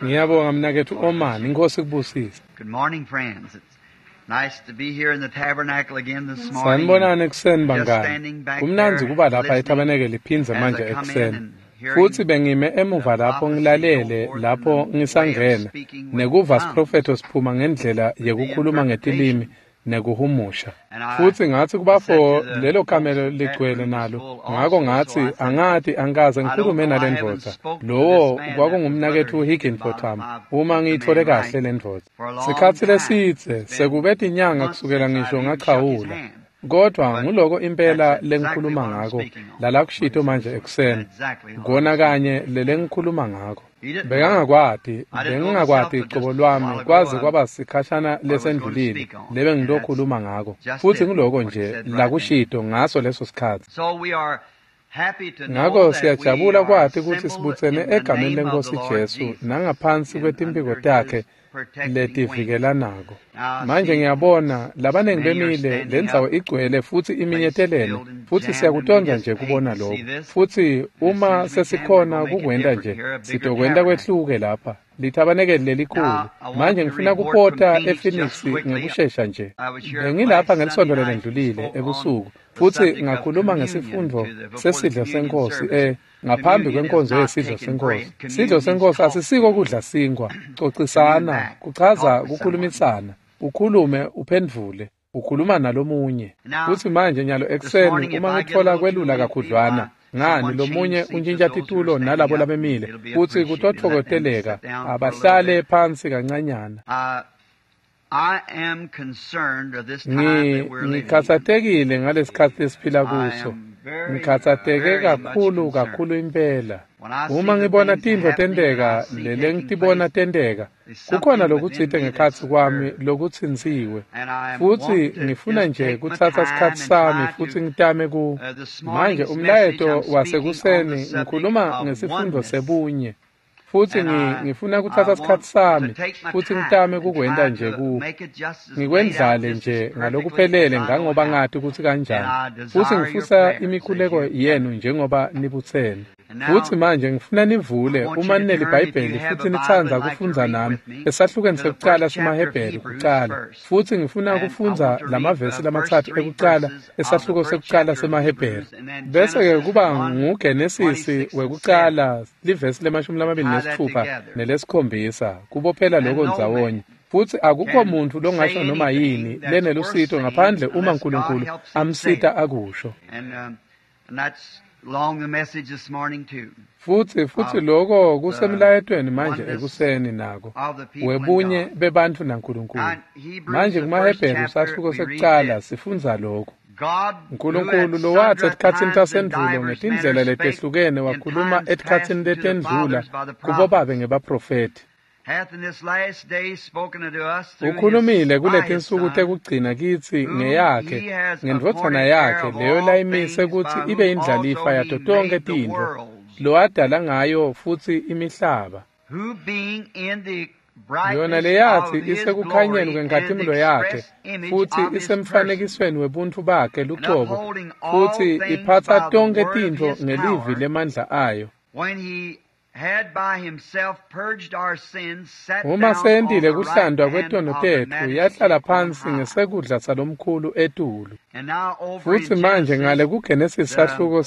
Ngiyabonga mnaketfu Omani, Inkosi ikubusise. Good morning, friends. It's nice to be here in the tabernacle again this morning. Sanibonani ekuseni Just bangani. standing back Kumnandzi there kuba lapha listening ethabanekeli phindze as manje I come in ekuseni. and hearing Futhi bengime emuva the lapho prophecy go ngilalele forth and lapho the way of ngisangena speaking with nekuva tongues, siprofetho siphuma ngendlela the yekukhuluma ngetilimi interpretation. nekuhumusha. And I Futhi ngathi said kubafo to the lelo folks kamelo that ligcwele room was nalo. full Ngako also, so ngathi I said, angati angikaze I don't ngikhulume know, I nale haven't ndvodza. spoke to this Lowo man that was kwakungumnaketfu Brother Higginbotham Higginbotham. I've uma got the ngiyithole man kahle right le ndvodza. for a long Sikhatsi time. lesidze It's been sekube tinyanga months kusukela since ngisho I've even shook his ngachawula. hand. Kodwa But nguloko impela that's exactly lengikhuluma what I'm ngako speaking on. lala What kushito he said manje this morning. ekuseni. Exactly what I'm Kona speaking. kanye lele ngikhuluma ngako. He didn't know. Bekangakwati, I didn't know myself, bengingakwati but qobo just a while lwami ago kwaze kwaba sikhashana what I was going to lesendlulile speak on. lebe And that's ngilokhuluma ngako. just Futhi it, nguloko what he nje said right then. lakushito ngaso leso sikhatsi. So we are happy to know Ngako that we siyajabula are kwati kutsi assembled sibutsene in the egameni name of the lenkosi Lord Jesu Jesus nangaphansi and kwetimphiko under his takhe protecting wings. letivikelako. Now I Manje see ngiyabona labaningi many are bemile standing lendzawo up, igcwele futhi place iminyetelene filled and futhi jammed, and we siyakutondza just nje hate kubona to see lokho. this. Futhi And as soon uma as we can, we're sesikhona going to make it kukwenta different nje here, a bigger sitokwenta tabernacle. kwehluke lapha lithabanekeli lelikhulu. Now, I want Manje to ngifuna report from kupota Phoenix just ePhoenix quickly. ngekushesha nje. I was here Bengilapha last Sunday ngelisonto night and lelendlulile spoke on ebusuku the futhi subject of ngakhuluma communion ngesifundvo to the before the sesidlo communion senkosi service. ngaphambi Communion is kwenkonzo not yesidlo taking senkosi. bread. Sidlo Communion means senkosi talk asisiko to. kudla sinkwa, Commune cocisana, back. kuchaza Talk to someone. kukhulumisana, ukhulume uphendvule, ukhuluma nalomunye. Now, Futsi manje nyalo this ekuseni morning, if uma I get a ngitfola little too kwelula lengthy, kakhudlwana, why, ngani someone change lomunye seats with untshintsha those who are titulo standing nalabo up. labemile It'll be futsi appreciated. Let them kutotfokoteleka sit down for a little abahlale bit. phansi kancanyana. I am concerned of this time that we're living in. Ngikhatsatekile ngalesikhatsi lesiphila I kuso. am very, Ngikhatsateke very much kakhulu concerned. kakhulu impela. When I Uma see the ngibona things tintfo happening that I tenteka see lele taking ngitibona place, tenteka, there's kukhona something within lokutsite me ngekhatsi that's kwami stirred. lokutsintsiwe. And I Futhi want to ngifuna just nje take my kutsatsa time sikhatsi and sami try futhi to. ngitame ku This manje morning's message, umlayeto I'm speaking on the wasekuseni subject ngikhuluma of ngesifundvo oneness. sebunye. Futhi And I, ngifuna I kutsatsa want sikhatsi to sami take my futhi time ngitame and kukwenta try nje to ku make it just as laid out, ngikwendlale just as nje perfectly as ngalokuphelele I know ngangoba how. ngati kutsi And kanjani. I Futhi desire your ngifisa prayers as imikhuleko you yenu njengoba nibutsene. And Futhi now manje ngifuna I nivule want you uma to turn, if you ninelibhayibheli have futhi a Bible nitsandza and like to kufundza read nami with me, esahlukweni to the sekucala first chapter of semaHebheru Hebrews kucala. first. Futhi ngifuna And I kufundza want to read lamavesi the first lamatsatfu three ekucala verses of the esahluko first sekucala chapter of semaHebheru. Hebrews, and then Bese ke Genesis kuba 1, nguGenesisi 26 and 7. wekucala livesi lemashumi lamabili Tie that nesitfupha together. nelesikhombisa kubophela And loko no ndzawonye. man Futhi akukho can muntu longasho say noma yini anything that's worth lenelusito saying ngaphandle uma unless God uNkulunkulu helps him say amsita it. akusho. And that's along the message this morning too Futhi futhi of lokho the kusemlayetweni manje oneness ekuseni nako of the people in webunye God. bebantfu Now, naNkulunkulu. in Hebrews, Manje the first kumaHebheru chapter, sahluko we read sekucala this. sifundza lokhu. God, who at uNkulunkulu lowathi sundry etikhatsini times and tasendvulo divers ngetindlela manners spake letehlukene in wakhuluma times past etikhatsini unto the letendlula fathers by the kubobabe prophets, ngebaprofethi. hath in this last day spoken unto us through his Ukhulumile by his kuletinsuku Son, tekugcina kitsi whom ngeyakhe he has ngendvodzana appointed heir yakhe of leyo all layimise things, kutsi by ibe whom indlalifa also yato he tonkhe made the tintfo worlds, lowadala ngayo futsi imihlaba. who being in the Yona brightness leyathi of his isekukhanyeni glory and the kwenkhatimulo yakhe express image futhi of his person, isemfanekisweni webuntfu bakhe and lucobo upholding all futhi things iphatsa by the tonkhe word of tintfo his ngelivi power, lemandla ayo. when he had by himself purged our sins, sat Uma down on seyentile the right kuhlantwa hand kwetono of the tetfu majesty yahlala on phansi high. ngesekudla salomkhulu etulu. And now over Futhi in manje ngale Genesis, kuGenesis the sahluko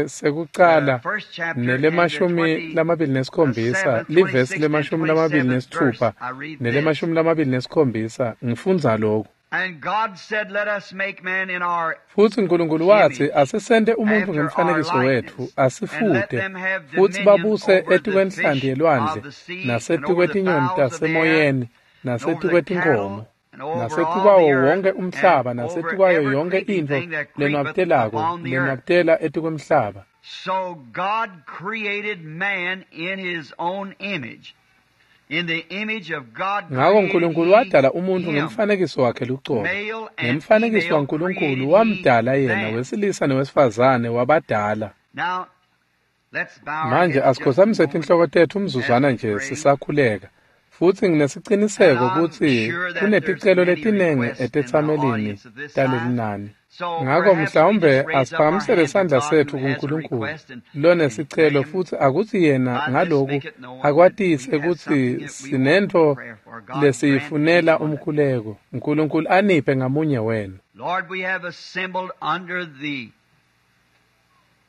sekucala the first chapter and the nelemashumi lamabili nesikhombisa 27th, livesi 26th, and lemashumi lamabili 27th verse, nesitfupha I read this. nelemashumi lamabili nesikhombisa ngifundza lokhu. And God said, Let us make man in our Futhi uNkulunkulu wathi image, asisente umuntu after our ngemfanekiso wethu likeness, and let asifute them have futhi dominion babuse over the etikwenhlanti fish yelwandle of the sea, and over the nasetikwetinyoni fowls of the air, tasemoyeni and over the cattle, nasetikwetinkhomo and over all the nasetikwawo earth, wonke and umhlaba over nasetikwayo every yonke creeping intfo thing that creepeth lenwabitelako upon the earth. lenwabitela etikwemhlaba. So God created man in his own image. In the image of God Ngako created uNkulunkulu he wadala umuntu him. ngemfanekiso wakhe lucobo. Male and Ngemfanekiso female waNkulunkulu created he wamdala yena them. wesilisa nowesifazane wabadala. Now, let's bow our Manje heads just a asikhothamise moment tinhloko tetfu as umzuzwana we nje pray. sisakhuleka. Futhi And nginesiqiniseko I'm kutsi sure that there's kuneticelo many letinengi requests in the etetsamelini audience of this size. talelinani. Ngako mhlawumbe asiphakamisele sandla setfu kuNkulunkulu lonesicelo futsi akutsi yena ngaloku akwatise kutsi sinentfo lesiyifunela umkhuleko. Nkulunkulu aniphe ngamunye wenu. Lord, we have assembled under the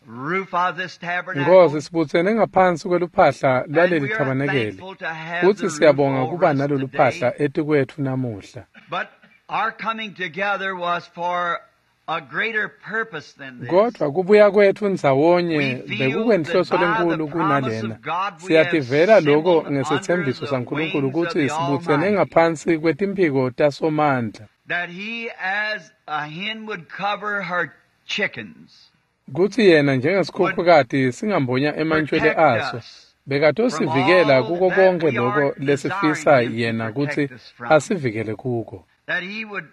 roof of this tabernacle. Nkosi, sibutsene ngaphansi kweluphahla And lwaleli we are thabanekeli thankful to have futsi the roof siyabonga over kuba us nalolu today. phahla etikwetfu namuhla. But our coming together was for a greater purpose than this. Kodwa kubuya kwetfu ndzawonye We feel bekukwenhloso that by the lenkulu promise kunalena. of God we have Siyativela loko assembled ngesetsembiso under the saNkulunkulu wings of kutsi the sibutsene Almighty. ngaphansi kwetimphiko taSomandla. That he, as a hen would cover her chickens, Kutsi yena njengesikhukhukati singambonya emantjwele protect aso, us bekatosivikela from all kuko that konke we loko are lesifisa desiring him to yena kutsi protect us from. asivikele kuko. That he would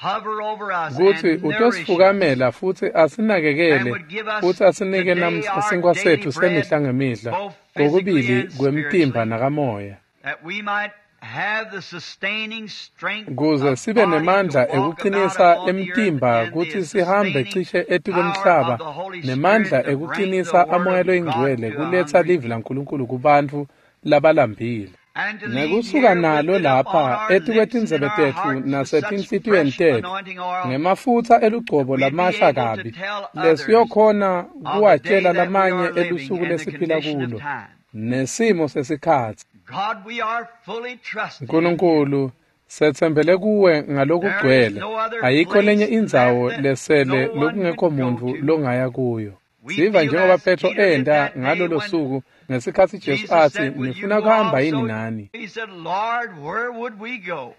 hover over us Kutsi and nourish us utosifukamela futsi and asinakekele would give us futsi asinike today namhla our sinkwa daily setfu bread, semihla ngemihla, both physically kokubili and kwemtimba spiritually, nakamoya. that we might have the sustaining strength Kuze of sibe body to nemandla walk about ekucinisa upon the earth emtimba and kutsi the sihambe sustaining cishe power etikwemhlaba of the Holy nemandla Spirit to bring the ekucinisa Word amoya of God loyingcwele to a kuletsa hungry livi people. laNkulunkulu kubantfu labalambile. And to leave Nekusuka here with nalo it upon lapha our lips and in etikwetindzebe our tetfu hearts with such nasetinhlitiyweni fresh tetfu anointing oil ngemafutsa elugcobo that we'd be lamasha able to kabi tell others lesiyokhona of the day kuwatjela that we lamanye are living elusuku and the lesiphila condition of kulo time. nesimo sesikhatsi. God, we are fully trusting in you. Nkulunkulu, setsembele kuwe There is ngalokugcwele. no other Ayikho lenye place indzawo left that lesele no one could lokungekho go muntfu to. longaya kuyo. We Siva feel njengoba as Petro Peter did enta that day ngalolo when suku ngesikhatsi Jesu Jesus atsi, said, Will you "Nifuna go kuhamba yini also? nani?" He said, Lord, where would we go?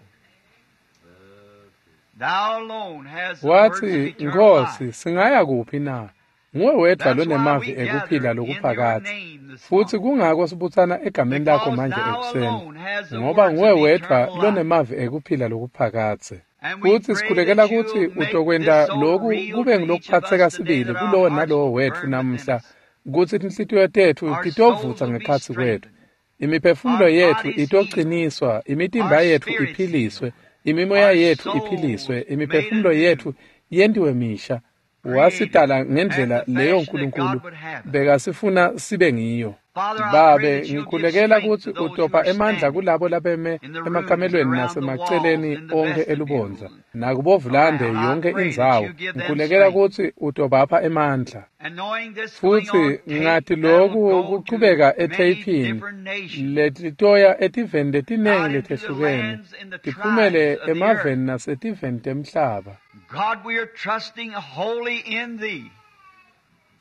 Thou alone has the words of Watsi, eternal "Nkhosi, life. singaya kuphi na? Nguwe wedvwa That's why lonemavi we gather ekuphila in your lokuphakadze." name this Futsi morning. kungako sibutsana egameni lakho Because manje thou ekuseni, alone has the ngoba words nguwe of wedvwa eternal life. lonemavi ekuphila lokuphakadze. And we Futsi pray sikhulekela that kutsi you'll make utokwenta this so loku real kube to each of ngulokuphatseka us today sibili that our kulowo hearts nalowo will wetfu burn within namuhla, us. kutsi tinhlitiyo tetfu Our souls titovutsa will be ngekhatsi kwetfu. strengthened. Imiphefumulo Our yetfu bodies healed. itociniswa, imitimba Our yetfu spirits iphiliswe, healed. imimoya Our yetfu souls iphiliswe, made imiphefumulo anew. yetfu yentiwe misha. Created Wasidala after ngendlela the leyo fashion that Nkulunkulu God would have us. bekasifuna sibe ngiyo. Father, I pray Babe, that you'll give ngikhulekela strength kutsi to those who utopha are emandla standing kulabo labeme in the rooms, emakamelweni around the walls, nasemaceleni in the onkhe elubondza vestibule, nakubovulande around. I yonke pray that indzawo. you give them Ngikhulekela strength. kutsi utobapha emandla. And knowing this going Futsi on tape, ngati that'll loku go to kuchubeka many etheyphini different nations, letitoya etiveni letinengi out into the letehlukene lands and the tiphumele tribes of the earth. emaveni nasetiveni temhlaba. God, we are trusting wholly in Thee.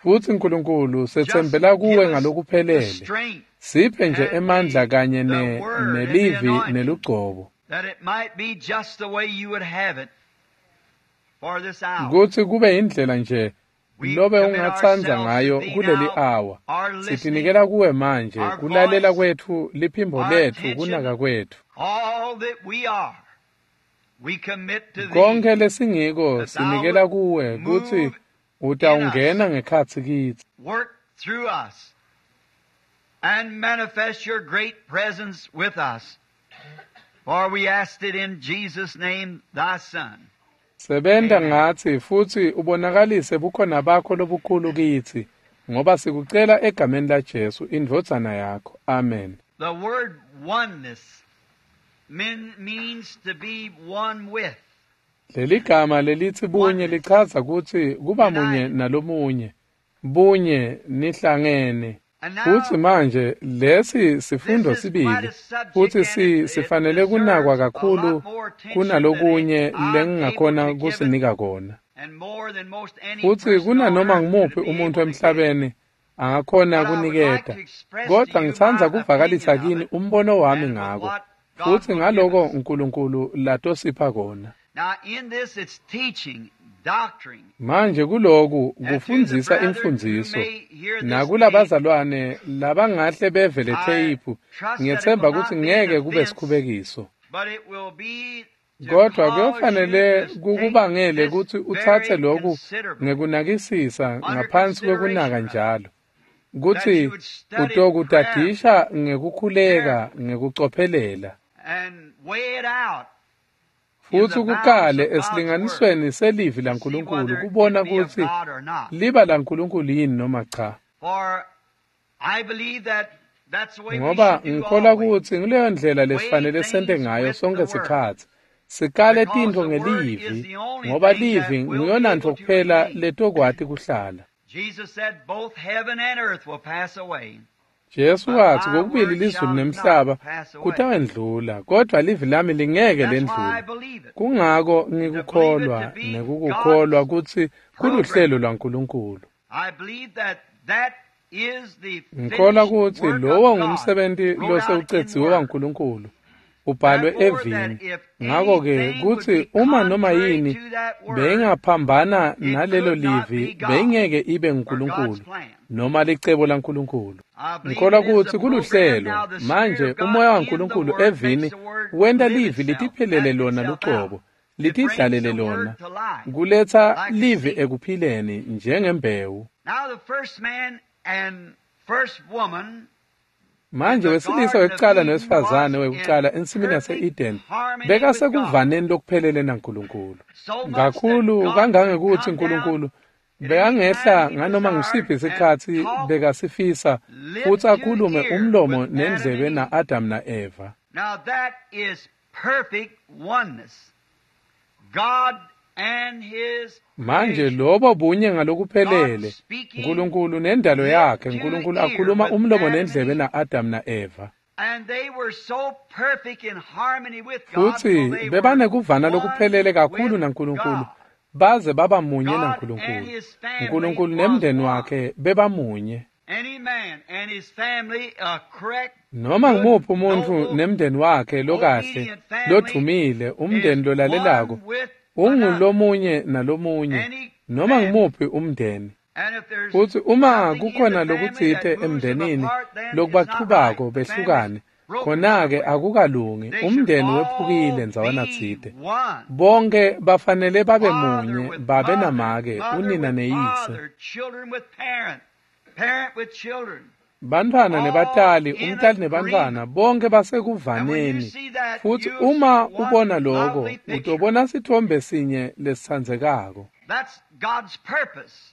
Futsi Nkulunkulu Just setsembela give kuwe us the ngalokuphelele. strength Siphe nje and emandla kanye the word and the nelivi anointing nelugcobo that it might be just the way you would have it for this hour. kutsi kube indlela nje We lobe commit ungatsandza ourselves to ngayo Thee kuleli now, awa. our listening, Sitinikela kuwe manje our kulalela voice, kwetfu liphimbo our letfu attention, kunaka kwetfu. all that we are. We commit to Thee Konke lesingiko that Thou sinikela would kuwe kutsi move in us, utawungena ngekhatsi kitsi. work through us, and manifest Your great presence with us. For we asked it in Jesus' name, Thy Son. Sebenta Amen. ngatsi futsi ubonakalise bukhona bakho lobukhulu kitsi, ngoba sikucela egameni laJesu indvodzana yakho. Amen. The word oneness means to be one with. Leli gama lelitsi bunye Oneness. lichaza kutsi kuba munye United. nalomunye, bunye nihlangene. And Futsi now, manje lesi this sifundo is quite sibili a subject futsi and it sifanele kunakwa deserves a lot kakhulu more attention than kunalokunye I'm able lengingakhona to give it kusinika kona. and more than most any Futsi person on kunanoma earth ngumuphi could be umuntu able to give. emhlabeni angakhona But I would like kuniketa. to express to Kodwa you ngitsandza my kuvakalisa opinion of kini it umbono wami and with ngako what God futsi will give ngaloko us. uNkulunkulu latosipha kona. Now, in this, it's teaching, doctrine, Manje kuloku and to the kufundzisa brethren who imfundziso may hear this tape, nakulabazalwane labangahle beve le I theyiphu trust that it will ngiyetsemba kutsi not be an ngeke kube offense, sikhubekiso. but it will be to Kodwa cause you kuyofanele to take kukubangele this kutsi utsatse very loku considerably, ngekunakisisa under ngaphansi kwekunaka consideration, rather, njalo that kutsi you would study prayerfully, utokutadisha ngekukhuleka carefully, ngekucophelela and weigh it out Futhi ukukale esilinganisweni selivi laNkulunkulu kubona kutsi liba laNkulunkulu yini noma cha. Ngoba ngikholwa kutsi nguleyo ndlela lesifanele sente ngayo sonke sikhatsi. Sikale tintfo ngelivi, ngoba livi nguyonantfo kuphela letokwati kuhlala. Jesu watsi kokubili lizulu nemhlaba kutawendlula, kodvwa livi lami lingeke lendlule. Kungako ngikukholwa nekukukholwa kutsi kuluhlelo lwaNkulunkulu. Ngikholwa kutsi lowo ngumsebenti losewucedziwe waNkulunkulu, ubhalwe evini. Ngako-ke kutsi uma noma yini beyingaphambana nalelo livi, beyingeke ibe nguNkulunkulu noma licebo laNkulunkulu. Ngikholwa kutsi kuluhlelo. Manje umoya waNkulunkulu evini wenta livi litiphelele lona lucobo, litidlalele lona, kuletsa livi ekuphileni njengembewu. Manje wesilisa wekucala nowesifazane wekucala ensimini yase-Eden bekasekuvaneni lokuphelele naNkulunkulu. Kakhulu kangangekutsi Nkulunkulu bekangehla nganoma ngusiphi sikhatsi bekasifisa futsi akhulume umlomo nendlebe na-Adam na-Eva. Now that is perfect oneness. God and his Manje lobo bunye ngalokuphelele, Nkulunkulu nendalo yakhe, Nkulunkulu akhuluma umlomo nendlebe na-Adam na-Eva. And they were so perfect in harmony with God, Futsi till they bebanekuvana were lokuphelele one kakhulu with naNkulunkulu, God. baze baba munye God naNkulunkulu. and his family Nkulunkulu was nemndeni one. wakhe bebamunye. Any man and his family, a correct, Noma good, ngumuphi umuntfu noble, nemndeni wakhe lokahle, obedient family lodvumile, umndeni is lolalelako, one with another. ungulomunye nalomunye, Any noma family. ngumuphi umndeni. And if there's Futsi uma something in kukhona the family lokutsite that moves them emndenini apart, then it's not lokubachubako right. The family's behlukane, broken khona-ke somewhere. akukalungi, They should umndeni all wephukile ndzawana be tsite. one. Bonke bafanele babe Father munye, with babe mother, namake, mother unina with neyise. father, children with parent, parent with children. Bantfwana All nebatali, in umtali nebantfwana, agreement. bonke And when you basekuvaneni. see that, Futsi you'll see uma one ubona lokho, lovely picture. utobona sithombe sinye lesitsandzekako. That's God's purpose.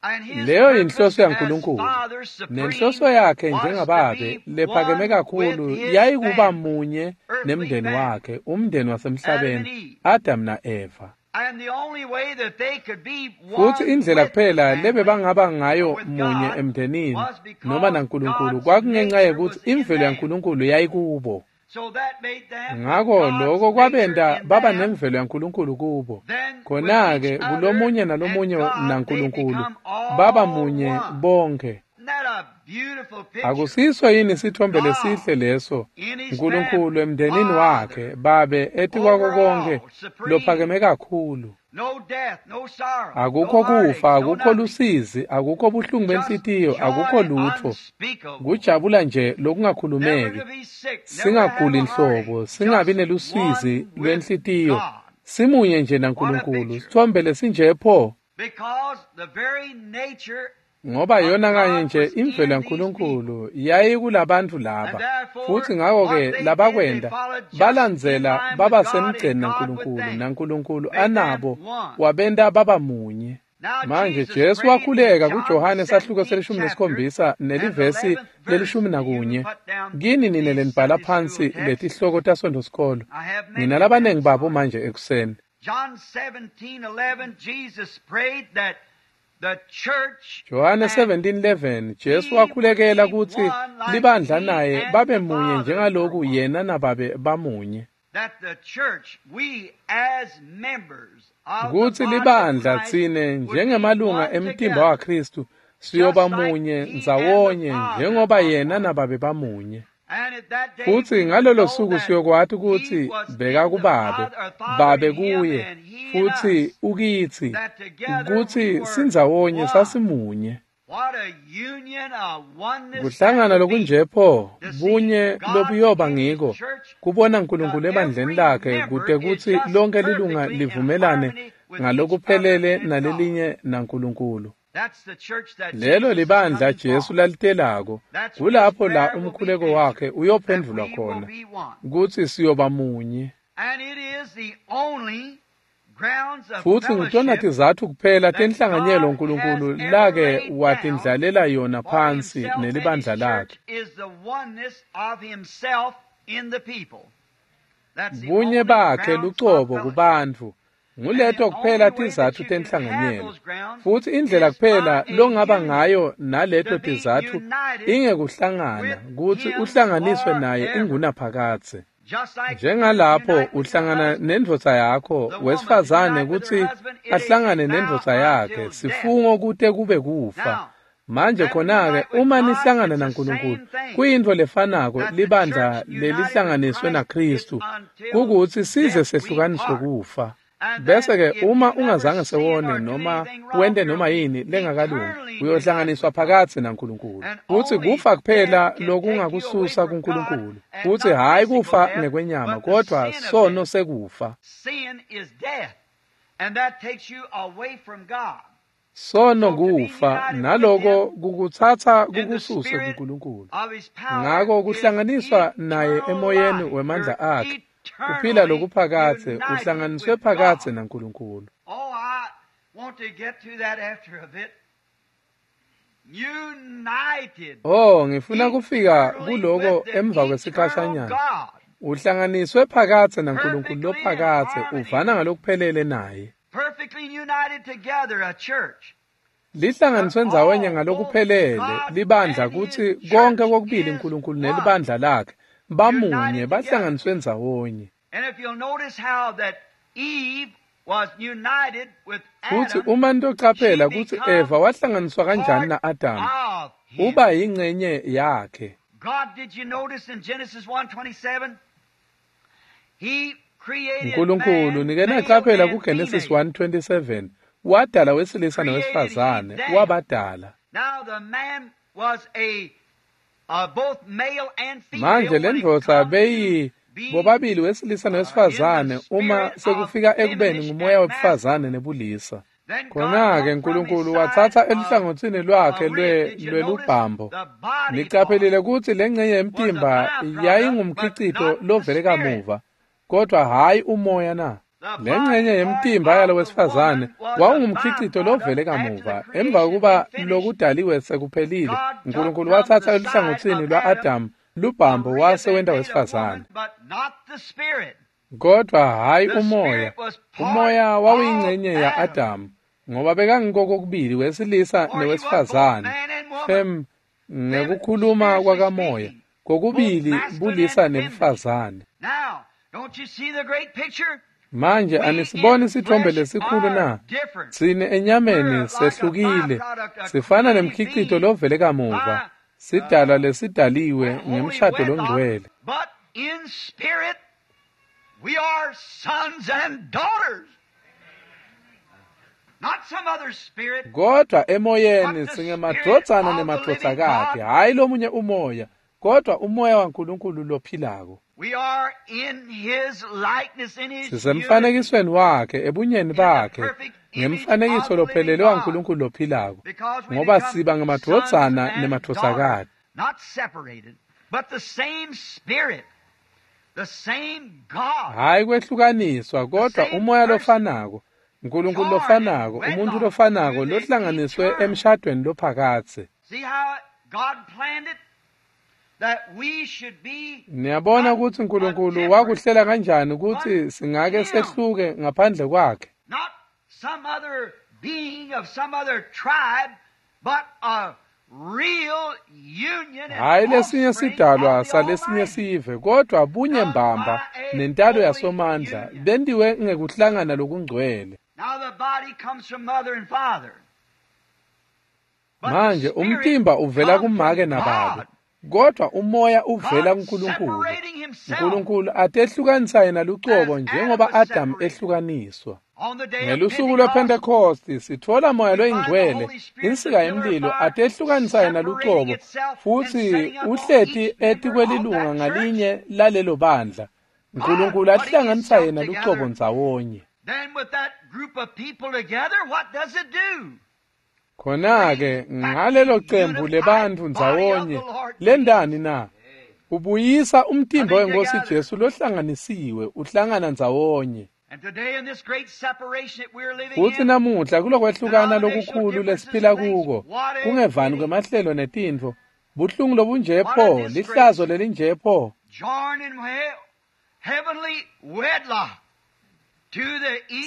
And his Leyo purpose yinhloso as yaNkulunkulu. Father Supreme Nenhloso yakhe was to njengababe be lephakeme one with kakhulu his yayikuba family, munye earthly nemndeni family, wakhe, umndeni Adam and wasemhlabeni, Eve. Adam na-Eva. And the only way that they could be Futsi one indlela with the kuphela family lebebangaba or ngayo with munye God emndenini was noma because naNkulunkulu God's kwakungenxa nature yekutsi was in imvelo them. yaNkulunkulu yayikubo. So that made them with Ngako God's lokho nature kwabenta in baba them, nemvelo yaNkulunkulu kubo. then with each Khona-ke other kulomunye and nalomunye God they naNkulunkulu become baba all munye one. bonke. Isn't that a beautiful picture? Akusiso yini sithombe God lesihle leso? in his Nkulunkulu family, emndenini Father, wakhe, babe etikwako over konke all, supreme, lophakeme kakhulu. no death, no sorrow, no Akukho heartaches, kufa, no akukho nothing. lusizi, akukho buhlungu Just benhlitiyo, akukho joy lutfo. unspeakable. Kujabula nje Never lokungakhulumeki. to be sick, never to have Singaguli a heartache, nhlobo, singabi just nelusizi one with lwenhlitiyo. God. Simunye nje What a naNkulunkulu. picture. Sithombe lesinje pho. Because the very nature Ngoba of yona kanye God nje was imvelo in these people. yaNkulunkulu yayikulabantu And laba. therefore, Futsi what ngako-ke they did, they labakwenta followed just in balandzela line with baba God and semgceni God with naNkulunkulu, them. naNkulunkulu Made them anabo one. wabenta baba munye. Now Manje Jesus Jesu prayed in wakhuleka John kuJohane sahluko 17 selishumi chapter nesikhombisa and the nelivesi 11th verse. lelishumi You who nakunye. put down Kini nine these lenibhala Sunday school phansi texts, letihloko taSontfo sikolo. I have many Nina of them labanengi this babo morning. manje ekuseni. John 17:11, Jesus prayed that the church Johane and 17:11 Jesu he would wakhulekela be kutsi one like libandla he naye and babe the munye Father were njengaloku one. yena nababe bamunye. That the church, we as members of the Kutsi body of libandla Christ, tsine would be njengemalunga one emtimba together, waKristu siyoba just like munye he and the ndzawonye Father njengoba are yena one. nababe bamunye. And at that day Futsi we would ngalolo know suku that siyokwati he kutsi was in the bekakubabe, Father, or Father babe in him, kuye, and he in futsi us, ukitsi, that together we kutsi were sindzawonye one. sasimunye. What a union of oneness that Kuhlangana would be lokunje pho, to see bunye God lobuyoba in his ngiko, church, kubona Nkulunkulu that ebandleni every lakhe member kute is kutsi just lonke lilunga perfectly in livumelane harmony with each other ngalokuphelele and God. nalelinye naNkulunkulu. That's the church that Lelo Jesus is libandla coming Jesu for. lalitelako, That's where his kulapho la prayer will be umkhuleko answered, wakhe that uyophendvulwa we will khona, be one. kutsi siyoba munye. Futsi ngitona tizatfu kuphela tenhlanganyelo uNkulunkulu lake watindlalela yona phansi nelibandla lakhe. Bunye bakhe lucobo kubantfu nguleto kuphela tizatfu tenhlanganyelo. Futsi indlela kuphela longaba ngayo naleto tizatfu ingekuhlangana kutsi uhlanganiswe naye ingunaphakadze. Njengalapho uhlangana nendvodza yakho, wesifazane kutsi ahlangane nendvodza yakhe, sifungo kute kube kufa. Manje khona-ke uma nihlangana naNkulunkulu, kuyintfo lefanako libandla lelihlanganiswe naKhristu, kukutsi size sehlukaniswe kufa. Bese-ke uma ungazange sewone noma wente noma yini lengakalungi, uyohlanganiswa phakatsi naNkulunkulu. Futsi kufa kuphela lokungakususa kuNkulunkulu. Futsi hhayi kufa ngekwenyama, kodvwa sono sekufa. Sono kufa, naloko kukutsatsa kukususe kuNkulunkulu. Ngako kuhlanganiswa naye emoyeni wemandla akhe, kuphila lokuphakadze, uhlanganiswe phakadze naNkulunkulu. Oh, ngifuna kufika kuloko emva kwesikhashanyana. Uhlanganiswe phakadze naNkulunkulu lophakadze, uvana ngalokuphelele naye. Lihlanganiswe ndzawonye ngalokuphelele libandla kutsi konke kokubili uNkulunkulu nelibandla lakhe bamunye bahlanganiswe ndzawonye. Futsi uma nitocaphela kutsi Eva wahlanganiswa kanjani na-Adamu, uba yingcenye yakhe. Nkulunkulu nike nacaphela kuGenesis 1:27 wadala wesilisa nowesifazane, wabadala. Manje lendvodza beyi bobabili wesilisa nowesifazane uma sekufika ekubeni ngumoya webufazane nebulisa. Khona-ke Nkulunkulu watsatsa eluhlangotsini lwakhe lwelubhambo. Nicaphelile kutsi lengcenye yemtimba yayingumkhicito lovele kamuva, kodwa hhayi umoya na. Lengcenye yemtimba yalo wesifazane wawungumkhicito lovele kamuva. Emva kokuba lokudaliwe sekuphelile, Nkulunkulu watsatsa eluhlangotsini lwa-Adamu lubhambo wase wenta wesifazane. Kodwa hhayi umoya. Umoya wawuyingcenye ya-Adamu, ngoba bekangiko kokubili wesilisa newesifazane. Fem ngekukhuluma kwakamoya, kokubili bulisa nebufazane. Manje anisiboni isithombe lesikhulu na? Tsine enyameni sehlukile, sifana nemkhicito lovele kamuva, sidalwa lesidaliwe ngemshado longcwele. Kodwa emoyeni singemadvodzana nemadvodzakati, hhayi lomunye umoya, kodwa umoya waNkulunkulu lophilako. Sisemfanekisweni wakhe, ebunyeni bakhe, ngemfanekiso lophelele waNkulunkulu lophilako, ngoba siba ngemadvodzana nemadvodzakati. Hhayi kwehlukaniswa, kodwa umoya lofanako, Nkulunkulu lofanako, umuntu lofanako lohlanganiswe emshadweni lophakadze. Niyabona kutsi Nkulunkulu wakuhlela kanjani kutsi singake sehluke ngaphandle kwakhe. Hhayi lesinye sidalwa salesinye sive, kodwa bunye mbamba nentalo yasomandla bentiwe ngekuhlangana lokungcwele. Manje umtimba uvela kumake nababe, kodwa umoya uvela kuNkulunkulu. Nkulunkulu atehlukanisa yena lucobo njengoba Adamu ehlukaniswa. Ngelusuku lwePhentekosti sitfola moya loyingcwele, insika yemlilo atehlukanisa yena lucobo, futsi uhleti etikwelilunga ngalinye lalelo bandla. Nkulunkulu ahlanganisa yena lucobo ndzawonye. Khona-ke ngalelo cembu lebantfu ndzawonye lentani na? Ubuyisa umtimba wenkosi Jesu lohlanganisiwe uhlangana ndzawonye. Futsi namuhla kulokwehlukana lokukhulu lesiphila kuko, kungevani kwemahlelo netintfo, buhlungu lobunje pho, lihlazo lelinje pho.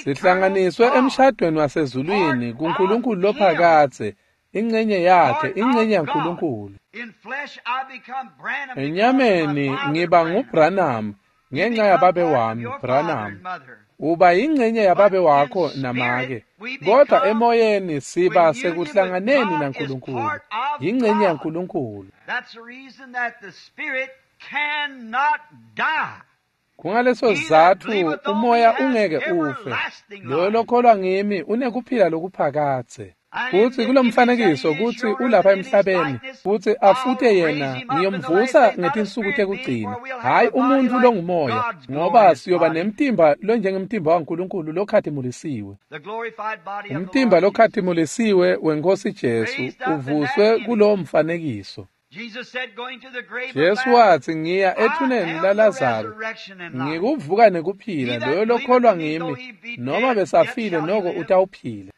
Sihlanganiswe emshadweni wasezulwini kuNkulunkulu lophakadze, ingcenye yakhe, ingcenye yaNkulunkulu. Enyameni ngiba nguBranham ngenxa yababe wami, Branham. Uba yingcenye yababe wakho namake, kodwa emoyeni siba sekuhlanganeni naNkulunkulu, yingcenye yaNkulunkulu. Kungaleso sizatfu umoya ungeke ufe. Loyo lokholwa ngimi unekuphila lokuphakadze. Futsi kulomfanekiso kutsi ulapha emhlabeni futsi afute yena ngiyomvusa ngetinsuku tekugcina, hhayi umuntfu longumoya, ngoba siyoba nemtimba lonjengemtimba waNkulunkulu lokhatimulisiwe. Umtimba lokhatimulisiwe wenkosi Jesu uvuswe kulowo mfanekiso. Jesu watsi, ngiya ethuneni laLazaro, ngikuvuka nekuphila, loyo lokholwa ngimi, noma besafile noko utawuphila.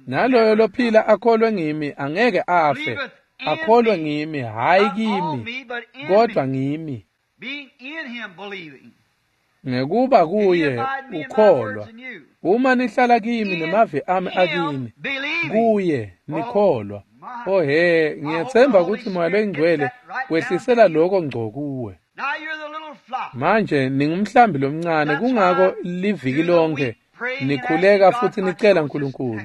Naloyo lophila akholwe ngimi angeke afe, akholwe ngimi, hhayi kimi, kodwa ngimi. Ngekuba kuye ukholwa, uma nihlala kimi nemavi ami akini, kuye nikholwa. Oh he, ngiyethemba ukuthi Moya loyiNgcwele wehlisela lokho ngco kuwe. Manje ningumhlambi lomncane, kungako liviki lonke nikhuleka futhi nicela uNkulunkulu.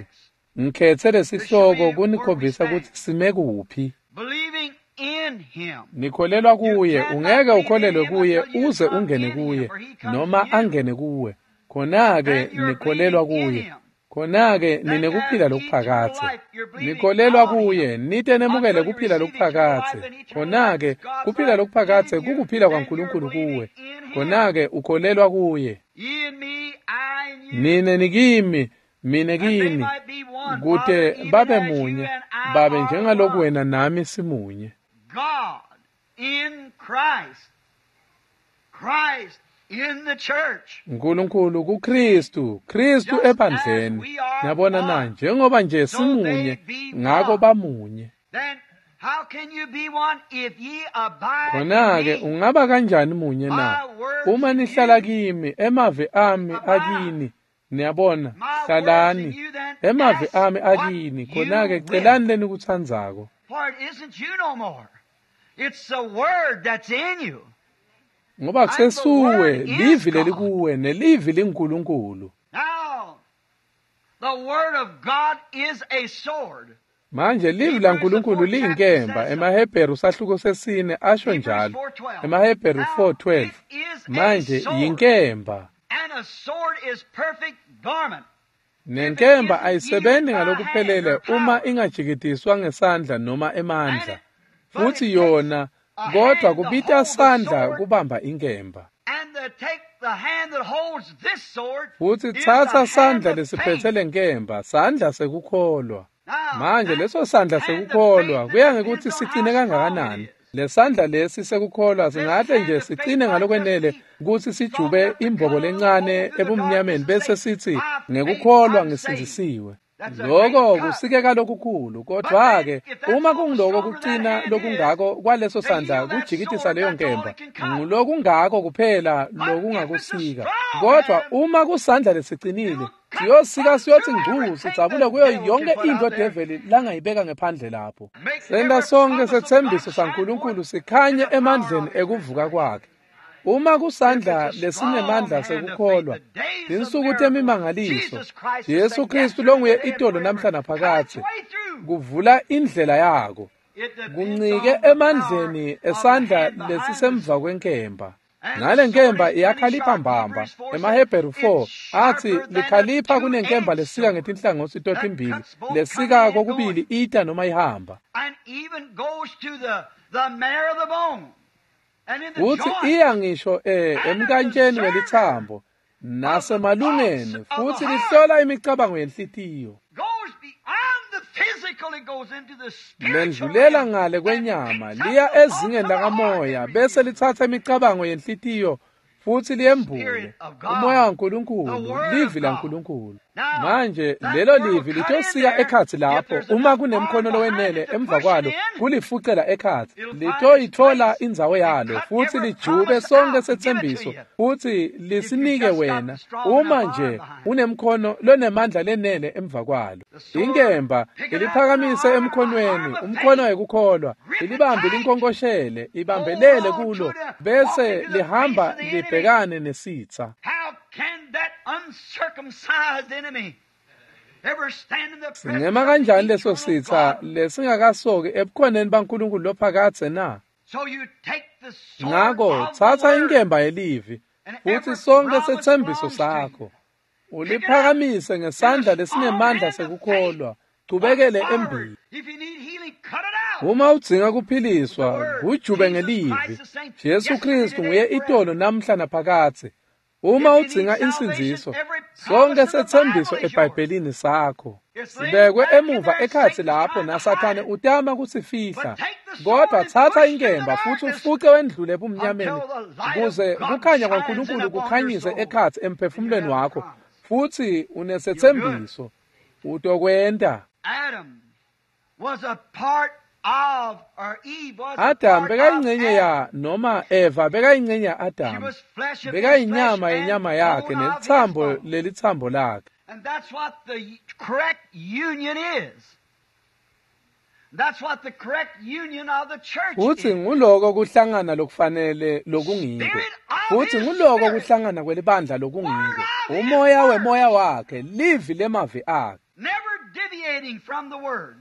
Ngikhethe lesihloko kunikhombisa ukuthi sime kuphi. Nikholelwa kuye, ungeke ukholelwe kuye uze ungene kuye noma angene kuwe. Khona-ke nikholelwa kuye, khona-ke ninekuphila lokuphakadze. Nikholelwa kuye, nite nemukele kuphila lokuphakadze. Khona-ke kuphila lokuphakadze kukuphila kwaNkulunkulu kuwe. Khona-ke ukholelwa kuye. Nine nikimi, mine kini, kute babe munye, babe njengaloku wena nami simunye. God in Christ, Christ in the church. uNkulunkulu kuKristu, Kristu ebandleni. Niyabona na, njengoba nje simunye, ngako bamunye. Then how can you be one if ye abide Khona-ke in me? ungaba kanjani munye na? Uma nihlala kimi, emavi ami akini. Niyabona, hlalani. Emavi ami akini, khona-ke celani lenikutsandzako. For it isn't you no more. It's the word that's in you. Ngoba kusesuwe, livi lelikuwe, nelivi linguNkulunkulu. Now, the word of God is a sword. Manje livi laNkulunkulu liyinkemba, emaHebheru sahluko sesine asho njalo. EmaHebheru 4:12. Manje yinkemba. And a sword is perfect garment. Nenkemba ayisebenzi ngalokuphelele uma ingajikitiswa ngesandla noma emandla. Futhi yona kodwa kubita sandla kubamba inkemba. And to take the hand that holds this sword Futhi is the thatha hand sandla of lesiphethe faith. lenkemba, sandla sekukholwa. Now, Manje that leso sandla hand of sekukholwa faith kuya that ngekuthi depends on sicine how strong kangakanani. it is. Lesandla lesi sekukholwa singahle nje sicine ngalokwenele ukuthi sijube imbobo lencane ebumnyameni bese sithi ngekukholwa ngisindzisiwe. Lokho kusikeka lokukhulu, kodwa-ke uma kungiloko kucina lokungako kwaleso sandla kujikitisa leyo nkemba, ngulokungako kuphela lokungakusika. Kodwa uma kusandla lesicinile, siyosika siyothi ngcu sidzabule kuyo yonke into develi langayibeka ngephandle lapho. Senta sonke sethembiso saNkulunkulu sikhanye emandleni ekuvuka kwakhe. Uma kusandla lesinemandla sekukholwa, tinsuku temimangaliso, Jesu Kristu longuye itolo namhla naphakadze, kuvula indlela yako, kuncike emandleni esandla lesisemva kwenkemba. Nale nkemba iyakhalipha mbamba. EmaHebheru 4 athi likhalipha kunenkemba lesika ngetinhlangothi totimbili, lesika kokubili ita noma ihamba. And even goes to the marrow of the bone. And in the Futhi joint. iya ngisho emkantsheni welithambo nasemalungeni, futhi lihlola imicabango yenhlitiyo. Goes beyond the physical. Lendlulela ngale kwenyama liya ezingeni lakamoya bese litsatsa imicabango yenhlitiyo futhi liyembule umoya waNkulunkulu, livi laNkulunkulu. Manje lelo livi litosika ekhatsi lapho uma kunemkhono lowenele emva kwalo kulifucela ekhatsi, litoyitfola indzawo yalo futhi lijube sonke setsembiso futhi lisinike wena uma nje unemkhono lonemandla lenele emva kwalo. Inkemba iliphakamise emkhonweni, umkhono wekukholwa, ilibambe linkonkoshele, ibambelele kulo bese lihamba libhekane nesitsa. Singema kanjani leso sitsa lesingakasoki ebukhoneni baNkulunkulu lophakadze na? Ngako tsatsa inkemba yelivi futhi sonke setsembiso sakho uliphakamise ngesandla lesinemandla sekukholwa, chubekele embili. Uma udzinga kuphiliswa, kujube ngelivi. Jesu Kristu nguye itolo namhla naphakadze. Uma udzinga insindziso, sonke setsembiso eBhayibhelini sakho sibekwe emuva ekhatsi lapho naSathane utama kusifihla, kodwa tsatsa inkemba futhi ufuce wendlule ebumnyameni kuze kukhanya kwaNkulunkulu kukhanyise ekhatsi emphefumulweni wakho futhi unesetsembiso utokwenta. Adam bekayingcenye ya noma Eva bekayingcenye ya Adam, bekayinyama yenyama yakhe nelitsambo lelitsambo lakhe. And that's what the correct union is. That's what the correct union of the church Futhi is. nguloko kuhlangana lokufanele lokungiko. Futhi nguloko kuhlangana kwelibandla lokungiko. Umoya wemoya wakhe, livi lemavi akhe. Never deviating from the word.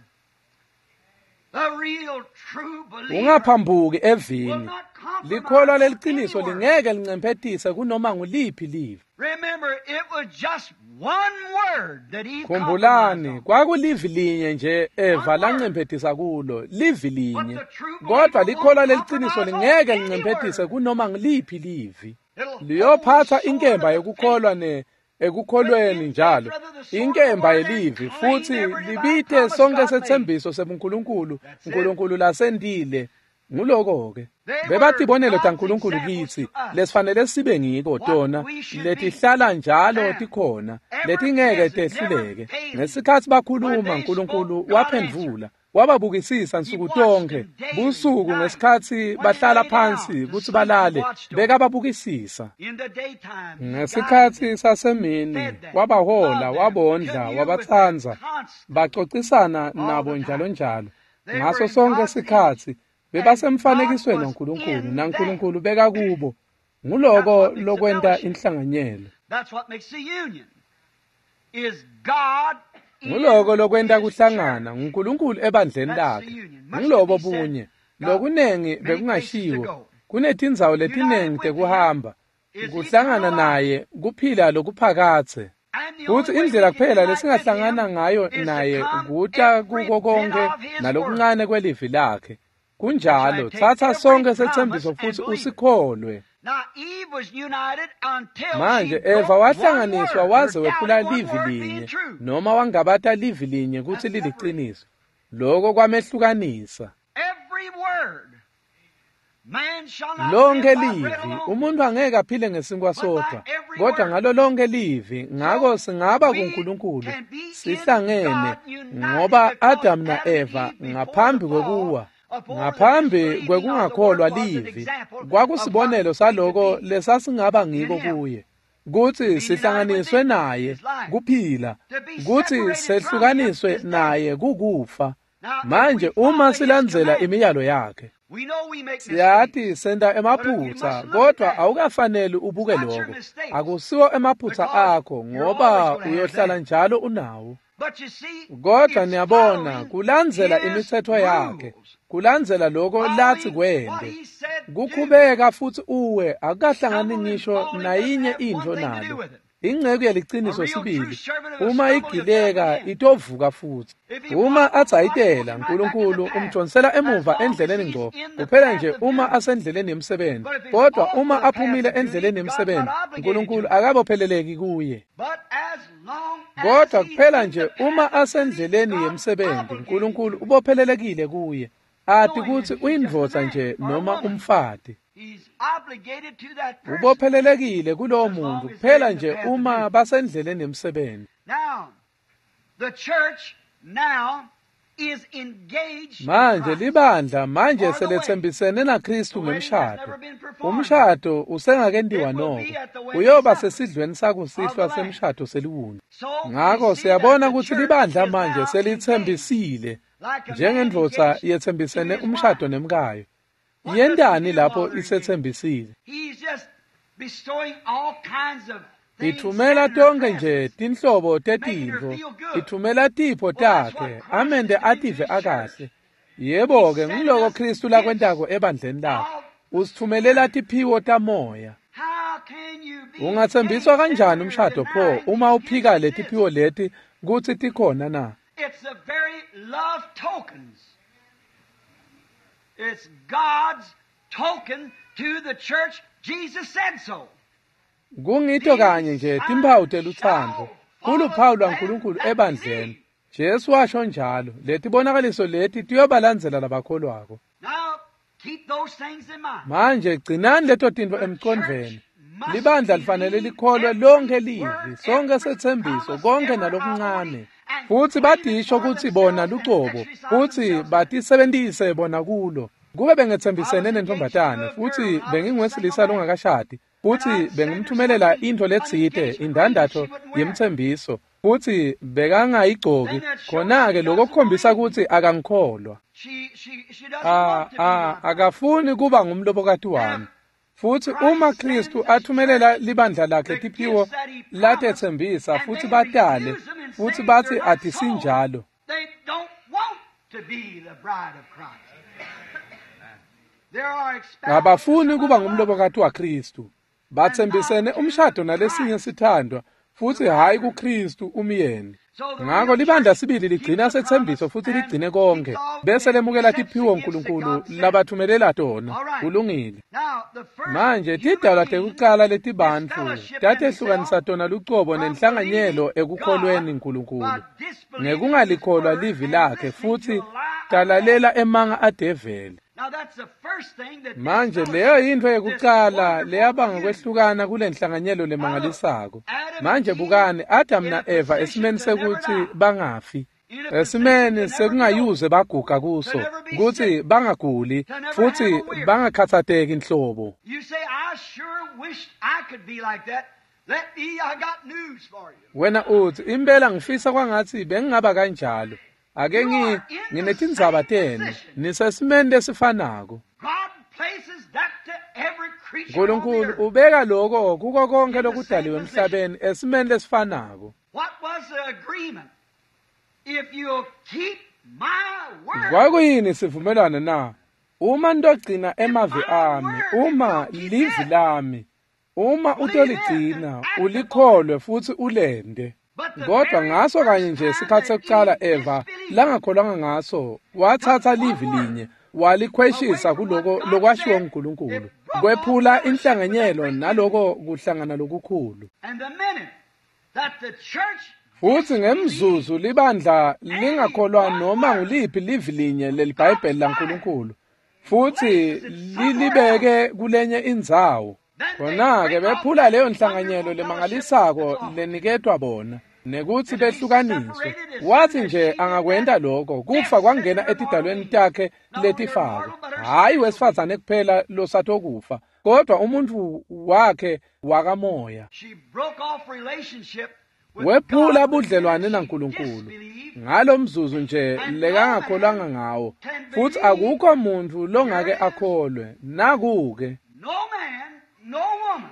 The real true believer Ungaphambuki will evini. not compromise Likholwa leliciniso any word. lingeke lincemphetise kunoma nguliphi livi. Remember, it was just one word that Eve compromised Khumbulani, on. kwakulivi linye nje Eva lancemphetisa kulo, livi linye. Kodwa likholwa leliciniso lingeke lincemphetise kunoma nguliphi livi. Liyophatha inkemba yekukholwa ne ekukholweni njalo, inkemba yelivi futhi libite sonke setsembiso sebuNkulunkulu, uNkulunkulu lasentile. Nguloko-ke bebatibonelo taNkulunkulu kitsi lesifanele sibe ngiko tona letihlala njalo tikhona letingeke tehluleke. Ngesikhatsi bakhuluma uNkulunkulu waphendvula, wababukisisa nsuku tonkhe busuku ngesikhatsi bahlala phansi kutsi balale bekababukisisa. In the daytime, he Ngesikhatsi sasemini wabahola, wabondla, wabatsandza, bacocisana nabo njalo njalo. Ngaso sonke sikhatsi bebasemfanekisweni waNkulunkulu naNkulunkulu bekakubo. Nguloko lokwenta inhlanganyelo. That's what makes the union. Is God in Nguloko lokwenta his kuhlangana church. nguNkulunkulu ebandleni lakhe. Ngulobo bunye. Lokunengi bekungashiwo. Kunetindzawo letinengi tekuhamba. Kuhlangana naye kuphila lokuphakadze. And the Futhi only way indlela we can kuphela unite with lesingahlangana him ngayo is to naye come kuta every kuko bit konke of his word. nalokuncane kwelivi lakhe. Kunjalo, Take tsatsa every sonke promise setsembiso and futhi believe it. usikholwe. Now Eve was united until Manje she Eva broke one wahlanganiswa word, waze or wephula doubted one livi word being linye true. noma wangabata livi linye kutsi liliciniso. Loko kwamehlukanisa. Every word. Man shall not Lonke live by bread livi, alone. umuntu angeke aphile ngesinkwa sodwa, kodwa ngalo lonke livi, ngako singaba kuNkulunkulu sihlangene ngoba Adam na-Eva ngaphambi kwekuwa, ngaphambi kwekungakholwa livi, kwakusibonelo saloko lesasingaba ngiko kuye. Kutsi sihlanganiswe naye kuphila, kutsi sehlukaniswe naye kukufa. Manje uma silandzela imiyalo yakhe, We know we make mistakes. siyati senta emaphutsa, kodwa awukafaneli ubuke lokho. Akusiwo emaphutsa akho ngoba uyohlala njalo unawo. But you see, Kodwa it's niyabona, following kulandzela his imitsetfo yakhe, rules. kulandzela lokho lathi Following what kwente. he said do. Kukhubeka futhi uwe akukahlangani Stumbling ngisho and falling nayinye doesn't have intfo one thing to do nalo. with it. Inceku yeliciniso sibili uma igileka itovuka futsi. Uma adzayitela, Nkulunkulu umdonsela emuva endleleni ngco, kuphela nje uma asendleleni yemsebenti. Kodwa uma aphumile endleleni yemsebenti, Nkulunkulu akabopheleleki kuye. Kodwa kuphela nje uma asendleleni yemsebenti, Nkulunkulu ubophelelekile kuye, ati kutsi uyindvodza nje noma umfati. Ubophelelekile kulowo muntu kuphela nje uma basendleleni yemsebenti. Manje libandla manje seletsembisene naKristu ngemshado. Umshado usengakentiwa noko, uyoba sesidlweni sakusihlwa semshado seliwundlu. Ngako siyabona kutsi libandla manje selitsembisile, njengendvodza yetsembisene umshado nemkayo. Yentani lapho isetsembisile? Ithumela tonke nje tinhlobo tetintfo, ithumela tipho takhe, amente ative akahle. Yebo-ke, ngiloko Kristu lakwentako ebandleni lakhe. Usithumelela tiphiwo tamoya. Ungatsembiswa kanjani umshado pho uma uphika letiphiwo leti kutsi tikhona na? It's the very love tokens. It's God's token to the church. Jesus said so. Kungito kanye nje timphawu telutsandvo kuluphawu lwaNkulunkulu ebandleni. Jesu washo njalo, letibonakaliso leti tiyobalandzela labakholwako. Now, keep those things in mind. Manje gcinani leto tintfo emqondvweni. Libandla lifanele likholwe lonke livi, sonke setsembiso, konke nalokuncane. Futsi badisho kutsi bona lucobo, futsi batisebentise bona kulo. Kube bengetsembisene nentombazane, futsi benginguwesilisa longakashadi, futsi bengimthumelela intfo letsite, indandatho yemtsembiso, futsi bekangayigcoki, khona-ke lokho kukhombisa kutsi akangikholwa. She doesn't want to be my bride. Akafuni kuba ngumlobokati wami. Futsi uma Kristu athumelela libandla lakhe tiphiwo latetsembisa, futsi batale, futsi batsi atisinjalo, They don't want to be the bride of Christ. There are espoused abafuni kuba ngumlobokati waKristu. Batsembisene umshado nalesinye sithandwa, futsi hhayi kuKristu umyeni. Ngako libandla sibili ligcina setsembiso futsi ligcine konke, bese lemukela tiphiwo Nkulunkulu labathumelela tona. Kulungile. Now, the first Manje tidalwa tekucala letibantfu tatehlukanisa tona lucobo nenhlanganyelo ekukholweni Nkulunkulu ngekungalikholwa livi lakhe, futsi talalela emanga adeveli. Now that's the first thing that Manje leyo yintfo yekucala leyabanga kwehlukana kule nhlanganyelo lemangalisako. Manje bukani Adam na-Eva esimeni sekutsi bangafi, esimeni sekungayuze baguga kuso, kutsi bangaguli futsi bangakhatsateki nhlobo. You say, I sure wished I could be like that. Let me, I got news for you. Wena utsi impela ngifisa kwangatsi bengingaba kanjalo. Ake nginetindzaba tenu, nisesimeni lesifanako. God places that to every creature on the Nkulunkulu earth. ubeka lokho kuko konke lokudaliwe emhlabeni esimeni lesifanako. What was the agreement? If you'll keep my word, Kwakuyini sivumelwano na? Uma nitogcina emavi ami, uma livi lami, uma utoligcina, ulikholwe futsi ulente. Kodwa ngaso kanye nje sikhatsi sekucala Eva langakholwanga ngaso, watsatsa livi linye walikhweshisa kuloko lokwashiwo nguNkulunkulu, kwephula inhlanganyelo naloko kuhlangana lokukhulu. and the minute that the church Futsi ngemzuzu libandla lingakholwa noma nguliphi livi linye leliBhayibheli laNkulunkulu, futsi lilibeke kulenye indzawo, khona-ke bephula leyo nhlanganyelo lemangalisako leniketwa bona, nekutsi behlukaniswe. Watsi nje angakwenta lokho, kufa kwangena etidalweni takhe letifako, hhayi wesifazane kuphela losatokufa, kodwa umuntfu wakhe wakamoya. she broke off relationship with Wephula God budlelwane the minute she naNkulunkulu disbelieved. ngalo mzuzu nje lekangakholwanga ngawo, futsi akukho muntfu longake akholwe. Naku-ke No man, no woman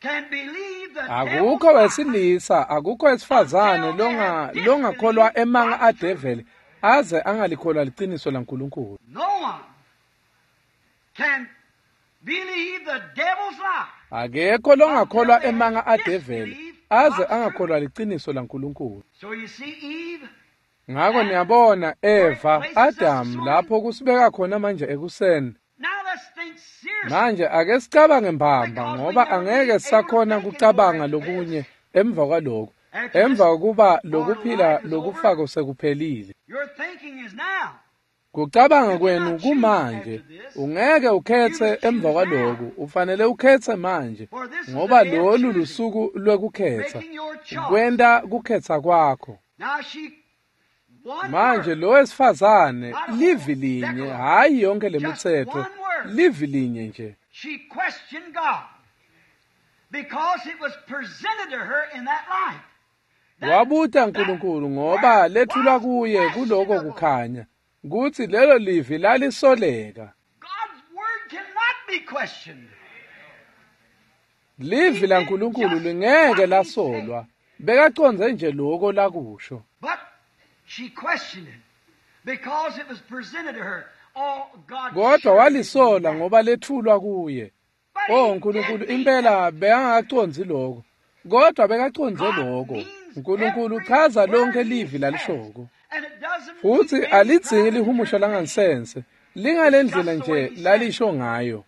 can believe the akukho devil's lie. wesilisa, akukho wesifazane longakholwa emanga adeveli aze angalikholwa liciniso laNkulunkulu. No one can believe the devil's lie. Akekho longakholwa emanga adeveli aze angakholwa liciniso laNkulunkulu. Ngako niyabona Eva, Adam lapho kusibeka khona manje ekuseni. Manje ake sicabange mbamba ngoba angeke sakhona kucabanga lokunye emva kwaloko. Emva kokuba lokuphila lokufako sekuphelile. Kucabanga kwenu kumanje, ungeke ukhetse emva kwaloku, ufanele ukhetse manje ngoba lolu lusuku lwekukhetsa, kwenta kukhetsa kwakho. Manje lo wesifazane livi linye, hhayi yonke lemitsetfo, livi linye nje. Wabuta uNkulunkulu ngoba lethulwa kuye kuloko kukhanya kutsi lelo livi lalisoleka. Livi laNkulunkulu lingeke lasolwa, bekacondze nje loko lakusho. Kodwa walisola ngoba lethulwa kuye. Oh Nkulunkulu impela bekangacondzi lokho, kodwa bekacondze lokho. Nkulunkulu uchaza lonke livi lalishoko. Futsi alidzingi lihumusho langansense, lingalendlela nje lalisho ngayo.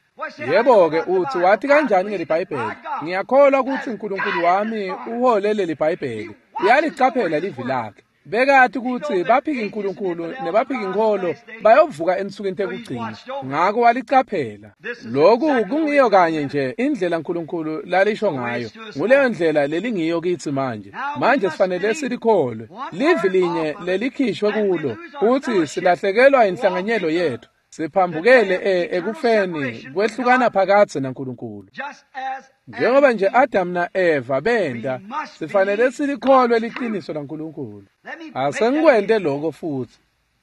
Yebo-ke utsi wathi kanjani ngeliBhayibheli? Ngiyakholwa kutsi uNkulunkulu wami uhole leli Bhayibheli. Uyalicaphela livi lakhe. Bekati kutsi baphiki uNkulunkulu nebaphiki inkholo bayovuka ensukwini tekugcina. Ngako walicaphela. Lokhu kungiyo kanye nje indlela uNkulunkulu lalisho ngayo. Nguleyo ndlela lelingiyo kitsi manje. Manje sifanele silikholwe. Livi linye lelikhishwe kulo futsi silahlekelwa inhlanganyelo yethu. Siphambukele ekufeni kwehlukana phakadze naNkulunkulu. Njengoba nje Adam na-Eva benda, sifanele silikholwe liqiniso laNkulunkulu. Asengikwente lokho futhi.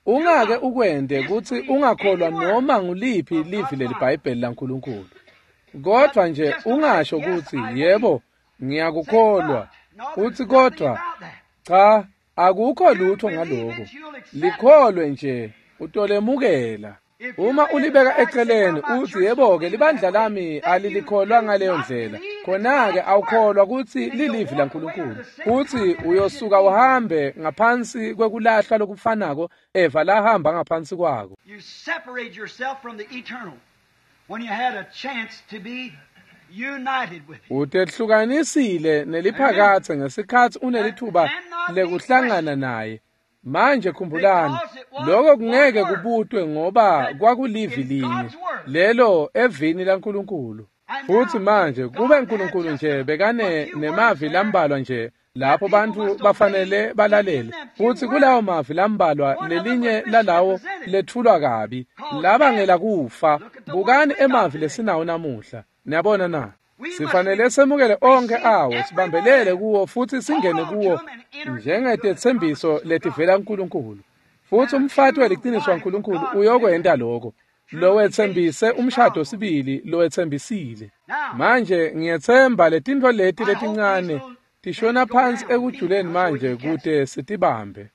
Ungake ukwente kutsi ungakholwa noma nguliphi livi leliBhayibheli laNkulunkulu. Kodwa nje ungasho kutsi yebo, ngiyakukholwa. Uthi kodwa cha, akukho lutho ngaloko. Likholwe nje, utolemukela. Uma ulibeka eceleni uthi yebo-ke libandla lami alilikholwa ngaleyo ndlela, khona-ke awukholwa kutsi lilivi laNkulunkulu. Futsi uyosuka uhambe ngaphansi kwekulahlwa lokufanako Eva lahamba ngaphansi kwako. Utehlukanisile neliphakadze ngesikhatsi unelithuba lekuhlangana naye. Manje khumbulani, lokho kungeke kubutwe ngoba kwakulivi linye lelo evini laNkulunkulu. Futsi manje kube uNkulunkulu nje bekane nemavi lambalwa nje lapho bantfu bafanele balalele, futsi kulawo mavi lambalwa lelinye lalawo lethulwa kabi labangela kufa. Bukani emavi lesinawo namuhla. Niyabona na? Sifanele semukele onke awo, sibambelele kuwo futsi singene kuwo njengetetsembiso letivela kuNkulunkulu. Futsi umfati weliciniso waNkulunkulu uyokwenta lokho. Lowetsembise umshado sibili, lowetsembisile. Manje ngiyetsemba letintfo leti letincane tishona phansi ekujuleni manje kute sitibambe.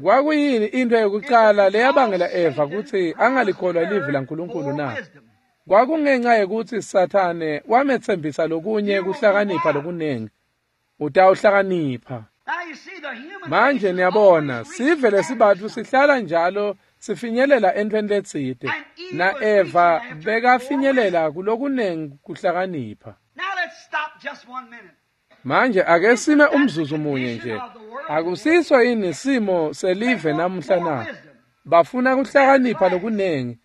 Kwakuyini into yokucala leyabangela Eva kutsi angalikholwa livi laNkulunkulu na? Kwakungenxa yekutsi Sathane wametsembisa lokunye kuhlakanipha lokunengi. Utawuhlakanipha. Manje niyabona, sive lesibatfu sihlala njalo sifinyelela entweni letsite. Na-Eva bekafinyelela kulokunengi kuhlakanipha. Manje ake sime umzuzu munye nje. Akusiso yini simo selive namuhla na? Bafuna kuhlakanipha lokunengi,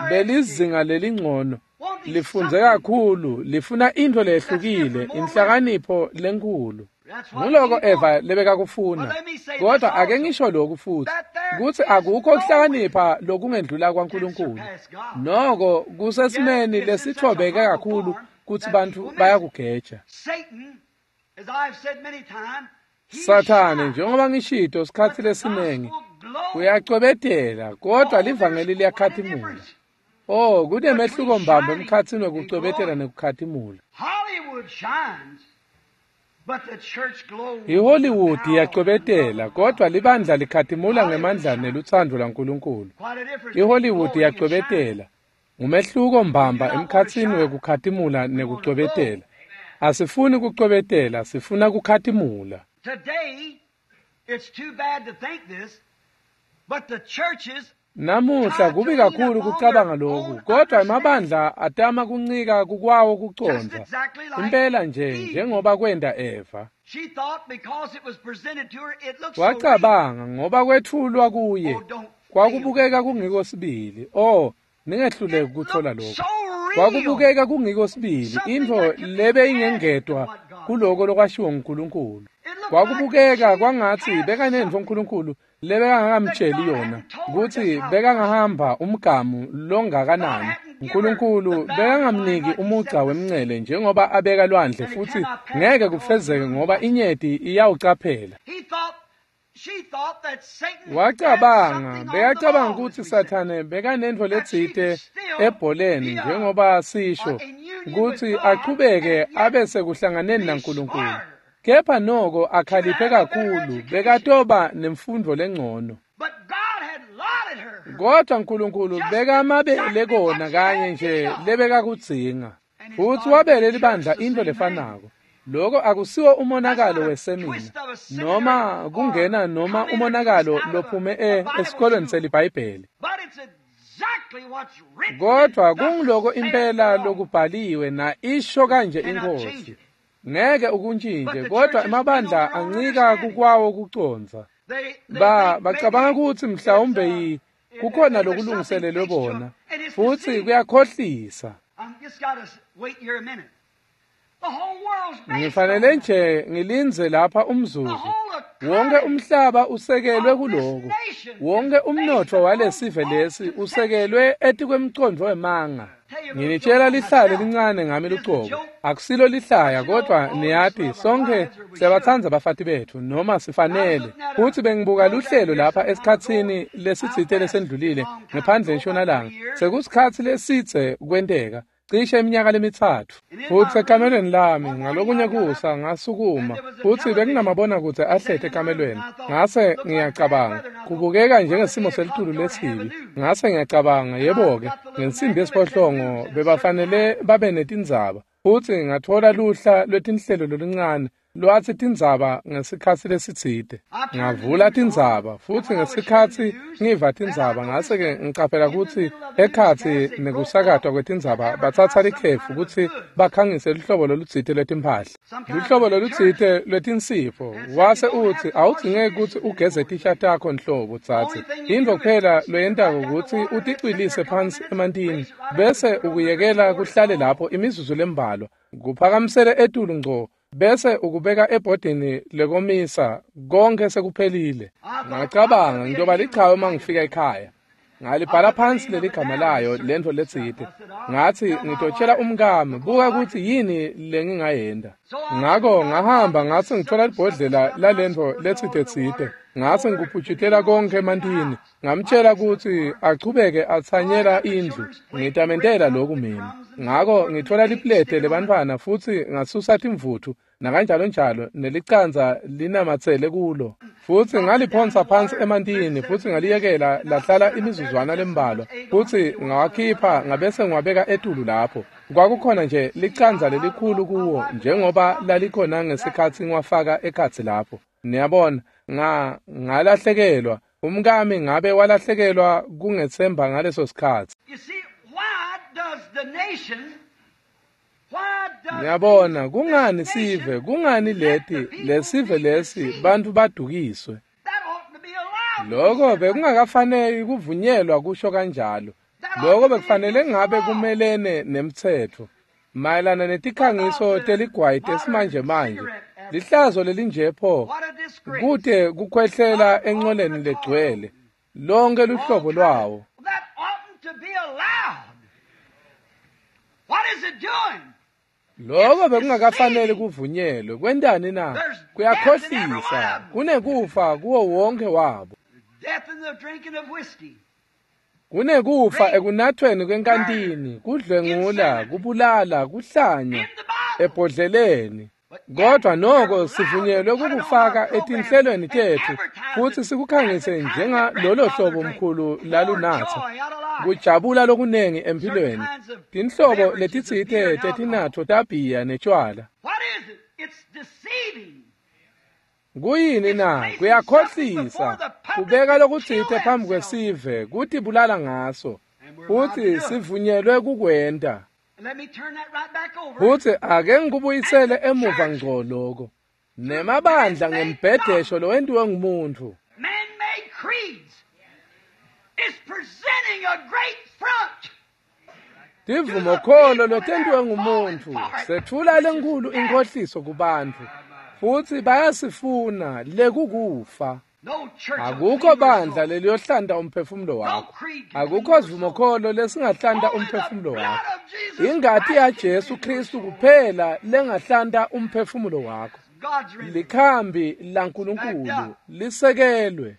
belizinga lelingcono, lifundze kakhulu, lifuna intfo lehlukile, inhlakanipho lenkhulu. Nguloko Eva lebekakufuna. Kodwa ake ngisho lokhu futhi, kutsi akukho kuhlakanipha lokungendlula kwaNkulunkulu. Noko kusesimeni lesitfobeke kakhulu kutsi bantfu bayakugeja. Sathane, njengoba ngishito sikhatsi lesinengi, uyacwebetela, kodwa livangeli liyakhatimula. Oh, kunemehluko mbamba emkhatsini wekucwebetela nekukhatimula. IHollywood iyacwebetela, kodwa libandla likhatimula ngemandla nelutsandvo lwaNkulunkulu. IHollywood iyacwebetela. Ngumehluko mbamba emkhatsini wekukhatimula nekucwebetela. Asifuni kucwebetela, sifuna kukhatimula. Namuhla kubi kakhulu kucabanga lokhu, kodwa emabandla atama kuncika kukwawo kucondza. Impela nje njengoba kwenta Eva. Wacabanga ngoba kwetfulwa kuye kwakubukeka kungiko sibili. Oh, ningehluleki kuthola lokho. Kwakubukeka kungiko sibili, intfo lebeyingengetwa kuloko lokwashiwo nguNkulunkulu. Kwakubukeka kwangatsi bekanentfo uNkulunkulu lebekangakamtsheli yona, kutsi bekangahamba umgamu longakanani. uNkulunkulu bekangamniki umugca wemncele njengoba abeka lwandle, futsi ngeke kufezeke ngoba inyeti iyawucaphela. Wacabanga, bekacabanga kutsi Sathane bekanentfo letsite ebholeni njengoba sisho, kutsi achubeke abe sekuhlanganeni naNkulunkulu. Kepha noko akhaliphe kakhulu, bekatoba nemfundo lengcono. Kodwa uNkulunkulu bekamabele kona kanye nje lebekakudzinga. Futsi wabele libandla intfo lefanako. Lokho akusiwo umonakalo wesemina noma kungena noma umonakalo lophume esikolweni seliBhayibheli. Kodwa kungiloko impela lokubhaliwe na isho kanje iNkhosi. Ngeke ukuntjintje, kodwa emabandla ancika kukwawo kucondza. Bacabanga kutsi mhlawumbe kukhona lokulungiselelwe bona, futsi kuyakhohlisa. Ngifanele nje ngilindze lapha umzuzu. Wonke umhlaba usekelwe kuloko. Wonke umnotfo walesive lesi usekelwe etikwemcondvo wemanga. Nginitshela lihlaya lelincane ngami lucobo. Akusilo lihlaya, kodwa niyati sonke siyabatsandza abafati betfu noma sifanele. Futsi bengibuka luhlelo lapha esikhatsini lesitsite lesendlulile ngephandle eNtshonalanga. Sekusikhatsi lesidze kwenteka, cishe iminyaka lemithathu. Futsi ekamelweni lami ngalokunye kusa ngasukuma, futsi bekunamabonakudze ahleti ekamelweni. Ngase ngiyacabanga, kubukeka njengesimo selitulu lesibi. Ngase ngiyacabanga, yebo-ke, ngensimbi yesiphohlongo bebafanele babe netindzaba. Futsi ngatfola luhla lwetinhlelo loluncane lwatsi tindzaba ngesikhatsi lesitsite. Ngavula tindzaba, futsi ngesikhatsi ngiva tindzaba ngase-ke ngicaphela kutsi ekhatsi nekusakatwa kwetindzaba batsatsa likhefu kutsi bakhangise luhlobo lolutsite lwetimphahla, luhlobo lolutsite lwetinsipho. Wase utsi awudzingeki kutsi ugeze tisha takho nhlobo tsatsi. Intfo kuphela loyentako kutsi uticwilise phansi emantini bese ukuyekela kuhlale lapho imizuzu lembalwa, kuphakamisele etulu ngco, bese ukubeka ebhodini lekomisa, konke sekuphelile. Ngacabanga ngiyoba lichawe uma ngifika ekhaya. Ngalibhala phansi leligama layo lentfo letsite. Ngatsi ngitotshela umkami, buka kutsi yini lengingayenta. Ngako ngahamba ngase ngithola libhodlela lalentfo letsite tsite. Ngase ngikuphutshitela konke emantini. Ngamtshela kutsi achubeke atsanyela indlu. Ngitamentela lokhu mina. Ngako ngithola liplete lebantfwana futsi ngasusa timvutfu nakanjalo njalo nelicanza linamatsele kulo. Futsi ngaliphonsa phansi emantini futsi ngaliyekela lahlala imizuzwana lembalwa, futsi ngawakhipha ngabese ngiwabeka etulu lapho. Kwakukhona nje licanza lelikhulu kuwo njengoba lalikhona ngesikhatsi ngiwafaka ekhatsi lapho. Niyabona, ngalahlekelwa. Umkami ngabe walahlekelwa kungetsemba ngaleso sikhatsi. Niyabona, kungani sive, kungani leti, lesive lesi, bantfu badukiswe. Lokho bekungakafaneli kuvunyelwa kusho kanjalo. Lokho bekufanele ngabe kumelene nemtsetfo. Mayelana netikhangiso teligwayi tesimanje manje, lihlazo lelinje pho, kute kukhwehlela encoleni legcwele, lonke luhlobo lwawo. Lokho bekungakafaneli kuvunyelwe. Kwentani na? Kuyakhohlisa. Kunekufa kuwo wonke wabo. Kunekufa ekunathweni kwenkantini, kudlwengula, kubulala, kuhlanya, ebhodleleni. Kodwa noko sivunyelwe kukufaka etinhlelweni tetfu futsi sikukhangise njengalolo hlobo mkhulu lalunatsa. Kujabula lokunengi empilweni. Tinhlobo letitsite tetinatfo tabhiya netshwala. Kuyini na? Kuyakhohlisa. Kubeka lokutsite phambi kwesive kutibulala ngaso. Futsi sivunyelwe kukwenta. Futsi ake ngikubuyisele emuva ngco loko. Nemabandla ngembhedesho lowentiwe ngumuntfu. Tivumokholo lotentiwe ngumuntfu setfula lenkhulu inkhohliso kubantfu. Futsi bayasifuna lekukufa. Akukho bandla leliyohlanta umphefumulo wakho. Akukho sivumokholo lesingahlanta umphefumulo wakho. Ingati yaJesu Kristu kuphela lengahlanta umphefumulo wakho. Likhambi laNkulunkulu lisekelwe.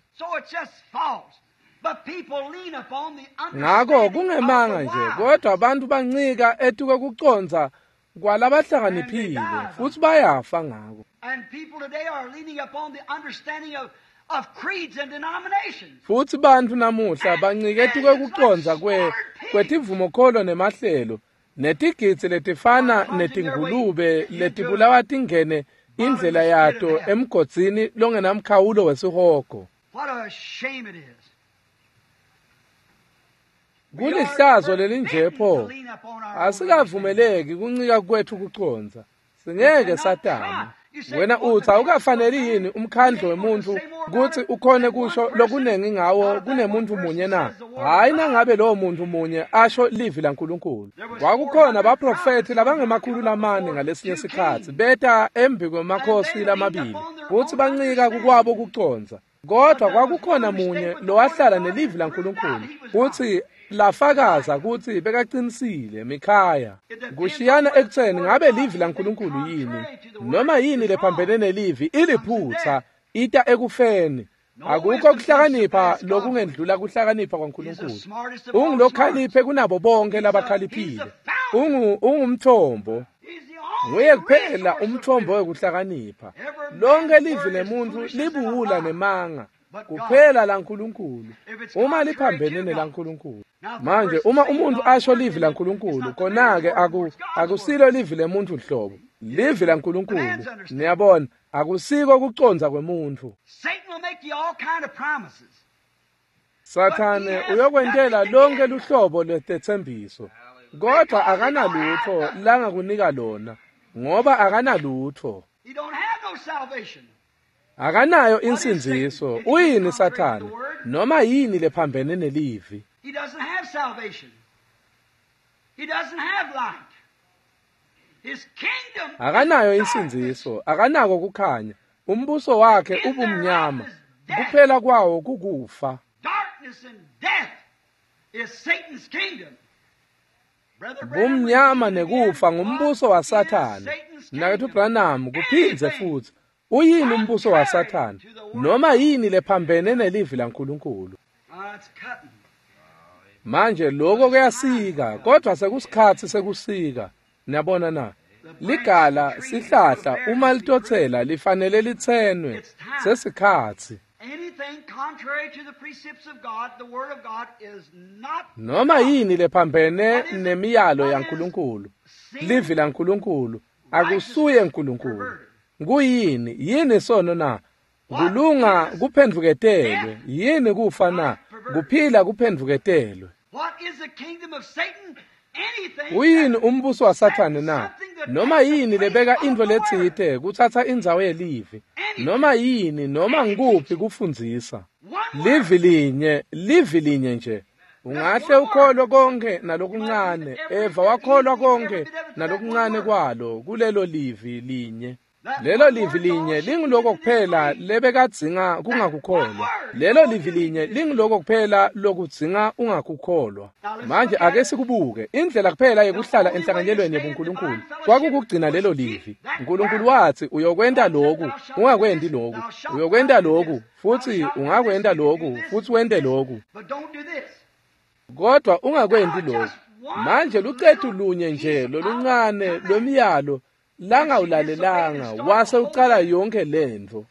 Ngako kungemanga nje, kodwa abantu bancika etukwekucondza kwalabahlakaniphile futsi bayafa ngako. Futsi bantfu namuhla bancike etukwekucondza kwetivumokholo nemahlelo netigidzi letifana netingulube letibulawa tingene indlela yato emgodzini longenamkhawulo wesihogo. Kulihlazo lelinje pho. Asikavumeleki kuncika kwetfu kucondza. Singeke satama. Wena utsi awukafaneli yini umkhandlu wemuntfu kutsi ukhone kusho lokunengi ngawo kunemuntfu munye na? Hhayi, nangabe lowo muntfu munye asho livi laNkulunkulu. Kwakukhona baprofethi labangama-400 ngalesinye sikhatsi beta embi kwemakhosi lamabili futsi bancika kukwabo kucondza. Kodwa kwakukhona munye lowahlala nelivi laNkulunkulu futsi lafakaza kutsi bekaqinisile. Mikhaya. Kushiyana ekutseni ngabe livi laNkulunkulu yini noma yini lephambene nelivi iliphutsa, ita ekufeni. Akukho kuhlakanipha lokungendlula kuhlakanipha kwaNkulunkulu. Ungulokhaliphe kunabo bonke labakhaliphile. Ungumthombo. Nguye kuphela umthombo wekuhlakanipha. Lonke livi lemuntfu libuwula nemanga. Kuphela laNkulunkulu uma liphambene nelaNkulunkulu. Manje uma umuntu asho livi laNkulunkulu, kona-ke akusilo livi lemuntfu hlobo, livi laNkulunkulu. Niyabona, akusiko kucondza kwemuntfu. Sathane uyokwentela lonke luhlobo lwetetsembiso, kodwa akanalutfo langakunika lona, ngoba akanalutfo. Akanayo insindziso. Uyini Sathane? Noma yini lephambene nelivi. Akanayo insindziso, akanako kukhanya. Umbuso wakhe ubumnyama, kuphela kwawo kukufa. Bumnyama nekufa ngumbuso waSathane. Mnaketfu Branham kuphindze futsi uyini umbuso waSathane? Noma yini lephambene nelivi laNkulunkulu. Manje lokho kuyasika, kodwa sekusikhatsi sekusika. Niyabona na? Ligala sihlahla uma litotsela lifanele litsenwe. Sesikhatsi. Noma yini lephambene nemiyalo yaNkulunkulu, livi laNkulunkulu, akusuye uNkulunkulu. Kuyini? Yini sono na? Kulunga kuphendvuketelwe. Yini kufa na? Kuphila kuphendvuketelwe. Uyini umbuso waSathane na? Noma yini lebeka intfo letsite kutsatsa indzawo yelivi. Noma yini, noma ngikuphi kufundzisa. Livi linye, livi linye nje. Ungahle ukholwe konke nalokuncane. Eva wakholwa konke nalokuncane kwalo kulelo livi linye. Lelo livi linye lingiloko kuphela lebekadzinga kungakukholwa. Lelo livi linye lingiloko kuphela lokudzinga ungakukholwa. Manje ake sikubuke. Indlela kuphela yekuhlala enhlanganyelweni yebuNkulunkulu kwakukugcina lelo livi. uNkulunkulu wathi uyokwenta lokhu, ungakwenti lokhu. Uyokwenta lokhu, futhi ungakwenta lokhu, futhi wente lokhu. Kodwa ungakwenti lokhu. Manje lucetu lunye nje loluncane lwemiyalo Langawulalelanga wase ucala yonke lentfo.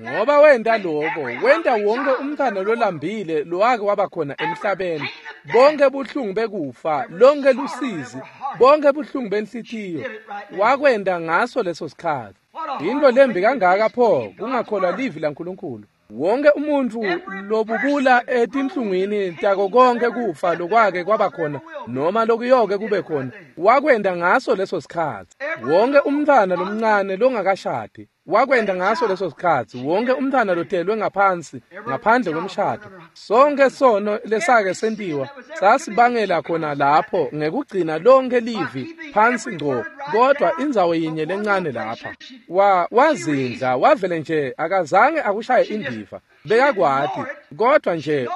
Ngoba wenta lokho, wenta wonke umntfwana lolambile lowake waba khona emhlabeni, bonke buhlungu bekufa, lonke lusizi, bonke buhlungu benhlitiyo, wakwenta ngaso leso sikhatsi. Yintfo lembi kangaka pho kungakholwa livi laNkulunkulu. Wonke umuntfu lobubula etinhlungwini tako konke kufa lokwake kwaba khona noma lokuyoke kube khona, wakwenta ngaso leso sikhatsi. Wonke umntfwana lomncane longakashadi wakwenta ngaso leso sikhatsi. Wonke umntfwana lotelwe ngaphansi ngaphandle kwemshado, sonke sono lesake sentiwa sasibangela khona lapho ngekugcina lonke livi phansi ngco, kodwa indzawo yinye lencane lapha wazindla wavele nje akazange akushaye indiva. Bekakwati kodwa nje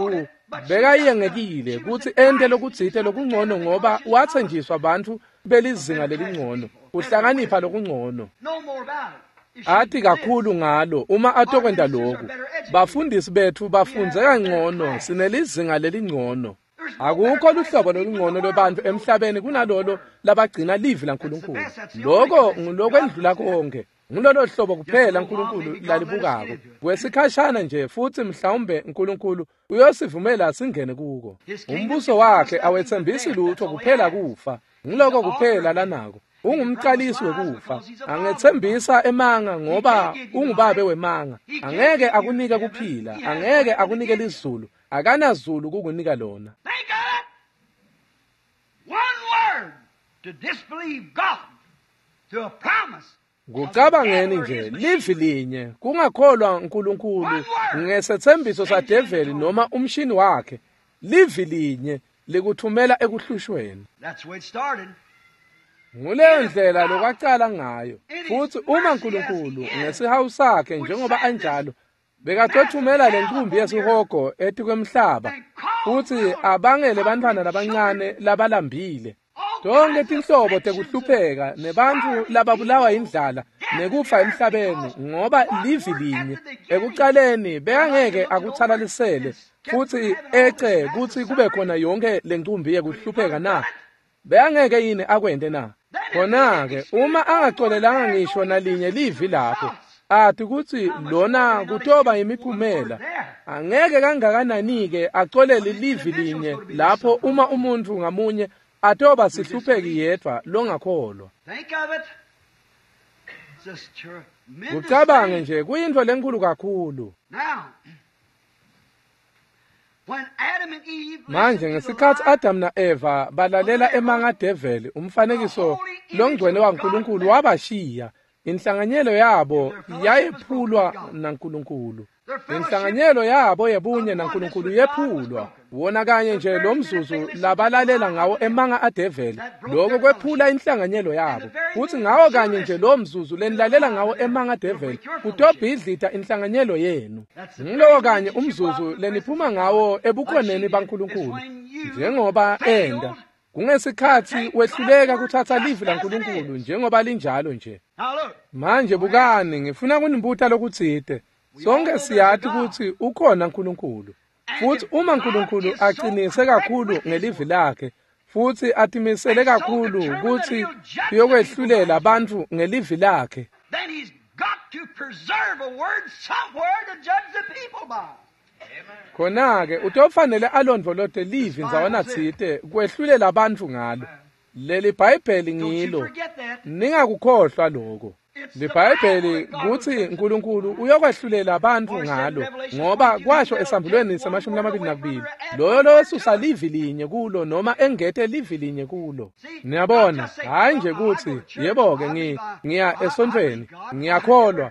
bekayengekile kutsi ente lokutsite lokungcono, ngoba watsenjiswa bantfu belizinga lelingcono, kuhlakanipha lokungcono. Ati kakhulu ngalo uma atokwenta lokhu. Bafundisi betfu bafundze kangcono, sinelizinga lelingcono. Akukho luhlobo lolungcono lwebantfu emhlabeni kunalolo labagcina livi laNkulunkulu. Lokho ngulokwendlula konke. Ngulolo hlobo kuphela uNkulunkulu lalibukako. Kwesikhashana nje futhi mhlawumbe uNkulunkulu uyosivumela singene kuko. Umbuso wakhe awetsembisi lutho kuphela kufa. Nguloko kuphela lanako. Ungumqalisi wekufa. Angetsembisa emanga ngoba ungubabe wemanga. Angeke akunike kuphila, angeke akunike lizulu, akanazulu kukunika lona. Think of it. One word to disbelieve God, to a promise. Kucabangeni nje livi linye kungakholwa uNkulunkulu ngesetsembiso sadeveli noma umshini wakhe. Livi linye likuthumela ekuhlushweni. That's where it started. Nguleyo ndlela lokwacala ngayo. Futhi uma uNkulunkulu ngesihawu sakhe njengoba anjalo bekatothumela lenkumbi yesihogo etikwemhlaba futhi abangele bantfwana labancane labalambile, tonke tinhlobo tekuhlupheka nebantfu lababulawa yindlala nekufa emhlabeni, ngoba livi linye ekucaleni bekangeke akutsalalisele futhi ece kutsi kube khona yonke lenkumbi yekuhlupheka na? Bekangeke yini akwente na? Khona-ke uma angacolelanga ngisho nalinye livi lapho, ati kutsi lona kutoba imiphumela, angeke kangakanani-ke acolele livi linye lapho uma umuntfu ngamunye atoba sihlupheki yedvwa longakholwa. Think of it. It's just tremendous Kucabange thing. nje kuyintfo lenkulu kakhulu. Now, when Adam and Eve Manje listened to the ngesikhatsi lie Adam na-Eva balalela emanga adeveli, umfanekiso longcwele waNkulunkulu wabashiya. Inhlanganyelo yabo yayephulwa naNkulunkulu. Inhlanganyelo yabo yebunye naNkulunkulu yephulwa. Wona kanye nje lo mzuzu labalalela ngawo emanga adeveli, lokho kwephula inhlanganyelo yabo. Futhi ngawo kanye nje lo mzuzu lenilalela ngawo emanga adeveli, kutobhidlita inhlanganyelo yenu. Ngilowo kanye umzuzu leniphuma ngawo ebukhoneni baNkulunkulu, njengoba enda. Kungesikhatsi wehluleka kuthatha livi laNkulunkulu njengoba linjalo nje. Now look, Manje bukani, ngifuna kunibuta lokutsite. Sonke siyati kutsi ukhona uNkulunkulu. Futhi uma uNkulunkulu aqinise kakhulu ngelivi lakhe, futhi atimisele kakhulu kutsi uyokwehlulela bantfu ngelivi lakhe, then he's got to preserve a word somewhere to judge the people by. khona-ke utofanele alondvolote livi ndzawana tsite kwehlulela bantfu ngalo. Leli Bhayibheli Don't you ngilo. forget that. Ningakukhohlwa lokho. LiBhayibheli kutsi uNkulunkulu uyokwehlulela bantfu ngalo, ngoba kwasho esambulweni se-22 loyo losusa livi linye kulo noma engete livi linye kulo. Niyabona, hhayi nje kutsi yebo-ke ngiya esontfweni, ngiyakholwa,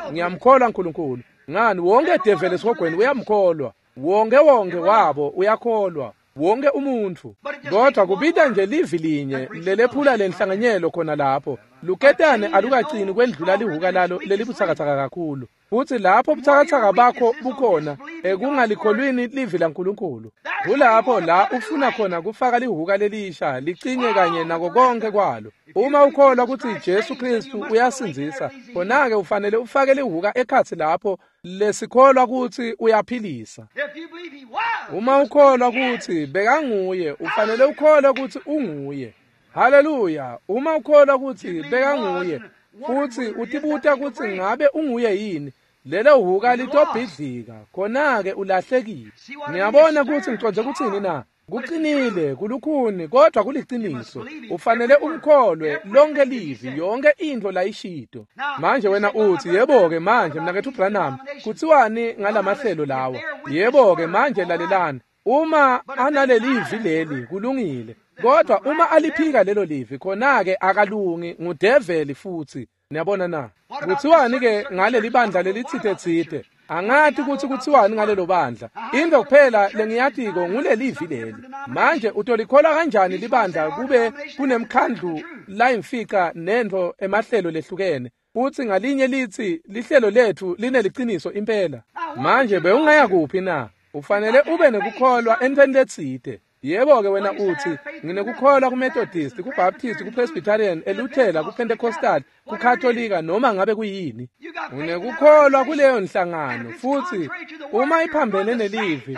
ngiyamkholwa uNkulunkulu. Ngani, wonke develi esihogweni uyamkholwa, wonke wonke wabo uyakholwa, wonke umuntfu. Kodwa kubita nje livi linye lelephula lenhlanganyelo khona lapho. Luketane alukacini kwendlula lihuka lalo lelibutsakatsaka kakhulu. Futhi lapho butsakatsaka bakho bukhona ekungalikholwini livi laNkulunkulu, kulapho la ufuna khona kufaka lihuka lelisha licinye kanye nako konke kwalo. Uma ukholwa kutsi Jesu Kristu uyasindzisa, khona-ke ufanele ufake lihuka ekhatsi lapho lesikholwa kutsi uyaphilisa. If you believe he was, Uma ukholwa kutsi bekanguye, ufanele ukholwe kutsi unguye. Haleluya! Uma ukholwa kutsi bekanguye futsi utibuta kutsi ngabe unguye yini, lelo hhuka litobhidlika, khona-ke ulahlekile. Niyabona kutsi ngicondze kutsini na? Kucinile, kulukhuni, kodwa kuliciniso. Ufanele umkholwe lonke livi, yonke intfo layishito. Manje wena utsi, yebo-ke manje mnaketfu Branham, kutsiwani ngalamahlelo lawa? Yebo-ke manje lalelani. Uma analelivi leli, kulungile. Kodwa uma aliphika lelo livi, khona-ke akalungi, ngudeveli futsi. Niyabona na? Kutsiwani-ke ngaleli bandla lelitsite-tsite? Angati kutsi kutsiwani ngalelo bandla. Into kuphela lengiyatiko ngulelivi leli. Manje utolikholwa kanjani libandla kube kunemkhandlu layimfica nentfo emahlelo lehlukene, futsi ngalinye litsi lihlelo letfu lineliciniso impela? Manje bewungaya kuphi na? Ufanele ube nekukholwa entfweni letsite. Yebo-ke wena utsi, nginekukholwa kuMethodist, kuBaptist, kuPresbyterian, eLuthela, kuPentecostal, kuKatolika, noma ngabe kuyini. Unekukholwa kuleyo nhlangano, futsi uma iphambene nelivi,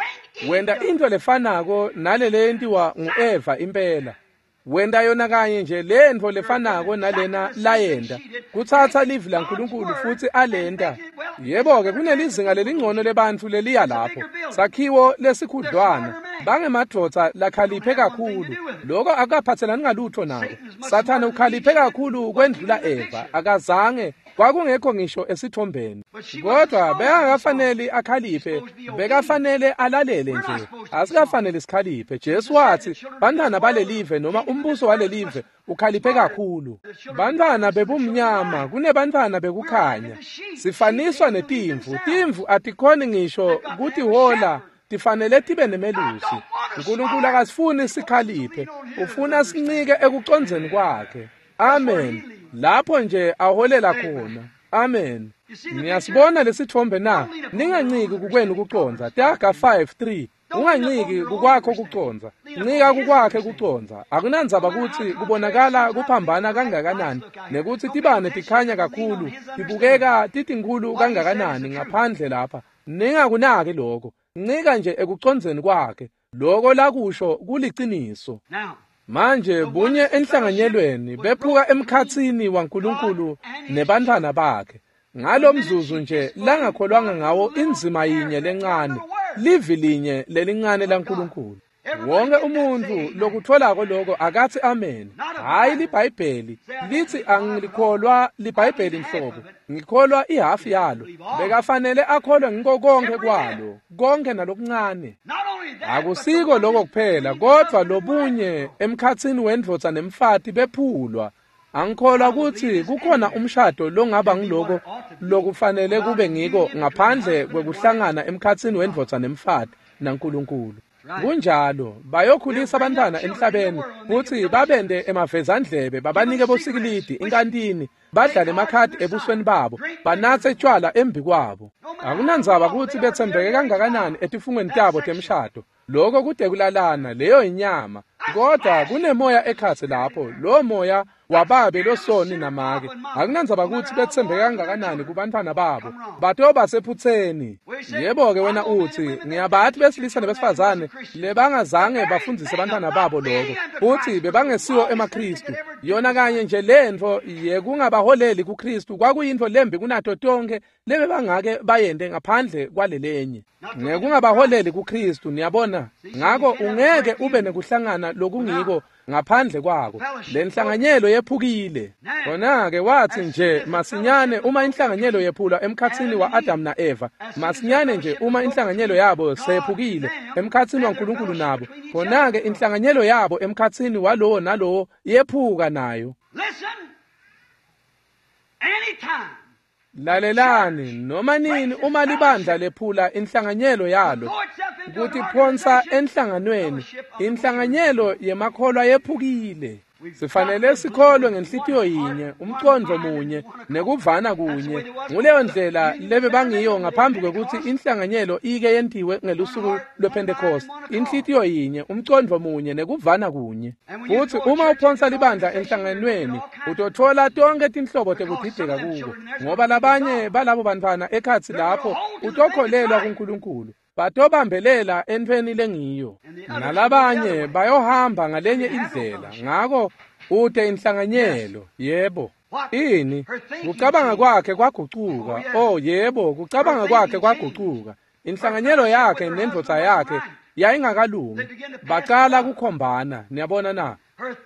wenta intfo lefanako nale leyentiwa ngu-Eva impela. Wenta yona kanye nje lentfo lefanako nalena layenta, kutsatsa livi laNkulunkulu futsi alenta. Yebo-ke kunelizinga lelingcono lebantfu leliya lapho, sakhiwo lesikhudlwana, bangemadvodza lakhaliphe kakhulu. Loko akukaphatselani ngalutfo nako. Sathane ukhaliphe kakhulu kwendlula Eva, akazange, kwakungekho ngisho esitfombeni. Kodwa bekangakafaneli akhaliphe, bekafanele alalele nje. Asikafaneli sikhaliphe. Jesu watsi, bantfwana balelive noma umbuso walelive ukhaliphe kakhulu. Bantfwana bebumnyama kunebantfwana bekukhanya. Sifaniswa netimvu. Timvu atikhoni ngisho kutihola, tifanele tibe nemelusi. Nkulunkulu akasifuni sikhaliphe, ufuna sincike ekucondzeni kwakhe. Amen. Lapho nje aholela khona. Amen. Niyasibona lesitfombe na? Ninganciki kukwenu kucondza. Taga 5:3. Unganciki kukwakho kucondza. Ncika kukwakhe kucondza. Akunandzaba kutsi kubonakala kuphambana kangakanani, nekutsi tibane tikhanya kakhulu, tibukeka titinkhulu kangakanani ngaphandle lapha. Ningakunaki lokho. Ncika nje ekucondzeni kwakhe. Loko lakusho kuliciniso. Manje bunye enhlanganyelweni bephuka emkhatsini waNkulunkulu nebantfwana bakhe. Ngalomzuzu nje langakholwanga ngawo indzima yinye lencane, livi linye lelincane laNkulunkulu. Wonke umuntfu lokutfolako loko akatsi amen. Hhayi liBhayibheli litsi angilikholwa liBhayibheli nhlobo, ngikholwa ihafu yalo. Bekafanele akholwe ngiko konkhe kwalo, konkhe nalokuncane. Akusiko loko kuphela, kodvwa lobunye emkhatsini wendvodza nemfati bephulwa. Angikholwa kutsi kukhona umshado longaba ngiloko lokufanele kube ngiko ngaphandle kwekuhlangana emkhatsini wendvodza nemfati naNkulunkulu. Kunjalo, bayokhulisa abantwana emhlabeni futsi babende emavezandlebe, babanike bosikilidi inkantini, badlale emakhadi ebusweni babo, banatse tshwala embi kwabo. Akunandzaba kutsi betsembeke kangakanani etifungweni tabo temshado. Loko kude kulalana, leyo inyama. Kodwa kunemoya ekhatsi lapho, lo moya wababe losoni namake. Akunandzaba kutsi betsembeke kangakanani kubantfwana babo, batoba sephutseni. Yebo-ke wena utsi, ngiyabathi besilisa nebesifazane lebangazange bafundzise bantfwana babo loko, futsi bebangesiwo emaKhristu. Yona kanye nje lentfo yekungabaholeli kuKhristu kwakuyintfo lembi kunato tonkhe lebebangake bayente ngaphandle kwalelenye. Ngekungabaholeli kuKhristu, niyabona. Ngako ungeke ube nekuhlangana lokungiko ngaphandle kwako. Lenhlanganyelo yephukile. Khona-ke watsi nje masinyane uma inhlanganyelo yephulwa emkhatsini wa-Adam na-Eva, masinyane nje uma inhlanganyelo yabo seyephukile emkhatsini waNkulunkulu nabo, khona-ke inhlanganyelo yabo emkhatsini walowo nalowo yephuka nayo. Lalelani, noma nini uma libandla lephula inhlanganyelo yalo, kutiphonsa enhlanganweni, inhlanganyelo yemakholwa yephukile. Sifanele sikholwe ngenhlitiyo yinye, umcondvo munye, nekuvana kunye. Nguleyo ndlela lebebangiyo ngaphambi kwekutsi inhlanganyelo ike yentiwe ngelusuku lwePhentekoste. Inhlitiyo yinye, umcondvo munye, nekuvana kunye. Futsi uma uphonsa libandla enhlanganweni, utotfola tonkhe tinhlobo tekudideka kuko, ngoba labanye balabo bantfwana ekhatsi lapho utokholelwa kuNkulunkulu. Batobambelela entfweni lengiyo, nalabanye bayohamba ngalenye indlela. Ngako Ute inhlanganyelo. Yebo. Ini? Kucabanga kwakhe kwagucuka. Oh yebo, kucabanga kwakhe kwagucuka. Inhlanganyelo yakhe nendvodza yakhe yayingakalungi. Bacala kukhombana, niyabona na?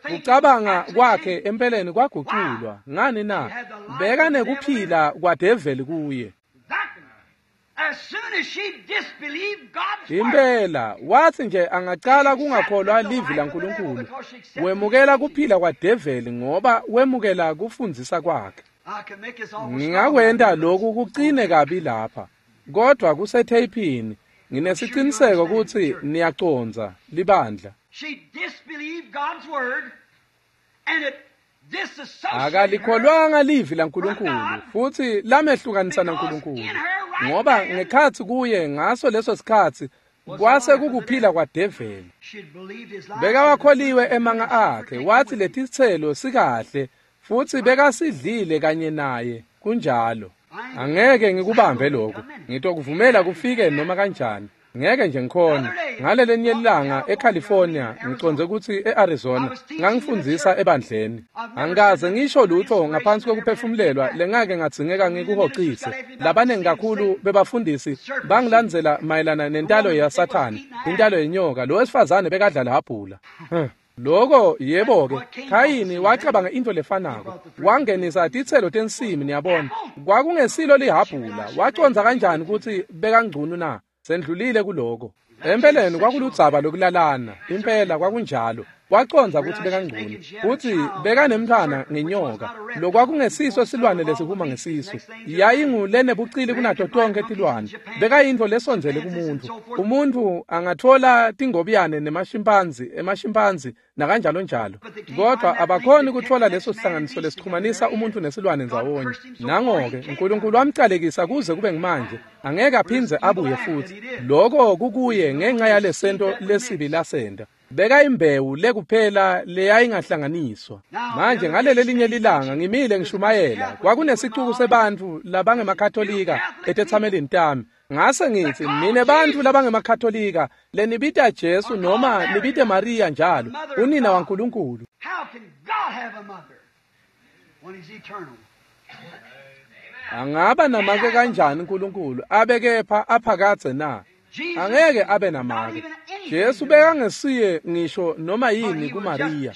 Kucabanga kwakhe empeleni kwaguculwa. Ngani na? Beka nekuphila kwadeveli kuye. Impela wathi nje angacala kungakholwa livi laNkulunkulu, wemukela kuphila kwadeveli ngoba wemukela kufundzisa kwakhe. Ngingakwenta lokhu kucine kabi lapha, kodwa kusetheyiphini. Nginesiciniseko kutsi niyacondza libandla. Akalikholwanga livi laNkulunkulu futsi lamehlukanisa naNkulunkulu, ngoba ngekhatsi kuye ngaso leso sikhatsi kwase kukuphila kwadeveli. Bekawakholiwe emanga akhe, wathi letitselo sikahle futsi bekasidlile kanye naye. Kunjalo. Angeke ngikubambe lokho, ngitokuvumela kufike noma kanjani. Ngeke nje ngikhona. Ngalelinye ilanga eCalifornia, ngicondze kutsi eArizona, ngangifundzisa ebandleni. Angikaze ngisho lutho ngaphansi kokuphefumulelwa lengake ngadzingeka ngikuhocise. Labanengi kakhulu bebafundisi bangilandzela mayelana nentalo yaSathane, intalo yenyoka. Lo wesifazane bekadla lihhabhula. Lokho yebo-ke, Khayini wacabanga into lefanako. Wangenisa titselo tensimi, niyabona. Kwakungesilo lihhabhula. Wacondza kanjani kutsi bekangcunu na? Sendlulile kuloko. Empeleni kwakuludzaba lokulalana. Impela kwakunjalo. Wacondza kutsi bekangcunu futsi bekanemntfwana ngenyoka. Lokwakungesiso silwane lesihuma ngesisu. Yayingulenebucili kunato tonke tilwane. Bekayintfo lesondzele kumuntu. Umuntu angatfola tingobiyane nemashimpanzi, emashimpanzi nakanjalo njalo. Kodwa abakhoni kutfola leso sihlanganiso lesixhumanisa umuntu nesilwane ndzawonye. Nango-ke uNkulunkulu wamcalekisa kuze kube ngimanje, angeke aphindze abuye futsi. Lokho kukuye ngenxa yalesento lesibi lasenta. Beka imbewu lekuphela leyayingahlanganiswa. Manje ngalelelinye lilanga ngimile ngishumayela, kwakunesicuku sebantfu labangemakatolika etetsamelini tami. Ngase ngithi, nine bantfu labangemakatolika lenibita Jesu noma nibite Maria njalo, unina waNkulunkulu. Angaba namake kanjani uNkulunkulu abe kepha aphakadze na? Angeke abe namake. Jesu bekangesiye ngisho noma yini kuMaria,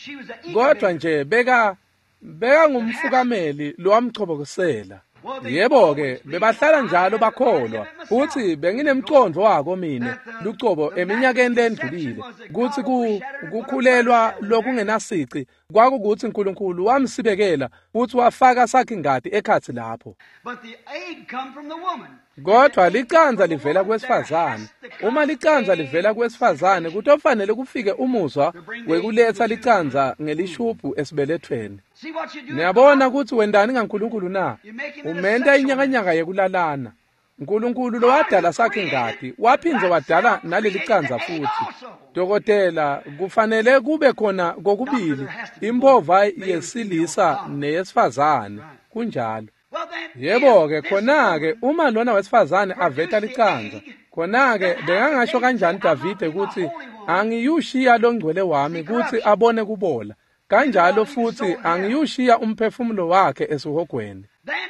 kodwa nje bekangumfukameli lowamchobokisela. Yebo-ke, bebahlala njalo bakholwa, futsi benginemcondvo wako mine lucobo eminyakeni lendlulile kutsi kukhulelwa lokungenasici kwakukutsi uNkulunkulu wamsibekela futsi wafaka sakhi-ngati ekhatsi lapho. Kodwa licandza livela kuwesifazane. Uma licandza livela kuwesifazane, kutofanele kufike umuzwa wekuletsa licandza ngelishubhu esibelethweni. Niyabona kutsi wendani ngaNkulunkulu na? Umenta inyakanyaka yekulalana. Nkulunkulu lowadala sakhi-ngati waphindze wadala naleli candza futsi. Dokotela, kufanele kube khona kokubili, imphova yesilisa neyesifazane. Kunjalo. Yebo-ke, khona-ke uma lona wesifazane aveta licandza, khona-ke bekangasho kanjani Davide kutsi angiyushiya longcwele wami kutsi abone kubola, kanjalo futsi angiyushiya umphefumulo wakhe esihogweni.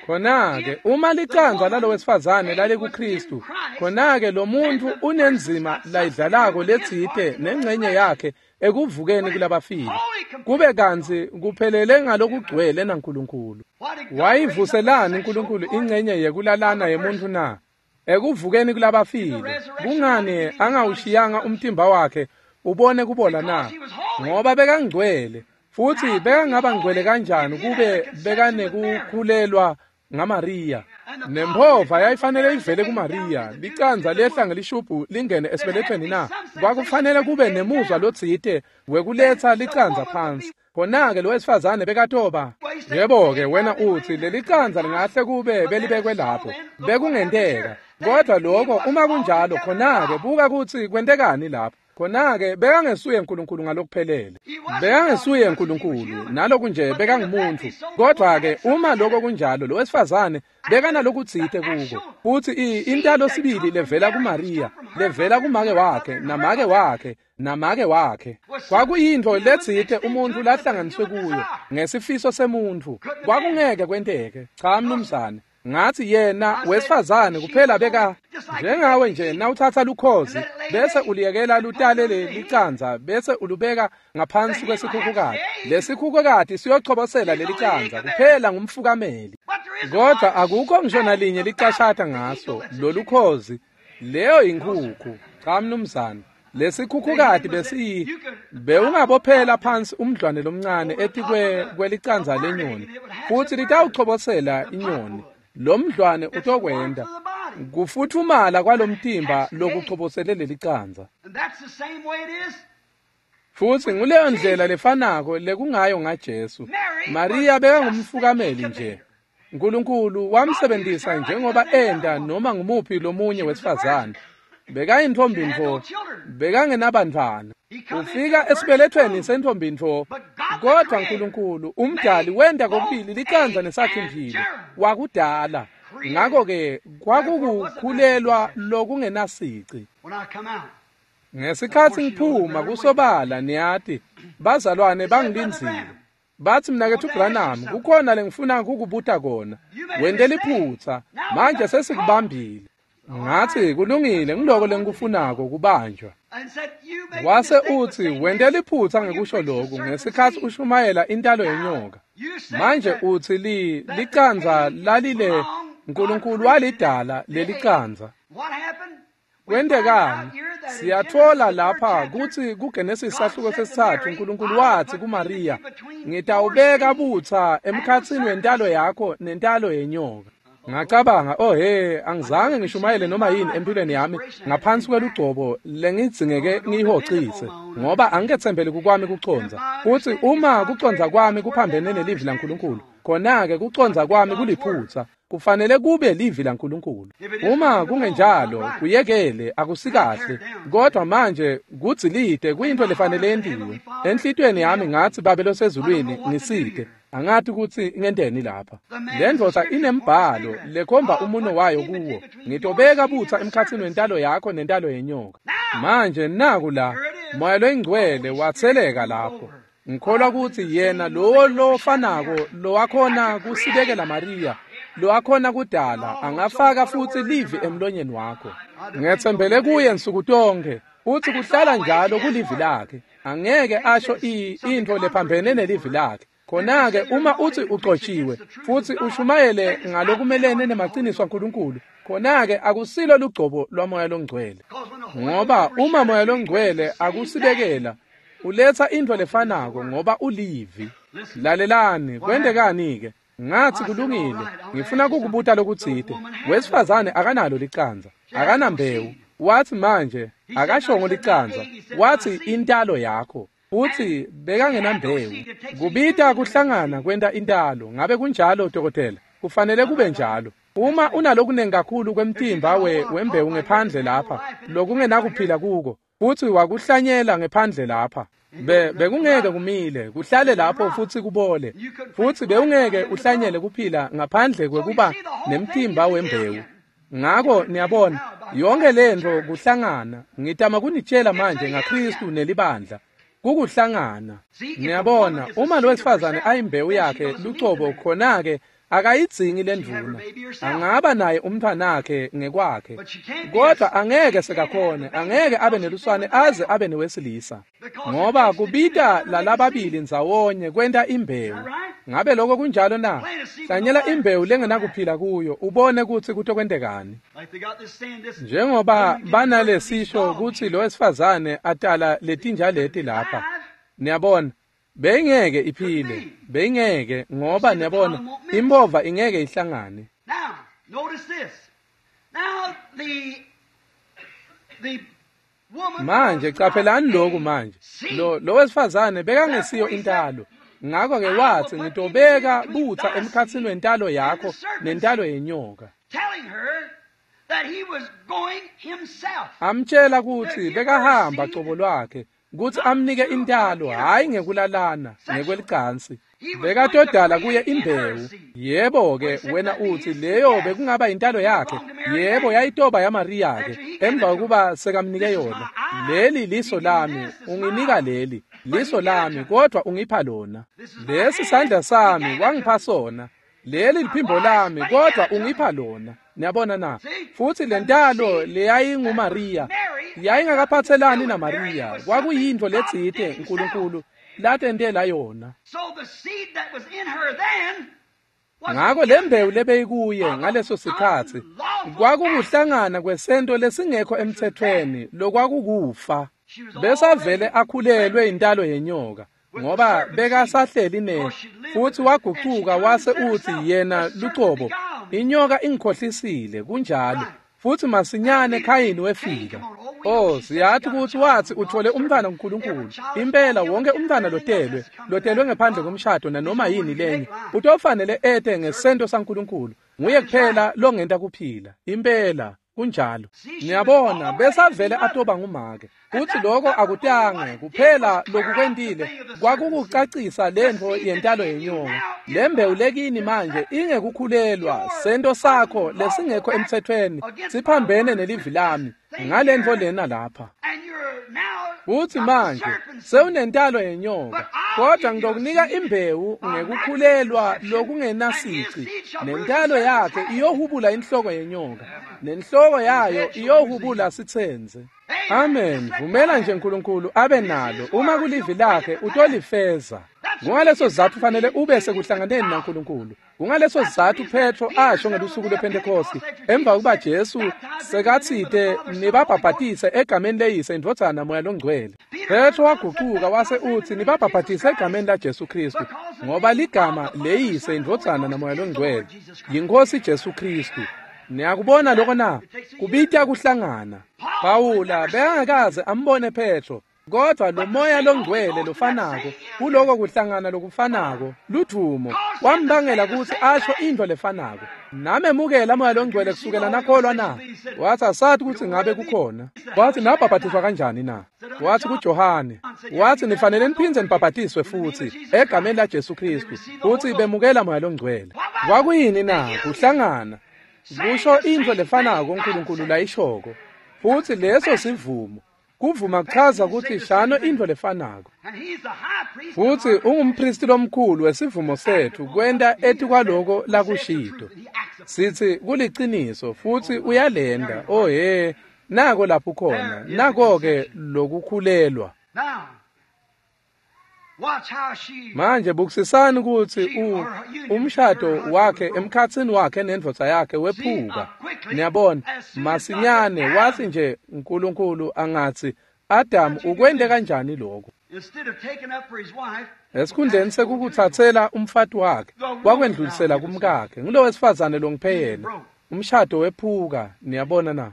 Khona-ke uma licandza lalo wesifazane lalikuKristu, khona-ke lo muntfu unenzima layidlalako letsite nengcenye yakhe ekuvukeni kulabafile, kube kantsi kuphelele ngalokugcwele naNkulunkulu. Wayivuselani uNkulunkulu ingcenye yekulalana yemuntfu na? Ekuvukeni kulabafile. Kungani angawushiyanga umtimba wakhe ubone kubola na? Ngoba bekangcwele. Futsi bekangaba ngcwele kanjani kube bekanekukhulelwa ngaMaria? Nemphova yayifanele ivele kuMaria, licandza lehla ngelishubhu lingene esibelethweni na? Kwakufanele kube nemuzwa lotsite wekuletsa licandza phansi. Khona-ke lo wesifazane bekatoba. Yebo-ke, wena utsi lelicandza lingahle kube belibekwe lapho. Bekungenteka. Kodwa lokho uma kunjalo, khona-ke buka kutsi kwentekani lapho. Khona-ke bekangesuye uNkulunkulu ngalokuphelele. Bekangesuye uNkulunkulu, naloku nje bekangumuntu. Kodwa-ke uma lokho kunjalo, lo wesifazane bekanalokutsite kuko. Futhi intalo sibili levela kuMariya, levela kumake wakhe, namake wakhe, namake wakhe. Kwakuyintfo letsite umuntu lahlanganiswe kuyo ngesifiso semuntfu. Kwakungeke kwenteke. Cha mnumzane. Ngathi yena wesifazane kuphela beka njengawe nje nawutsatsa lukhozi bese uliyekela lutale lelicandza bese ulubeka ngaphansi kwesikhukhukazi. Lesikhukhukazi siyochobosela lelicandza kuphela ngumfukameli. Kodwa akukho ngisho nalinye licashata ngaso lolukhozi. Leyo inkhukhu. Cha mnumzane. Lesikhukhukazi bewungabophela phansi umdlwane lomncane etikwe kwelicandza lenyoni futhi litawuchobosela inyoni. Lo mdlwane utokwenda kufuthumala kwalomtimba lokuchobosele lelicandza. Futhi nguleyo ndlela lefanako lekungayo ngaJesu. Maria bekangumfukameli nje. uNkulunkulu wamsebenzisa njengoba enda noma ngumuphi lomunye wesifazane. Bekayintombi-ntfo, bekangenabantfwana. Ufika esibelethweni sentombi-ntfo, kodwa uNkulunkulu umdali wenta kokubili licandza nesakhi-mphilo, wakudala. Ngakho-ke kwakukukhulelwa lokungenasici. Ngesikhatsi ngiphuma kusobala niyati, bazalwane bangilindzile. Bathi mnaketfu Branham, kukhona lengifuna kukubuta kona. Wente liphutsa, manje sesikubambile. Ngathi kulungile, ngiloko lengikufunako kubanjwa. Wase uthi wente liphutsa ngekusho lokhu ngesikhatsi ushumayela intalo yenyoka. Manje uthi licandza lalile uNkulunkulu walidala lelicandza. Kwentekani? Siyatfola lapha kutsi kuGenesis sahluko sesitsatfu uNkulunkulu watsi kuMariya, ngitawubeka butsa emkhatsini wentalo yakho nentalo yenyoka. Ngacabanga, oh he, angizange ngishumayele noma yini empilweni yami ngaphansi kwelugcobo lengidzingeke ngiyihocise, ngoba angiketsembeli kukwami kucondza. Futhi uma kucondza kwami kuphambene nelivi laNkulunkulu, khona-ke kucondza kwami kuliphutsa. Kufanele kube livi laNkulunkulu. Uma kungenjalo, kuyekele, akusikahle. Kodwa manje kudzilite kuyintfo lefanele yentiwe. Enhlitiyweni yami ngathi Babe losezulwini ngisite. Angati kutsi ngenteni lapha. Le ndvodza inembhalo lekhomba umuno wayo kuwo. Ngitobeka butsa emkhatsini wentalo yakho nentalo yenyoka. Manje naku la, Moya loyiNgcwele watseleka lapho. Ngikholwa kutsi yena lowo lofanako lowakhona kusibekela Mariya, lowakhona kudala, angafaka futsi livi emlonyeni wakho. Ngetsembele kuye nsuku tonke, futsi kuhlala njalo kulivi lakhe. Angeke asho intfo lephambene nelivi lakhe. Khona-ke uma uthi uxoshiwe futhi ushumayele ngalokumelene nemaciniso aNkulunkulu, khona-ke akusilo lugcobo lwaMoya loNgcwele. Ngoba uma Moya loNgcwele akusibekela, uletsa intfo lefanako ngoba ulivi. Lalelani, kwentekani-ke? Ngathi kulungile, ngifuna kukubuta lokutsite. Wesifazane akanalo licandza, akanambewu. Wathi manje akashongo licandza, wathi intalo yakho. Futhi bekangenambewu. Kubita kuhlangana kwenta intalo. Ngabe kunjalo dokotela? Kufanele kube njalo. Uma unalokunengi kakhulu kwemtimba wembewu ngephandle lapha, lokungenakuphila kuko, futhi wakuhlanyela ngephandle lapha, bekungeke kumile, kuhlale lapho futhi kubole. Futhi bewungeke uhlanyele kuphila ngaphandle kwekuba nemtimba wembewu. Ngakho niyabona, yonke lento kuhlangana. Ngitama kunitshela manje ngaKristu nelibandla. Kukuhlangana. Niyabona, uma lo wesifazane ayimbewu yakhe lucobo, khona-ke akayidzingi lendvuna. Angaba naye umntwanakhe ngekwakhe, kodwa angeke sekakhone, angeke abe neluswane aze abe newesilisa, ngoba kubita lalababili ndzawonye kwenta imbewu. Ngabe lokho kunjalo na? Hlanyela imbewu lengenakuphila kuyo, ubone kutsi kutokwentekani. Njengoba banalesisho kutsi lo wesifazane atala letinja leti lapha. Niyabona, beyingeke iphile, beyingeke, ngoba niyabona impova ingeke ihlangane. Manje caphelani lokhu manje. Lo wesifazane bekangesiyo intalo. Ngakho-ke wathi ngitobeka butsa emkhatsini wentalo yakho nentalo yenyoka. Amtshela kutsi bekahamba cobo lwakhe kutsi amnike intalo, hhayi ngekulalana ngekwelicansi. Bekatodala kuye imbewu. Yebo-ke, wena utsi leyo bekungaba intalo yakhe. Yebo, yayitoba yaMariya-ke emva kokuba sekamnike yona. Leli liso lami, unginika leli liso lami, kodwa ungipha lona. Lesi sandla sami, wangipha sona. Leli liphimbo lami, kodwa ungipha lona. Niyabona na? Futhi lentalo leyayinguMariya yayingakaphathelani naMariya, kwakuyintfo letsite uNkulunkulu latentela yona. Ngako lembewu lebeyikuye ngaleso sikhatsi kwakukuhlangana kwesento lesingekho emthethweni lokwakukufa. Besavele akhulelwe intalo yenyoka, ngoba bekasahleli ne futhi wagucuka wase uthi yena lucobo, inyoka ingikhohlisile. Kunjalo. Futhi masinyane Khayini wefika. Oh, siyathi ukuthi wathi uthole umntwana kuNkulunkulu. Impela wonke umntwana lotelwe ngaphandle komshado nanoma yini lenye, utofanele ete ngesento saNkulunkulu. Nguye kuphela longenta kuphila. Impela kunjalo. Niyabona, besavele atoba ngumake. Futhi lokho akutange kuphela lokukwentile kwakukucacisa lentfo yentalo yenyoka. Lembewu lekini manje ingekukhulelwa, sento sakho lesingekho emthethweni siphambene nelivi lami ngalentfo lena lapha. Futhi manje sewunentalo yenyoka, kodwa ngitokunika imbewu ngekukhulelwa lokungenasici, nentalo yakhe iyohubula inhloko yenyoka, nenhloko yayo iyohubula sitsenze. Amen. Vumela nje uNkulunkulu abe nalo. Uma kulivi lakhe utolifeza. Kungaleso sizatfu fanele ube sekuhlanganeni naNkulunkulu. Kungaleso sizatfu Petro asho ngelusuku lwePhentekosti emva kokuba Jesu sekatsite nibabhabhatise egameni leyise, indvodzana naMoya loNgcwele. Petro wagucuka wase utsi nibabhabhatise egameni laJesu Khristu, ngoba ligama leyise, indvodzana naMoya loNgcwele yiNkhosi Jesu Khristu. Niyakubona lokho na? Kubita kuhlangana. Pawula bekangakaze ambone Petro, kodwa lo moya longcwele lofanako kuloko kuhlangana lokufanako ludvumo wambangela kutsi asho intfo lefanako. Namemukela moya longcwele kusukela nakholwa na? Wathi asathi kutsi ngabe kukhona. Wathi nabhabhatiswa kanjani na? Wathi kuJohane, wathi nifanele niphindze nibhabhatiswe futhi egameni laJesu Khristu, futhi bemukela moya longcwele. Kwakuyini na? Kuhlangana. Kusho intfo lefanako uNkulunkulu layishoko. Futhi leso sivumo. Kuvuma kuchaza ukuthi shano intfo lefanako. Futhi ungumpristi lomkhulu wesivumo sethu kwenta etikwaloko lakushito. Sithi kuliciniso futhi uyalenda. Oh he, nako lapho khona. Nako-ke lokukhulelwa. Manje bukisisani ukuthi umshado wakhe emkhatsini wakhe nendvodza yakhe wephuka. Niyabona, masinyane wathi nje uNkulunkulu angathi Adam ukwente kanjani lokho? Esikhundleni sekukuthathela umfati wakhe, wakwendlulisela kumkakhe. Ngulo wesifazane longiphe yena. Umshado wephuka, niyabona na?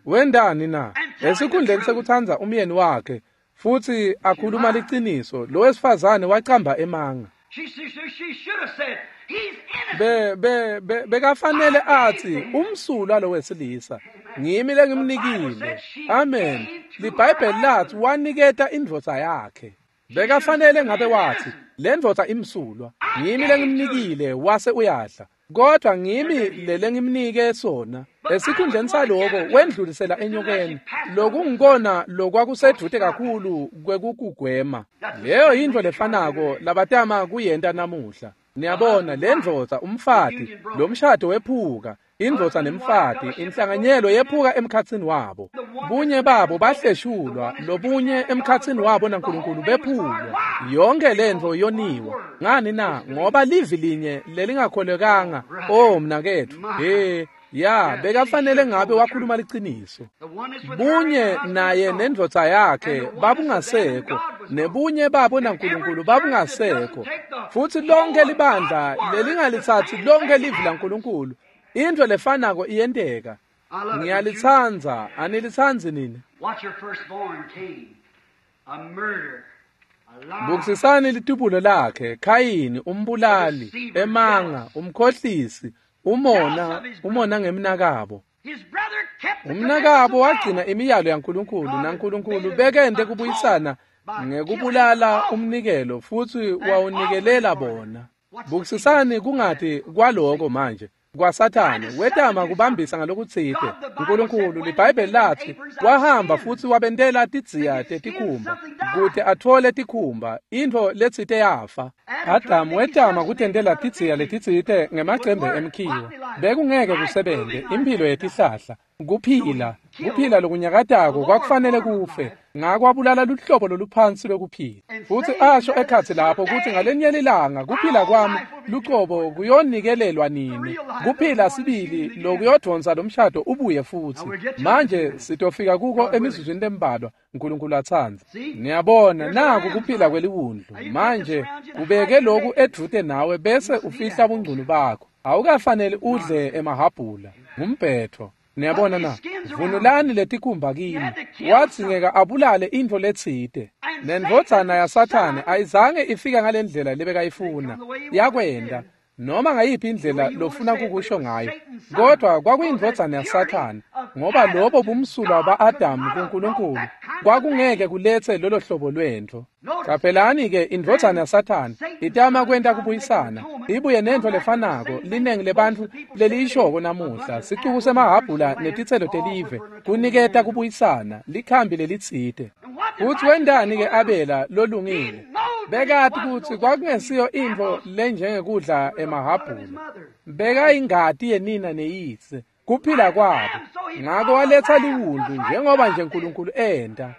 Wendani na? Esikhundleni sekutsandza umyeni wakhe futhi akhuluma liciniso, lo wesifazane wacamba emanga. Bekafanele athi umsulwa lo wesilisa ngimi lengimnikile. Amen. LiBhayibheli lathi waniketa indvodza yakhe. Bekafanele ngabe wathi le ndvodza imsulwa, ngimi lengimnikile, wase uyadla. Kodwa ngimi lelengimnike sona. Esikhundleni saloko wendlulisela enyokeni. Lokungikona lokwakusedude kakhulu kwekukugwema. Leyo yintfo lefanako labatama kuyenta namuhla. Niyabona, le ndvodza umfati, lo mshado wephuka, indvodza nemfati, inhlanganyelo yephuka emkhatsini wabo. Bunye babo bahleshulwa, lobunye emkhatsini wabo naNkulunkulu bephulwa. Yonke lentfo yoniwa. Ngani na? Ngoba livi linye lelingakholekanga. Oh mnaketfu, he ya, bekafanele ngabe wakhuluma liciniso. Bunye naye nendvodza yakhe babungasekho, nebunye babo naNkulunkulu babungasekho. Futhi lonke libandla lelingalitsatsi lonke livi laNkulunkulu, intfo lefanako iyenteka. Ngiyalitsandza, anilitsandzi nini? Bukisisani litubulo lakhe, Khayini, umbulali, emanga, umkhohlisi, umona ngemnakabo. Umnakabo wagcina imiyalo yaNkulunkulu, naNkulunkulu bekente kubuyisana ngekubulala umnikelo futsi wawunikelela bona. Bukisisani kungati kwaloko manje kwaSathane wetama kubambisa ngalokutsite. uNkulunkulu, liBhayibheli lathi, wahamba futsi wabentela tidziya tetikhumba kute atfole tikhumba, intfo letsite yafa. Adamu wetama kutentela tidziya letitsite ngemacembe emkhiwa. Bekungeke kusebente, imphilo yetihlahla. Kuphila lokunyakatako kwakufanele kufe, ngako wabulala luhlobo loluphansi lwekuphila. Futsi asho ekhatsi lapho kutsi ngalenye lilanga kuphila kwami lucobo kuyonikelelwa nini, kuphila sibili lokuyodvonsa lomshado ubuye futsi. Manje sitofika kuko emizuzwini lembalwa, uNkulunkulu atsandza. Niyabona, naku kuphila kweliwundlu. Manje ubeke loku edvute nawe bese ufihla bungcunu bakho. Awukafaneli udle emahhabhula, ngumbhetho. Niyabona na, vunulani letikhumba kini. Wadzingeka abulale intfo letsite. Nendvodzana yaSathane ayizange ifike ngalendlela lebekayifuna. Yakwenda noma ngayiphi indlela lofuna kukusho ngayo, kodwa kwakuyindvodzana yaSathane, ngoba lobo bumsulwa ba-Adamu kuNkulunkulu kwakungeke kuletse lolo hlobo lwentfo. Caphelani-ke, indvodzana yaSathane itama kwenta kubuyisana, ibuye nentfo lefanako linengi lebantfu leliyishoko namuhla, sicuku semahhabhula netitselo telive, kuniketa kubuyisana, likhambi lelitsite. Futsi wentani-ke Abela lolungile? Bekati kutsi kwakungesiyo intfo lenjengekudla emahhabhula. Bekayingati yenina neyise, kuphila kwabo. Ngako waletsa liwundlu njengoba nje uNkulunkulu enta.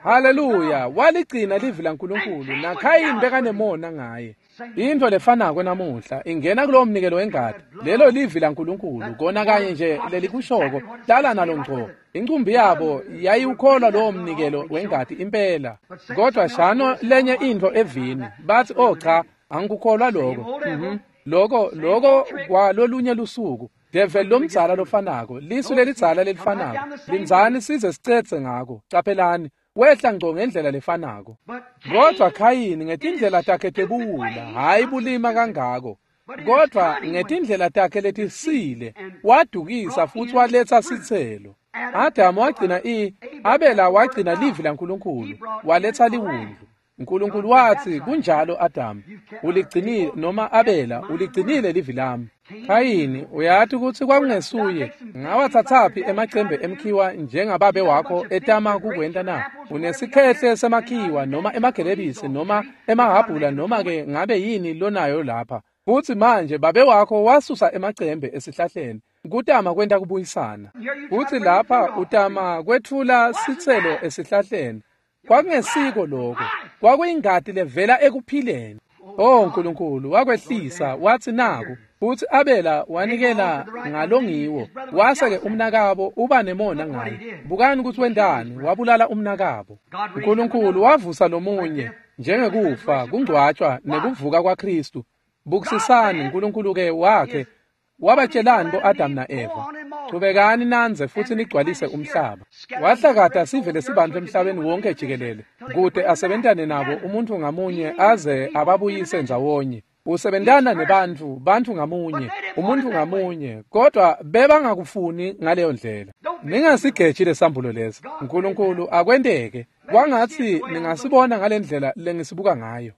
Haleluya, waligcina livi laNkulunkulu, naKhayini bekanemona ngaye. Intfo lefanako namuhla ingena kulowo mnikelo wengati. Lelo livi laNkulunkulu, kona kanye nje lelikushoko, hlala nalo ngco. Incumbi yabo yayiwukholwa lowo mnikelo wengati impela. Kodwa shano lenye intfo evini, bathi, "Oh cha, angikukholwa lokho." Loko kwalolunye lusuku. Develi lomdzala lofanako, lisu lelidzala lelifanako. Lindzani size sicetse ngako. Caphelani, wehla ngco ngendlela lefanako. Kodwa Khayini ngetindlela takhe tebuwula, hhayi bulima kangako, kodwa ngetindlela takhe letisile wadukisa futsi waletsa sitselo. Adamu wagcina Abela wagcina livi laNkulunkulu, waletsa liwundlu. uNkulunkulu wathi, "Kunjalo Adamu, uligcinile, noma Abela, uligcinile livi lami." Khayini, uyati kutsi kwakungesuye. Ngawathathaphi emacembe emkhiwa njengababe wakho etama kukwenta na? Unesikhehle semakhiwa noma emagelebisi noma emahhabhula noma ke ngabe yini lonayo lapha. Futsi manje babe wakho wasusa emacembe esihlahleni kutama kwenta kubuyisana. Futsi lapha utama kwetfula sitselo esihlahleni. Kwakungesiko lokho, kwakuyingati levela ekuphileni. Oh Nkulunkulu wakwehlisa, wathi naku. Futsi Abela wanikela ngalongiwo, wase-ke umnakabo uba nemona ngaye. Bukani kutsi wentani, wabulala umnakabo. uNkulunkulu wavusa lomunye njengekufa, kungcwatshwa nekuvuka kwaKhristu. Bukisisani uNkulunkulu-ke wakhe wabatshelani bo-Adamu na-Eva, "Chubekani nandze futsi nigcwalise umhlaba." Wahlakata sive lesibantfu emhlabeni wonke jikelele, kute asebentane nabo umuntfu ngamunye aze ababuyise ndzawonye. Usebentana nebantfu, bantfu ngamunye, umuntfu ngamunye, kodwa bebangakufuni ngaleyo ndlela. Ningasigeji lesambulo lesi. uNkulunkulu akwenteke kwangatsi ningasibona ngalendlela lengisibuka ngayo.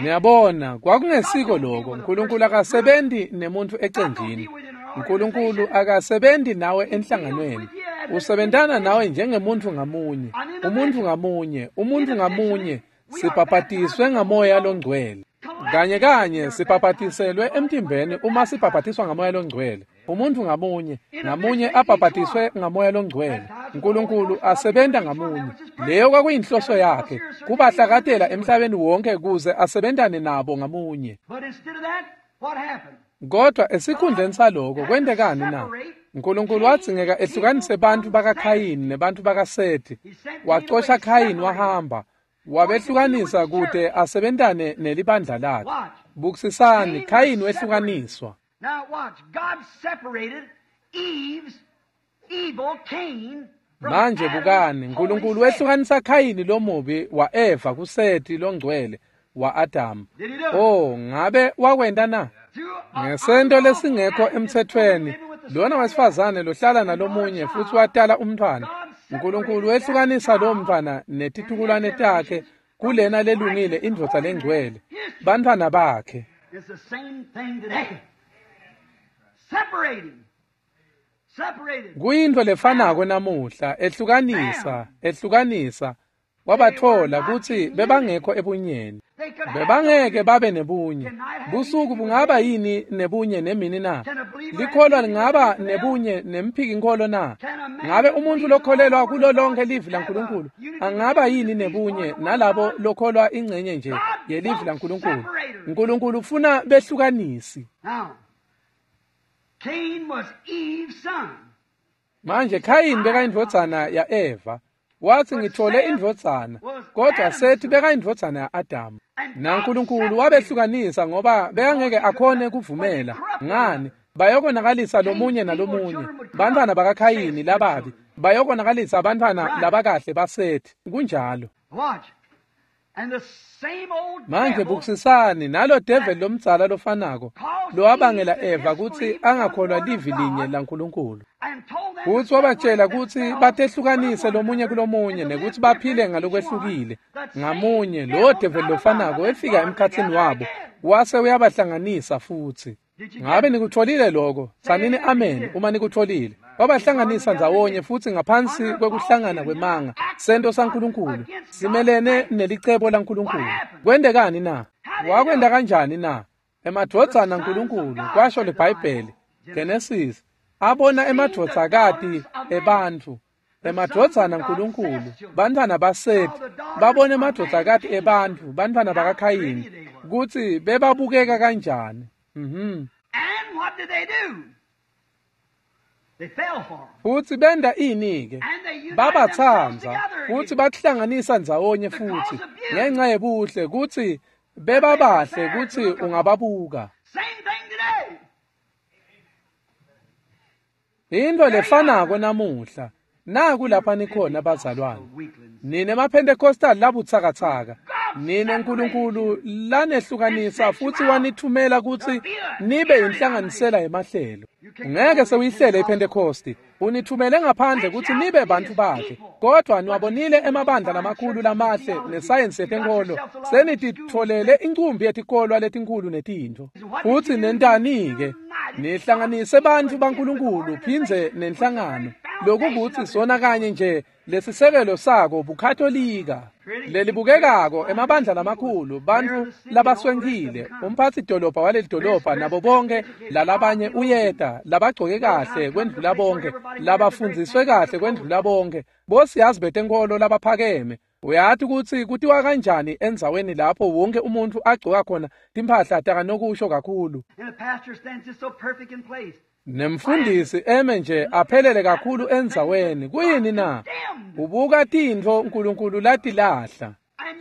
Niyabona, kwakungesiko lokho. uNkulunkulu akasebenzi nemuntu ecenjini. uNkulunkulu akasebenzi nawe enhlanganweni. Usebentana nawe njengemuntu ngamunye, umuntu ngamunye, umuntu ngamunye. Sibhabhatiswe ngamoya longcwele. Kanye kanye sibhabhatiselwe emtimbeni uma sibhabhatiswa ngamoya longcwele. Umuntu ngamunye, ngamunye abhabhatiswe ngamoya longcwele. uNkulunkulu asebenta ngamunye. Leyo kwakuyinhloso yakhe, kubahlakatela emhlabeni wonke kuze asebentane nabo ngamunye. Kodwa esikhundleni saloko kwentekani na? uNkulunkulu wadzingeka ehlukanise bantfu bakaKhayini nebantfu bakaSethi. Wacosha Khayini wahamba, wabehlukanisa kute asebentane nelibandla lakhe. Bukisisani, Khayini wehlukaniswa. Manje bukani, uNkulunkulu wehlukanisa Khayini lomubi wa-Eva kuSeti longcwele wa-Adamu. Oh, ngabe wakwenta na? Ngesento lesingekho emthethweni, lona wesifazane lohlala nalomunye futhi watala umntwana. uNkulunkulu wehlukanisa lowo mntwana netitukulwane takhe kulena lelungile indvodza lengcwele, bantfwana bakhe. It's the same thing today. Separating. Separated. Kuyintfo lefanako namuhla, ehlukanisa, ehlukanisa. Wabathola kutsi bebangekho ebunyeni. They could have Bebangeke babe nebunye. Busuku bungaba yini nebunye nemini na? Likholwa lingaba nebunye nemphikinkholo na? Ngabe umuntu lokholelwa kulo lonke livi laNkulunkulu angaba yini nebunye nalabo lokholwa ingcenye nje yelivi laNkulunkulu? uNkulunkulu ufuna behlukanisi. Now, Cain was Eve's son. Manje Khayini bekayindvodzana ya-Eva. Wathi ngithole indvodzana, kodwa Sethi bekayindvodzana ya-Adamu. NaNkulunkulu wabehlukanisa ngoba bekangeke akhone kuvumela. Ngani? Bayokonakalisa lomunye nalomunye. Bantfwana bakaKhayini lababi bayokonakalisa bantfwana labakahle baSethi. Kunjalo. Watch. And the same old Manje devil bukisisani nalo devil lomdzala lofanako lowabangela Eva kutsi angakholwa livi linye laNkulunkulu. and told them to Futsi wabatshela separate kutsi themselves batehlukanise from one lomunye another kulomunye and to nekuthi live baphile different each ngalokwehlukile. one. That same Ngamunye lowo devil devil got lofanako among them wefika and brought emkhatsini together wabo again. wase uyabahlanganisa futsi. Ngabe nikutfolile lokho? Tsanini amen uma nikutfolile. Wabahlanganisa ndzawonye futsi ngaphansi kwekuhlangana kwemanga, sento saNkulunkulu simelene nelicebo laNkulunkulu. Kwentekani na? Wakwenta kanjani na? Emadvodzana aNkulunkulu, kwasho liBhayibheli, Genesis, abona emadvodzakati ebantfu, emadvodzana aNkulunkulu, bantfwana baSethi, babona emadvodzakati ebantfu, bantfwana bakaKhayini, kutsi bebabukeka kanjani. And what did they do? They fell for 'em. Futsi benta ini-ke? And they united themselves Babatsandza together futsi again. bahlanganisa ndzawonye futhi ngenxa yebuhle kutsi bebabahle kutsi ungababuka. Same thing today. Into lefanako namuhla. Naku lapha nikhona bazalwane. Weaklings. Nine maPentecostal labutsakatsaka. Nine nkulunkulu lanehlukanisa futhi wanithumela kutsi nibe inhlanganisela yemahlelo. Ngeke sewuyihlele iPentecost. Unithumele ngaphandle kutsi nibe bantfu bakhe. Kodwa niwabonile emabandla lamakhulu lamahle nesayensi yetenkolo. Senititfolele incumbi yetikolwa letinkhulu netintfo. Futsi nentani-ke? Nihlanganise bantfu baNkulunkulu phindze nenhlangano. Lokukutsi sona kanye nje lesisekelo sako buKatolika. Lelibukekako emabandla lamakhulu, bantfu labaswenkile, umphatsi dolobha waleli dolobha nabo bonke lalabanye uyeta, labagcoke kahle kwendlula bonke, labafundziswe kahle kwendlula bonke, bosiyazi betenkolo labaphakeme. Uyati kutsi kutiwa kanjani endzaweni lapho wonke umuntfu agcoka khona timphahla takanokusho kakhulu. And the pastor stands just so perfect in place. Nemfundisi eme nje aphelele kakhulu endzaweni. Kuyini na? Ubuka tintfo uNkulunkulu latilahla.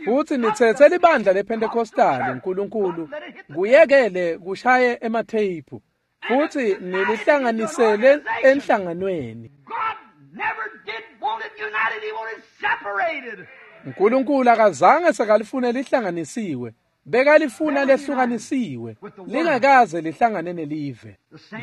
Futsi nitsetse libandla lePentecostal uNkulunkulu kuyekele kushaye ematheyiphu futsi nilihlanganisele enhlanganweni. God never did want it united, he wanted it separated. uNkulunkulu akazange sekalifune lihlanganisiwe, bekalifuna lehlukanisiwe, lingakaze lihlangane nelive.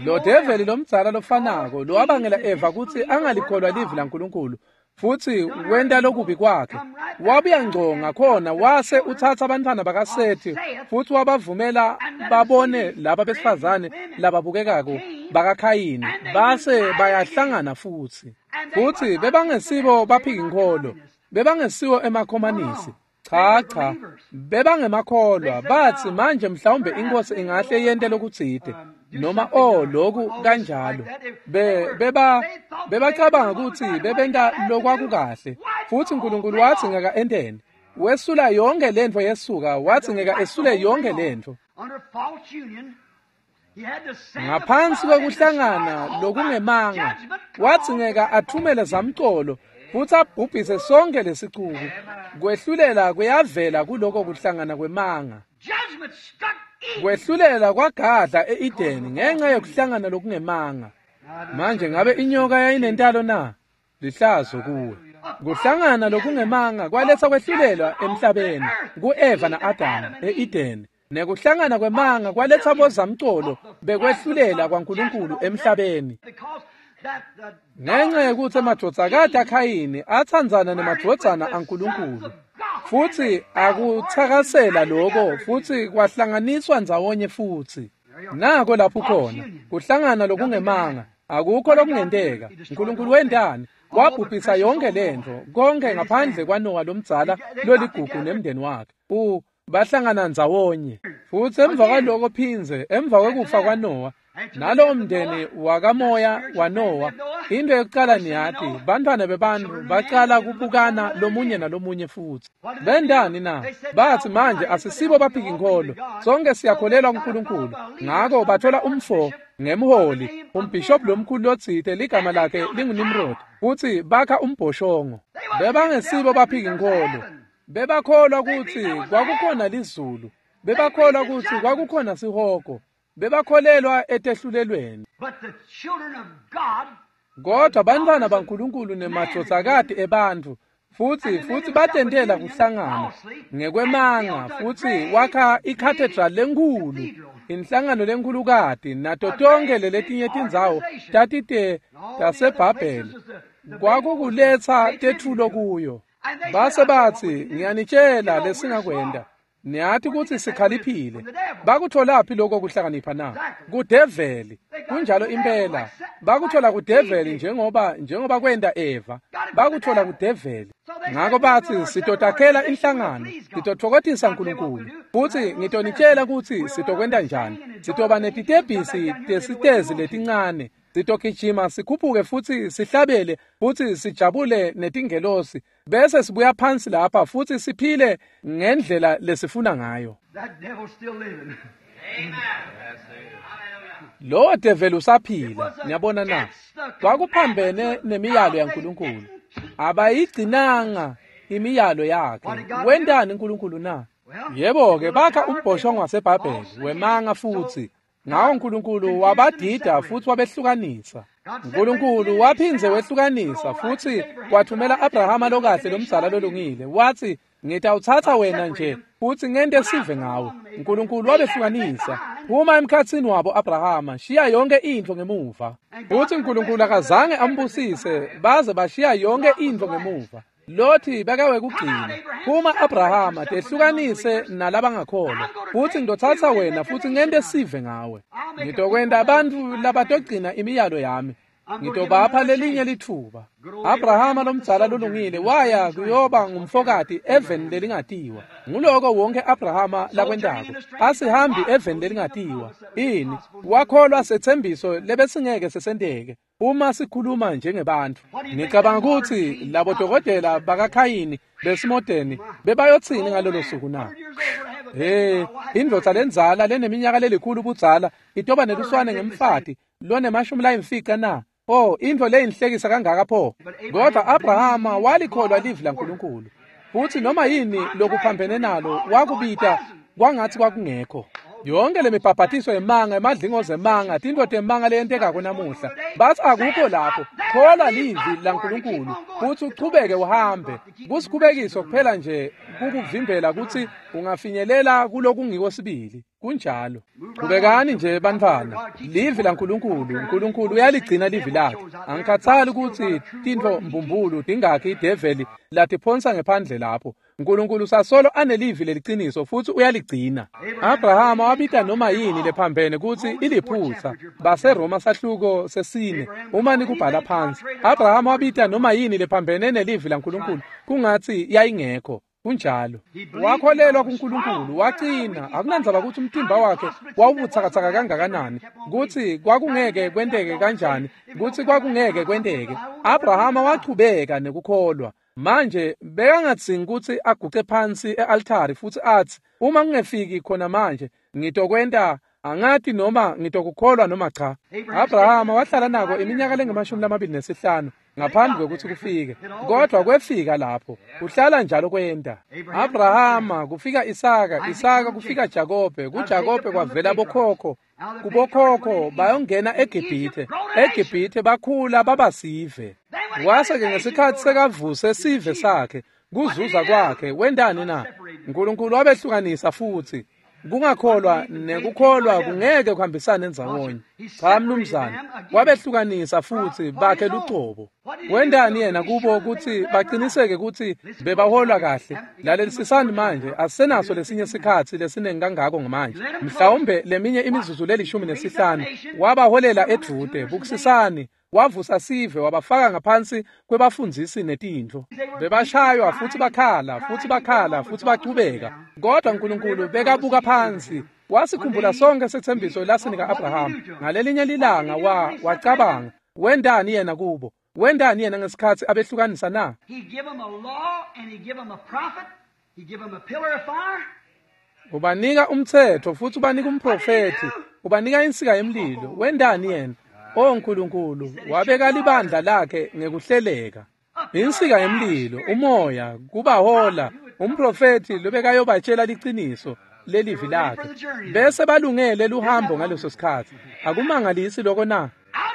Lo develi lomdzala lofanako lowabangela Eva kutsi angalikholwa livi laNkulunkulu futsi wenta lokubi kwakhe, wabuya ngco ngakhona wase utsatsa bantfwana bakaSethi futsi wabavumela babone laba besifazane lababukekako bakaKhayini, base bayahlangana futsi. Futsi bebangesibo baphikinkholo, bebangesiwo emakhomanisi. Cha cha, bebangemakholwa. Batsi manje mhlawumbe inkosi ingahle yente lokutsite noma oh lokhu kanjalo. Bebacabanga kutsi bebenta lokwakukahle. Futsi uNkulunkulu watsi ngeka enteni. Wesula yonke lentfo yesuka, watsi ngeka esule yonke lentfo. Under false union, he had to send the Ngaphansi flood and destroy the kwekuhlangana whole lokungemanga, judgment watsi called ngeka athumele zamcolo futsi abhubhise sonke lesicuku. Kwehlulela kuyavela kuloko kuhlangana kwemanga. Judgment struck Eden. Kwehlulela kwagadla e-Edeni ngenxa yokuhlangana lokungemanga. Manje ngabe inyoka yayinentalo na? Lihlazo kuwe. Kuhlangana lokungemanga kwaletsa kwehlulelwa emhlabeni ku-Eva na-Adamu e-Edeni. Nekuhlangana kwemanga kwaletsa bozamcolo bekwehlulela kwaNkulunkulu emhlabeni. Ngenxa yekutsi emadvodzakati aKhayini atsandzana nemadvodzana aNkulunkulu, futsi akutsakasela loko futsi kwahlanganiswa ndzawonye futsi. Nako lapho khona kuhlangana lokungemanga, akukho lokungenteka. Nkulunkulu wentani? Wabhubhisa yonke lentfo, konke ngaphandle kwaNowa lomdzala loligugu nemndeni wakhe. Bahlangana ndzawonye. Futsi emva kwaloko phindze, emva kwekufa kwaNowa, nalowo mndeni wakamoya waNowa, into yokucala niyati, bantfwana bebantfu bacala kubukana lomunye nalomunye futsi. Bentani na? Batsi manje asisibo baphikinkholo, sonke siyakholelwa kuNkulunkulu. Ngako bathola umfo ngemholi, umbhishobhi lomkhulu lotsite ligama lakhe linguNimrod, futsi bakha umbhoshongo. Bebangesibo baphikinkholo. Bebakholwa kutsi kwakukhona lizulu. Bebakholwa kutsi kwakukhona sihogo. Bebakholelwa etehlulelweni. Kodwa bantfwana baNkulunkulu nemadvodzakati ebantfu futsi batentela kuhlangana ngekwemanga futsi wakha ikhathedral lenkhulu, inhlangano lenkhulukati, nato tonke leletinye tindzawo tatite taseBhabheli. Kwakukuletsa tetfulo kuyo. Base batsi, ngiyanitshela lesingakwenta. Niyati kutsi sikhaliphile. Bakutholaphi lokho kuhlakanipha na? Kudeveli. Kunjalo impela. Bakuthola kudeveli njengoba kwenta Eva. Bakuthola kudeveli. Ngako batsi sitotakhela inhlangano, sitotfokotisa Nkulunkulu. Futsi ngitonitshela kutsi sitokwenta njani. Sitoba netitebhisi tesitezi letincane. Sitogijima sikhuphuke futsi sihlabele futsi sijabule netingelosi, bese sibuya phansi lapha futsi siphile ngendlela lesifuna ngayo. Lowo develi usaphila, niyabona na? Kwakuphambene nemiyalo yaNkulunkulu. Abayigcinanga imiyalo yakhe. Wentani uNkulunkulu na? Yebo-ke, bakha umbhoshongo waseBhabheli wemanga futsi. Ngawo uNkulunkulu wabadida futsi wabehlukanisa. uNkulunkulu waphindze wehlukanisa futsi wathumela Abrahama lokahle lomdzala lolungile. Watsi, ngitawutsatsa wena nje futsi ngente sive ngawe. uNkulunkulu wabehlukanisa. Phuma emkhatsini wabo Abrahama, shiya yonke intfo ngemuva. Futsi uNkulunkulu akazange ambusise baze bashiya yonke intfo ngemuva. Lothi bekawekugcina. Phuma Abrahama, tehlukanise nalabangakholwa. Futsi ngitotsatsa wena futsi ngente sive ngawe. Ngitokwenta abantfu labatogcina imiyalo yami. Ngitobapha lelinye litfuba. Abrahama lomdzala lolungile waya kuyoba ngumfokati eveni lelingatiwa. Nguloko wonke Abrahama lakwentako. Asihambi eveni lelingatiwa. Ini? Wakholwa setsembiso lebesingeke sesenteke. Uma sikhuluma njengebantfu, ngicabanga kutsi labo dokotela bakaKhayini besimodeni bebayotsini ngalolo suku na? Hey, indvodza lendzala leneminyaka lelikhulu budzala itoba neluswane ngemfati lonemashumi na? Oh, intfo leyinhlekisa kangaka pho. Kodwa Abrahama walikholwa livi laNkulunkulu. Futsi noma yini lokuphambene nalo wakubita kwangatsi kwakungekho. Yonke lemibhabhatiso yemanga, emadlingozi emanga, tintfo temanga leyentekako namuhla. Batsi akukho lapho. Kholwa livi laNkulunkulu futsi uchubeke uhambe. Kusikhubekiso kuphela nje kukuvimbela kutsi ungafinyelela kulokungiko sibili. Kunjalo. Qhubekani nje bantfwana. Livi laNkulunkulu, uNkulunkulu uyaligcina livi lakhe. Angikhathali kutsi tintfo mbumbulu tingakhi ideveli latiphonsa ngephandle lapho. uNkulunkulu sasolo anelivi leliciniso futsi uyaligcina. Abrahama wabita noma yini lephambene kutsi iliphutsa. BaseRoma sahluko sesine uma nikubhala phansi. Abrahama wabita noma yini lephambene nelivi laNkulunkulu kungatsi yayingekho. Kunjalo. Wakholelwa kuNkulunkulu, wacina. Akunandzaba kutsi umtimba wakhe wawubutsakatsaka kangakanani, kutsi kwakungeke kwenteke kanjani, kutsi kwakungeke kwenteke. Abrahama wachubeka nekukholwa. Manje bekangadzingi kutsi aguce phansi e-altari futsi atsi, uma ngingefiki khona manje, ngitokwenta angati noma ngitokukholwa noma cha. Abrahama wahlala nako iminyaka lengamashumi lamabili nesihlanu. ngaphambi kwekutsi kufike, kodwa kwefika lapho. Kuhlala njalo kwenta. Abrahama kufika Isaka, Isaka kufika Jakobe, kuJakobe kwavela bokhokho, kubokhokho bayongena eGibhithe, eGibhithe bakhula baba sive. Wase-ke ngesikhatsi sekavuse sive sakhe, kuzuza kwakhe, wentani na? Nkulunkulu wabehlukanisa futsi. Kungakholwa nekukholwa kungeke kuhambisane ndzawonye. Cha mnumzane, wabehlukanisa futsi bakhe lucobo. Wentani yena kubo kutsi baqiniseke kutsi bebaholwa kahle? Lalelisisani manje, asisenaso lesinye sikhatsi lesiningi kangako manje. Mhlawumbe leminye imizuzu le-15. Wabaholela edvute, bukisisani. Wavusa sive wabafaka ngaphansi kwebafundzisi netintfo. Bebashaywa futsi bakhala, futsi bakhala, futsi bachubeka. Kodwa Nkulunkulu bekabuka phansi, wasikhumbula sonke setsembiso lasinika Abraham. Ngalelinye lilanga wacabanga, wentani yena kubo? Wentani yena ngesikhatsi abehlukanisa na? He give them a law and he give them a prophet. He give them a pillar of fire. Ubanika umtsetfo futsi ubanika umprofethi, ubanika insika yemlilo. Wentani yena? O Nkulunkulu, wabeka libandla lakhe ngekuhleleka. Insika yemlilo, umoya, kubahola, umprofethi lobekayobatshela liciniso lelivi lakhe. Bese balungele luhambo ngaleso sikhatsi. Akumangalisi lokho na? Out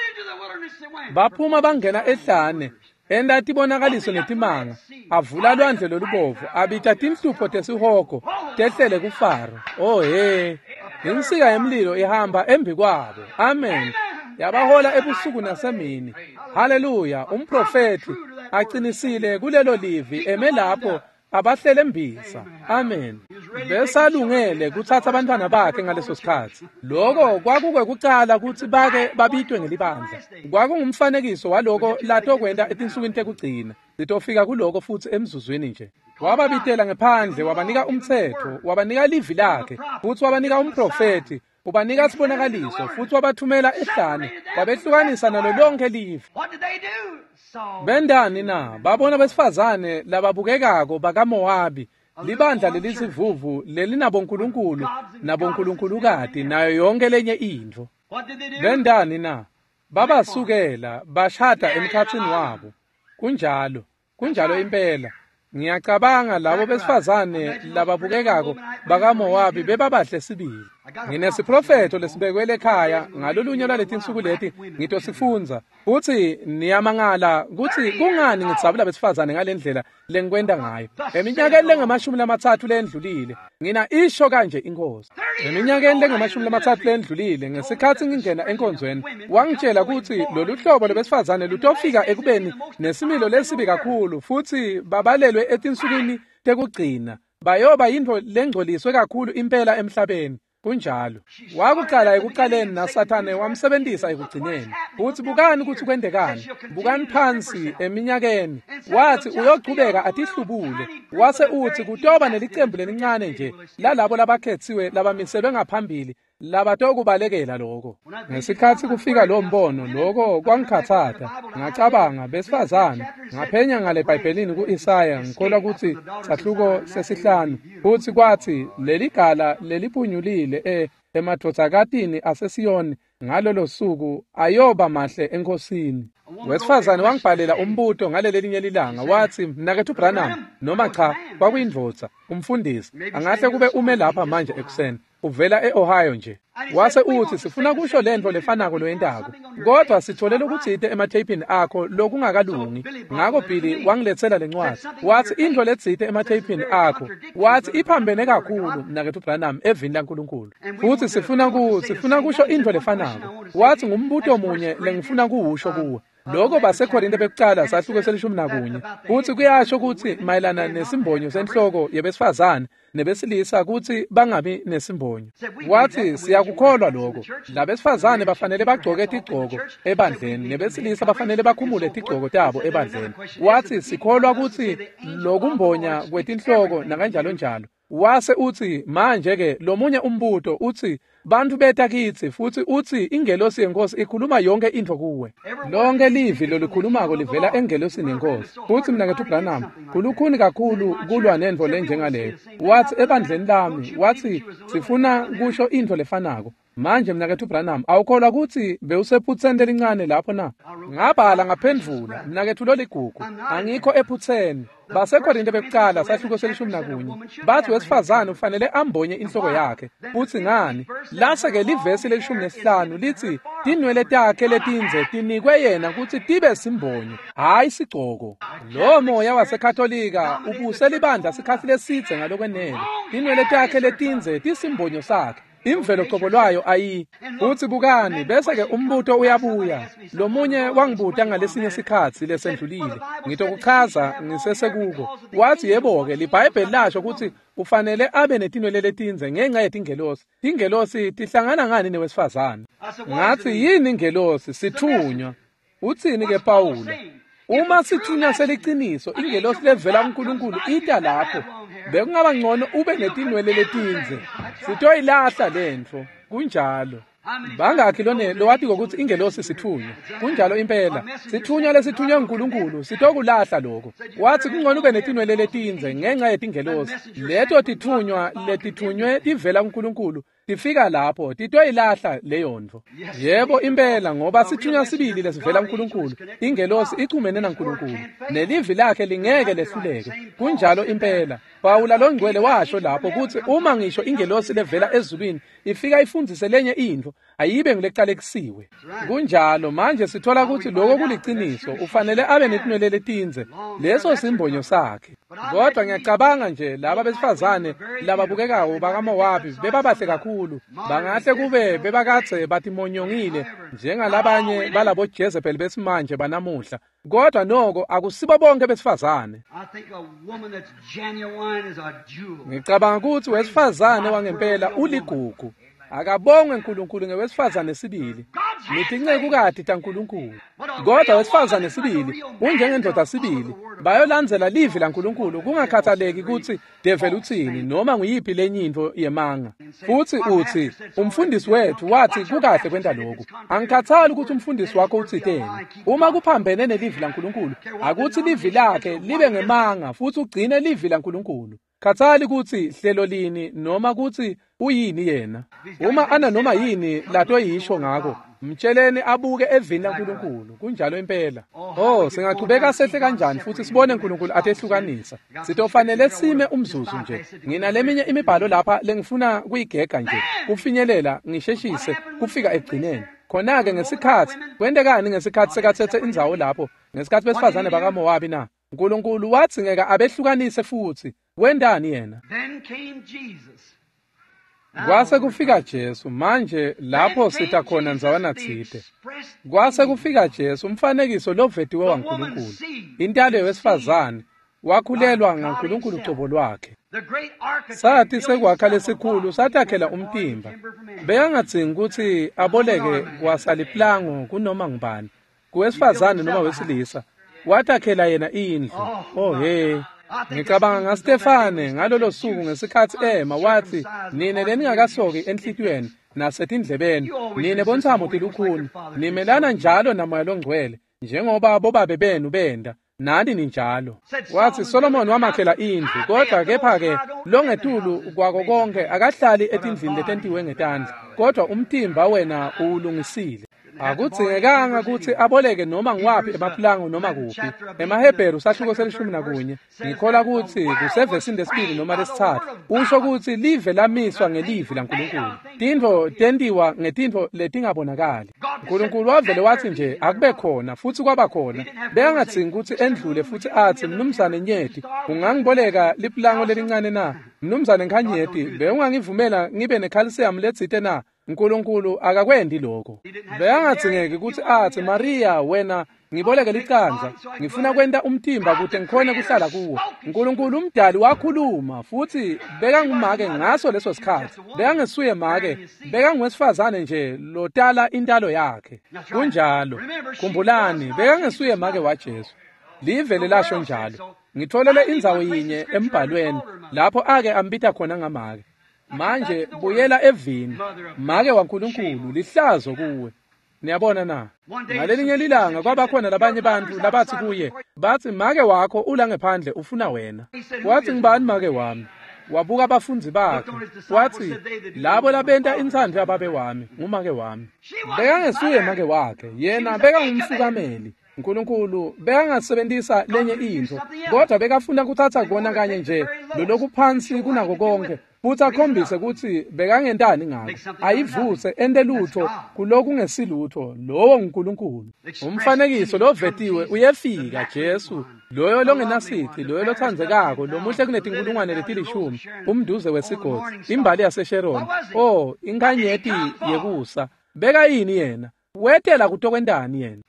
into the wilderness they went. Baphuma bangena ehlane, enta tibonakaliso netimanga, avula lwandle lolubovu, abita tinhlupho tesihogo tehlele kuFaro. Oh he, insika yemlilo ihamba embi kwabo. Amen. Yabahola ebusuku nasemini. Haleluya, umprofethi aqinisile kulelo livi eme lapho abahlele mbisa. Amen. Besalungele kutsatsa abantwana bakhe ngaleso sikhatsi. Lokho kwakukwekucala kutsi bake babitwe ngelibandla. Kwakungumfanekiso waloko latokwenta etinsukwini tekugcina. Sitofika kuloko futsi emzuzwini nje. Wababitela ngephandle, wabanika umtsetfo, wabanika livi lakhe, futsi wabanika umprofethi, ubanika sibonakaliso, futsi wabathumela ehlane, wabehlukanisa nalo lonke live. What did they do? Saw Bendani na? Babona besifazane lababukekako bakaMowabi, libandla lelisivuvu lelinabonkulunkulu nabonkulunkulukati nayo yonke lenye intfo. What did they do? Bendani na? Babasukela bashada emkhatsini wabo. Kunjalo, kunjalo impela. Ngiyacabanga labo besifazane lababukekako bakaMowabi bebabahle sibili. Nginesiprofetho lesibekwe ekhaya ngalolunye lwaletinsuku leti ngitosifundza. Futsi niyamangala kutsi kungani ngidzabula besifazane ngalendlela lengikwenta ngayo. Eminyakeni lengama-30 lendlulile, ngina isho kanje inkosi. Eminyakeni lengama-30 lendlulile, ngesikhatsi ngingena enkonzweni, wangitshela kutsi lolu hlobo lwebesifazane lutofika ekubeni nesimilo lesibi kakhulu futsi babalelwe etinsukwini tekugcina. Bayoba yintfo lengcoliswe kakhulu impela emhlabeni. Kunjalo. Wakucala ekucaleni naSathane wamsebentisa ekugcineni. Futsi bukani kutsi kwentekani. Bukani phansi eminyakeni. Wathi uyochubeka atihlubule. Wase utsi kutoba nelicembu lelincane nje lalabo labakhetsiwe labamiselwe ngaphambili labatokubalekela lokho. Ngesikhatsi kufika lo mbono, lokho kwangikhatsata. Ngacabanga besifazane, ngaphenya ngale eBhayibhelini ku-Isaya, ngikholwa kutsi sahluko sesihlanu. Futsi kwatsi leligala leliphunyulile emadvodzakatini aseSiyoni ngalolo suku ayoba mahle enkosini. Wesifazane wangibhalela umbuto ngalelelinye lilanga, watsi mnaketfu Branham, noma cha, kwakuyindvodza, umfundisi, angahle kube ume lapha manje ekuseni, uvela e-Ohio nje. Wase utsi sifuna kusho lentfo lefanako loyentako, kodwa sithole lokutsite ematheyphini akho lokungakalungi. Ngako Billy wangiletsela lencwadzi, watsi intfo letsite ematheyphini akho, watsi iphambene kakhulu mnaketfu Branham evini laNkulunkulu, futsi sifuna kusho intfo lefanako. Watsi ngumbuto munye lengifuna kuwusho kuwe. Lokho baseKorinte bekucala sahluko se-11, futsi kuyasho kutsi mayelana nesimbonyo senhloko yebesifazane nebesilisa kutsi bangabi nesimbonyo. Wathi siyakukholwa lokho. Labesifazane bafanele bagcoke tigcoko ebandleni, nebesilisa bafanele bakhumule tigcoko tabo ebandleni. Wathi sikholwa kutsi lokumbonya kwetinhloko nakanjalo njalo. Wase utsi manje ke lomunye umbuto utsi bantfu beta kitsi futsi utsi ingelosi yenkosi ikhuluma yonke intfo kuwe. Lonke livi lolikhulumako livela engelosini yenkosi. Futsi mnaketfu Branham, kulukhuni kakhulu kulwa nentfo lenjengaleyo. Watsi ebandleni lami, watsi sifuna kusho intfo lefanako. Manje mnaketfu Branham, awukholwa kutsi bewusephutseni lelincane lapho na? Ngabhala ngaphendvula, mnaketfu loligugu, angikho ephutseni. BaseKorinte bekucala sahluko se-11 bathi wesifazane ufanele ambonye inhloko yakhe. Futsi ngani? Lase-ke livesi le-15 lithi tinwele takhe letindze tinikwe yena kutsi tibe simbonyo, hhayi sigcoko. Lo moya waseKatolika ubuse libandla sikhatsi lesidze ngalokwenele. Tinwele takhe letindze tisimbonyo sakhe. Imvelo cobo lwayo ayi. Futsi bukani, bese-ke umbuto uyabuya. Lomunye wangibuta ngalesinye sikhatsi lesendlulile. Ngitokuchaza ngisesekuko. Wathi yebo-ke liBhayibheli lasho kutsi ufanele abe netinwele letindze ngenxa yetingelosi. Tingelosi tihlangana ngani newesifazane? Ngathi yini ingelosi? Sithunywa. Utsini-ke Pawula? Uma sithunywa seliciniso, ingelosi levela kuNkulunkulu ita lapho. Bekungaba ngcono ube netinwele letindze. Sitoyilahla lentfo. Kunjalo. Bangakhi lowatiko kutsi ingelosi sithunywa? Kunjalo impela. Sithunywa lesithunywe nguNkulunkulu sitokulahla lokho. Wathi kungcono ube netinwele letindze ngenxa yetingelosi. Leto tithunywa letithunywe tivela kuNkulunkulu tifika lapho titoyilahla leyo ntfo. Yebo impela, ngoba sithunywa sibili lesivela kuNkulunkulu. Ingelosi ichumene naNkulunkulu, nelivi lakhe lingeke lehluleke. Kunjalo impela. Pawula longcwele washo lapho kutsi uma ngisho ingelosi levela ezulwini ifika ifundzise lenye intfo, ayibe ngulecalekisiwe. Kunjalo. Manje sithola kutsi lokho kuliciniso. Ufanele abe netinwele letindze, leso simbonyo sakhe. Kodwa ngiyacabanga nje laba besifazane lababukekako bakaMowabi bebabahle kakhulu. Bangahle kube bebakadze batimonyongile njengalabanye balabo Jezebel besimanje banamuhla. Kodwa noko akusibo bonke besifazane. I think a woman that's genuine is a jewel. Ngicabanga kutsi wesifazane wangempela uligugu. Akabongwe uNkulunkulu ngewesifazane sibili. Nitincekukati taNkulunkulu. Kodwa wesifazane sibili unjengendvodza sibili. Bayolandzela livi laNkulunkulu kungakhathaleki kutsi develi utsini noma nguyiphi lenye intfo yemanga. Futsi utsi umfundisi wethu wathi kukahle kwenta lokhu. Angikhathali ukuthi umfundisi wakho utsiteni. Uma kuphambene nelivi laNkulunkulu, akutsi livi lakhe libe ngemanga futsi ugcine livi laNkulunkulu. Khathali kutsi hlelo lini noma kutsi uyini yena. Uma ana noma yini latoyisho ngako, mtsheleni abuke evini laNkulunkulu. Kunjalo impela. Oh, singachubeka sehle kanjani futsi sibone uNkulunkulu atehlukanisa. Sitofanele sime umzuzu nje. Ngina leminye imibhalo lapha lengifuna kuyigega nje. Kufinyelela ngisheshise kufika ekugcineni. Khona-ke ngesikhatsi kwentekani ngesikhatsi sekatsetse indzawo lapho, ngesikhatsi besifazane bakaMowabi na? uNkulunkulu wadzingeka abehlukanise futsi. Wentani yena? Then came Jesus. Kwase kufika Jesu. Manje lapho sita khona ndzawana tsite. Kwase kufika Jesu, umfanekiso lovetiwe waNkulunkulu. Intalo yewesifazane wakhulelwa ngaNkulunkulu cobo lwakhe. The great architect Sathi sekwakha lesikhulu satakhela umtimba. Bekangadzingi kutsi aboleke kwasaliplango kunoma ngubani, kuwesifazane noma wesilisa. Watakhela yena indlu. Oh he. Ngicabanga ngaStefane ngalolo suku ngesikhatsi ema wathi, nine leningakasoki enhlitiyweni nasetindlebeni, nine bontsamo tilukhuni, nimelana njalo naMoya loNgcwele, njengoba bobabe benu benda, nani ninjalo. Wathi Solomon wamakhela indlu, kodwa kepha-ke longetulu kwako konke akahlali etindlini letentiwe ngetandla, kodwa umtimba wena uwulungisile. Akudzingekanga kutsi aboleke noma ngiwaphi emapulango noma kuphi. EmaHebheru sahluko se-11, ngikholwa kutsi kusevesini lesibili noma lesitsatfu, usho kutsi live lamiswa ngelivi laNkulunkulu. Tintfo tentiwa ngetintfo letingabonakali. uNkulunkulu wavele wathi nje akube khona futsi kwaba khona. Bekangadzingi kutsi endlule futsi atsi, Mnumzane Nyeti, ungangiboleka lipulango lelincane na? Mnumzane Nkhanyeti, bewungangivumela ngibe nekhalsiyamu letsite na? uNkulunkulu akakwendi lokho. Bekangadzingeki kutsi atsi, Maria, wena ngiboleke licandza, ngifuna kwenta umtimba kute ngikhone kuhlala kuwo. uNkulunkulu umdali wakhuluma futsi bekangumake ngaso leso sikhatsi. Bekangesuye make, bekanguwesifazane nje lotala intalo yakhe. Kunjalo. Khumbulani, bekangesuye make waJesu. Live lasho njalo. Ngitfolele indzawo yinye embhalweni lapho ake ambita khona ngamake. Manje buyela evini, make waNkulunkulu, lihlazo kuwe. Niyabona na? Ngalelinye lilanga kwabakhona labanye bantfu labathi kuye, bathi make wakho ula ngephandle ufuna wena. Wathi ngibani make wami? Wabuka bafundzi bakhe watsi, labo labenta intsandvo yababe wami ngumake wami. Bekangesuye make wakhe, yena bekangumfukameli. Nkulunkulu bekangasebentisa lenye intfo, kodwa bekafuna kuthatha kona kanye nje lolokuphansi kunako konke, futsi akhombise kutsi bekangentani ngako, ayivuse ente lutho kulokungesilutho. Lowo nguNkulunkulu. Umfanekiso lovetiwe uyefika, Jesu, loyo longenasici, loyo lotsandzekako, lomuhle kunetinkulungwane letilishumi, umduze wesigodzi, imbali yaseSharon, oh, inkanyeti yekusa. Bekayini yena? Wetela kutokwentani yena?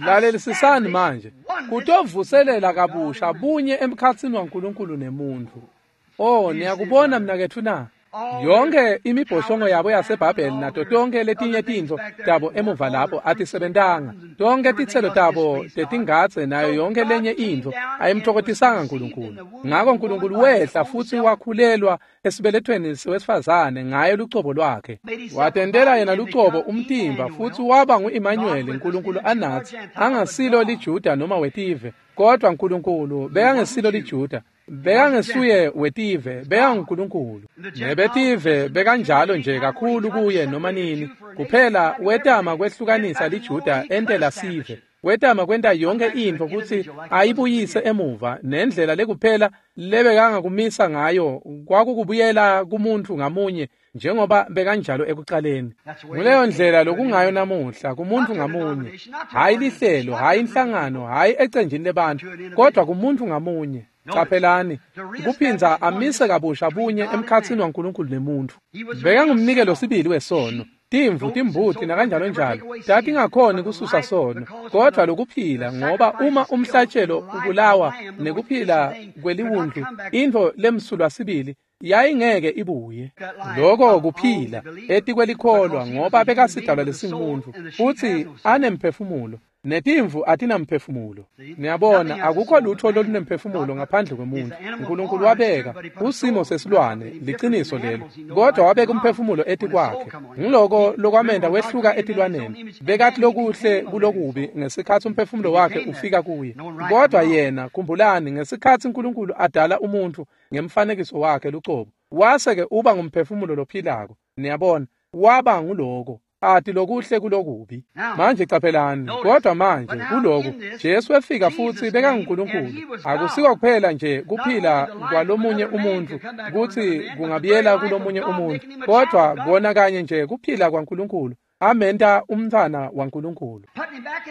Lalelisisani manje, kutovuselela kabusha bunye emkhatsini waNkulunkulu nemuntfu. Oh, niyakubona mnaketfu na? Yonke imibhoshongo yabo yaseBhabheli nato tonke letinye tintfo tabo emuva lapho atisebentanga. Tonke titselo tabo tetingadze nayo yonke lenye intfo ayimthokotisanga Nkulunkulu. Ngako Nkulunkulu wehla futsi wakhulelwa esibelethweni sewesifazane ngaye lucobo lwakhe. Watentela yena lucobo umtimba futsi waba ngu-Emmanuel, Nkulunkulu anatsi, angasilo liJuda noma wetive, kodwa Nkulunkulu bekangesilo liJuda. Bekangesuye wetive, bekanguNkulunkulu. Nebetive bekanjalo nje kakhulu kuye noma nini. Kuphela wetama kwehlukanisa liJuda entela sive. Wetama kwenta yonke intfo kutsi ayibuyise emuva, nendlela lekuphela lebekangakumisa ngayo kwakukubuyela kumuntfu ngamunye njengoba bekanjalo ekucaleni. Nguleyo ndlela lokungayo namuhla kumuntfu ngamunye, hhayi lihlelo, hhayi inhlangano, hhayi ecenjini lebantfu, kodwa kumuntfu ngamunye. Caphelani, kuphindza amise kabusha bunye emkhatsini waNkulunkulu nemuntfu. Bekangumnikelo sibili wesono. Timvu, timbuti nakanjalo njalo tatingakhoni kususa sono, kodwa lokuphila, ngoba uma umhlatshelo ubulawa nekuphila kweliwundlu, intfo lemsulwa sibili yayingeke ibuye. Loko kuphila etikwelikholwa, ngoba bekasidalwa lesingumuntu futsi anemphefumulo, netimvu atinamphefumulo. Niyabona, akukho lutho lolunemphefumulo ngaphandle kwemuntu. Nkulunkulu wabeka usimo sesilwane, liciniso lelo, kodwa wabeka umphefumulo etikwakhe. Ngiloko lokwamenta wehluka etilwaneni. Bekathi lokuhle kulokubi ngesikhatsi umphefumulo wakhe ufika kuye. Kodwa yena, khumbulani, ngesikhatsi Nkulunkulu adala umuntfu ngemfanekiso wakhe lucobo, wase-ke uba ngumphefumulo lophilako. Niyabona, waba nguloko ati lokuhle kulokubi. Manje caphelani, kodwa manje kuloku Jesu wefika futsi bekanguNkulunkulu. Akusiko kuphela nje kuphila kwalomunye umuntfu kutsi kungabuyela kulomunye umuntfu, kodwa kona kanye nje kuphila kwaNkulunkulu amenta umntfwana waNkulunkulu,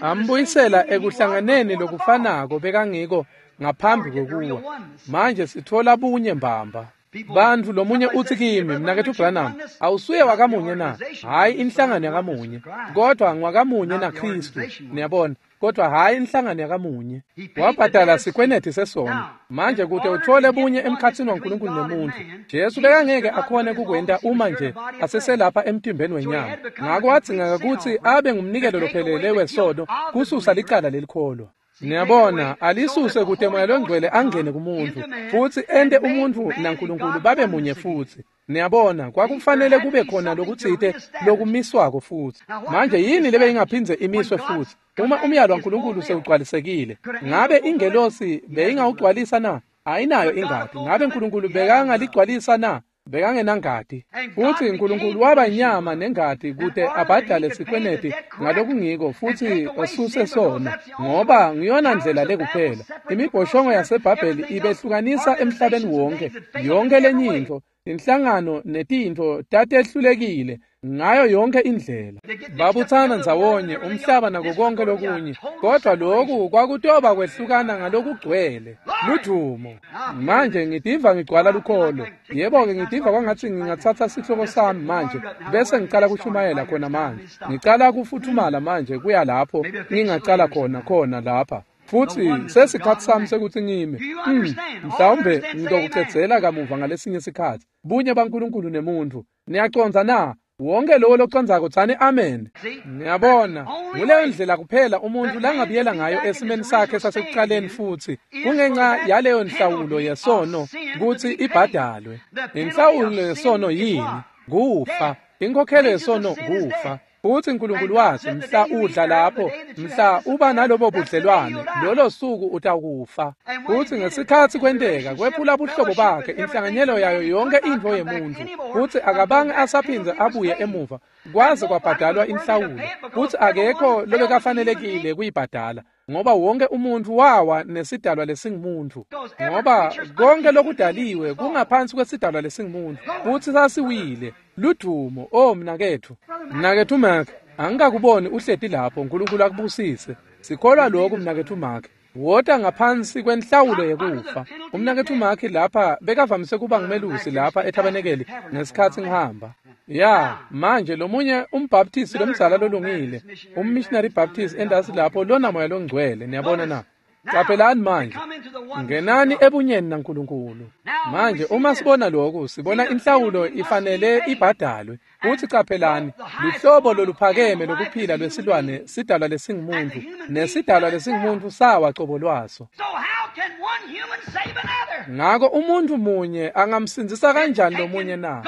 ambuyisela ekuhlanganeni lokufanako bekangiko ngaphambi kwekuwa. Manje sitfola bunye mbamba. Bantfu lomunye utsi kimi, mnaketfu Branham, awusuye wakamunye na? Hhayi inhlangano yakamunye, kodwa ngwakamunye naKhristu. Niyabona, kodwa hhayi inhlangano yakamunye. Wabhadala sikweneti sesono. Manje kute uthole bunye emkhatsini waNkulunkulu nemuntfu, Jesu bekangeke akhone kukwenta uma nje aseselapha emtimbeni wenyama. Ngako wadzingeka kutsi abe ngumnikelo lophelele wesono kususa licala lelikholwa. Niyabona, alisuse kute Moya Longcwele angene kumuntfu futsi ente umuntfu naNkulunkulu babe munye futsi. Niyabona, kwakufanele kube khona lokutsite lokumiswako futsi. Manje yini lebeyingaphindze imiswe futsi? Uma umyalo waNkulunkulu sewugcwalisekile, ngabe ingelosi beyingawugcwalisa na? Ayinayo ingati. Ngabe Nkulunkulu bekangaligcwalisa na? Bekangenangati. Futsi Nkulunkulu waba inyama nengati kute abhadale sikweneti ngalokungiko futsi esuse sono, ngoba ngiyona ndlela lekuphela. Imibhoshongo yaseBhabheli ibehlukanisa emhlabeni wonke. Yonke lenye intfo, inhlangano netintfo tatehlulekile ngayo yonke indlela. Babutsana ndzawonye umhlaba nako konke lokunye, kodwa loku kwakutoba kwehlukana ngalokugcwele. Ludumo. Manje ngitiva ngigcwala lukholo. Yebo-ke, ngitiva kwangatsi ngingatsatsa sihloko sami manje bese ngicala kushumayela khona manje. Ngicala kufuthumala manje kuya lapho ngingacala khona lapha. Futsi sesikhatsi sami sekutsi ngime. Mhlawumbe ngitokucedzela kamuva ngalesinye sikhatsi. Bunye baNkulunkulu nemuntfu. Niyacondza na? Wonke lowo locondzako tsani amen. Niyabona, nguleyo ndlela kuphela umuntfu langabuyela ngayo esimeni sakhe sasekucaleni futsi kungenxa yaleyo nhlawulo yesono kutsi ibhadalwe. Inhlawulo yesono yini? Kufa. Inkhokhelo yesono kufa. Futsi Nkulunkulu watsi, mhla udla lapho, mhla uba nalobo budlelwane, lolo suku utakufa. Futsi ngesikhatsi kwenteka, kwephula buhlobo bakhe, inhlanganyelo yayo yonke intfo yemuntfu. Futsi akabange asaphindze abuye emuva, kwaze kwabhadalwa inhlawulo. Futsi akekho lobekafanelekile kuyibhadala, ngoba wonke umuntfu wawa nesidalwa lesingumuntu. Ngoba konke lokudaliwe kungaphansi kwesidalwa lesingumuntu, futsi sasiwile. Ludumo, oh mnaketfu. Mnaketfu Mark, angikakuboni uhleti lapho, Nkulunkulu akubusise. Sikholwa lokhu mnaketfu Mark. Wota ngaphansi kwenhlawulo yekufa. Umnaketfu Mark lapha bekavamise kuba ngumelusi lapha ethabenekeli ngesikhatsi ngihamba. Ya, manje lomunye umbaptist lomdzala lolungile, ummissionary Baptist endasi lapho lona moya longcwele, niyabona na? Caphelani manje, ngenani ebunyeni naNkulunkulu. Manje uma sibona lokhu, sibona inhlawulo ifanele ibhadalwe. Futhi caphelani, luhlobo loluphakeme lokuphila lwesilwane sidalwa lesingumuntu, nesidalwa lesingumuntu sawa cobo lwaso. Ngako umuntu munye angamsindzisa kanjani lomunye na?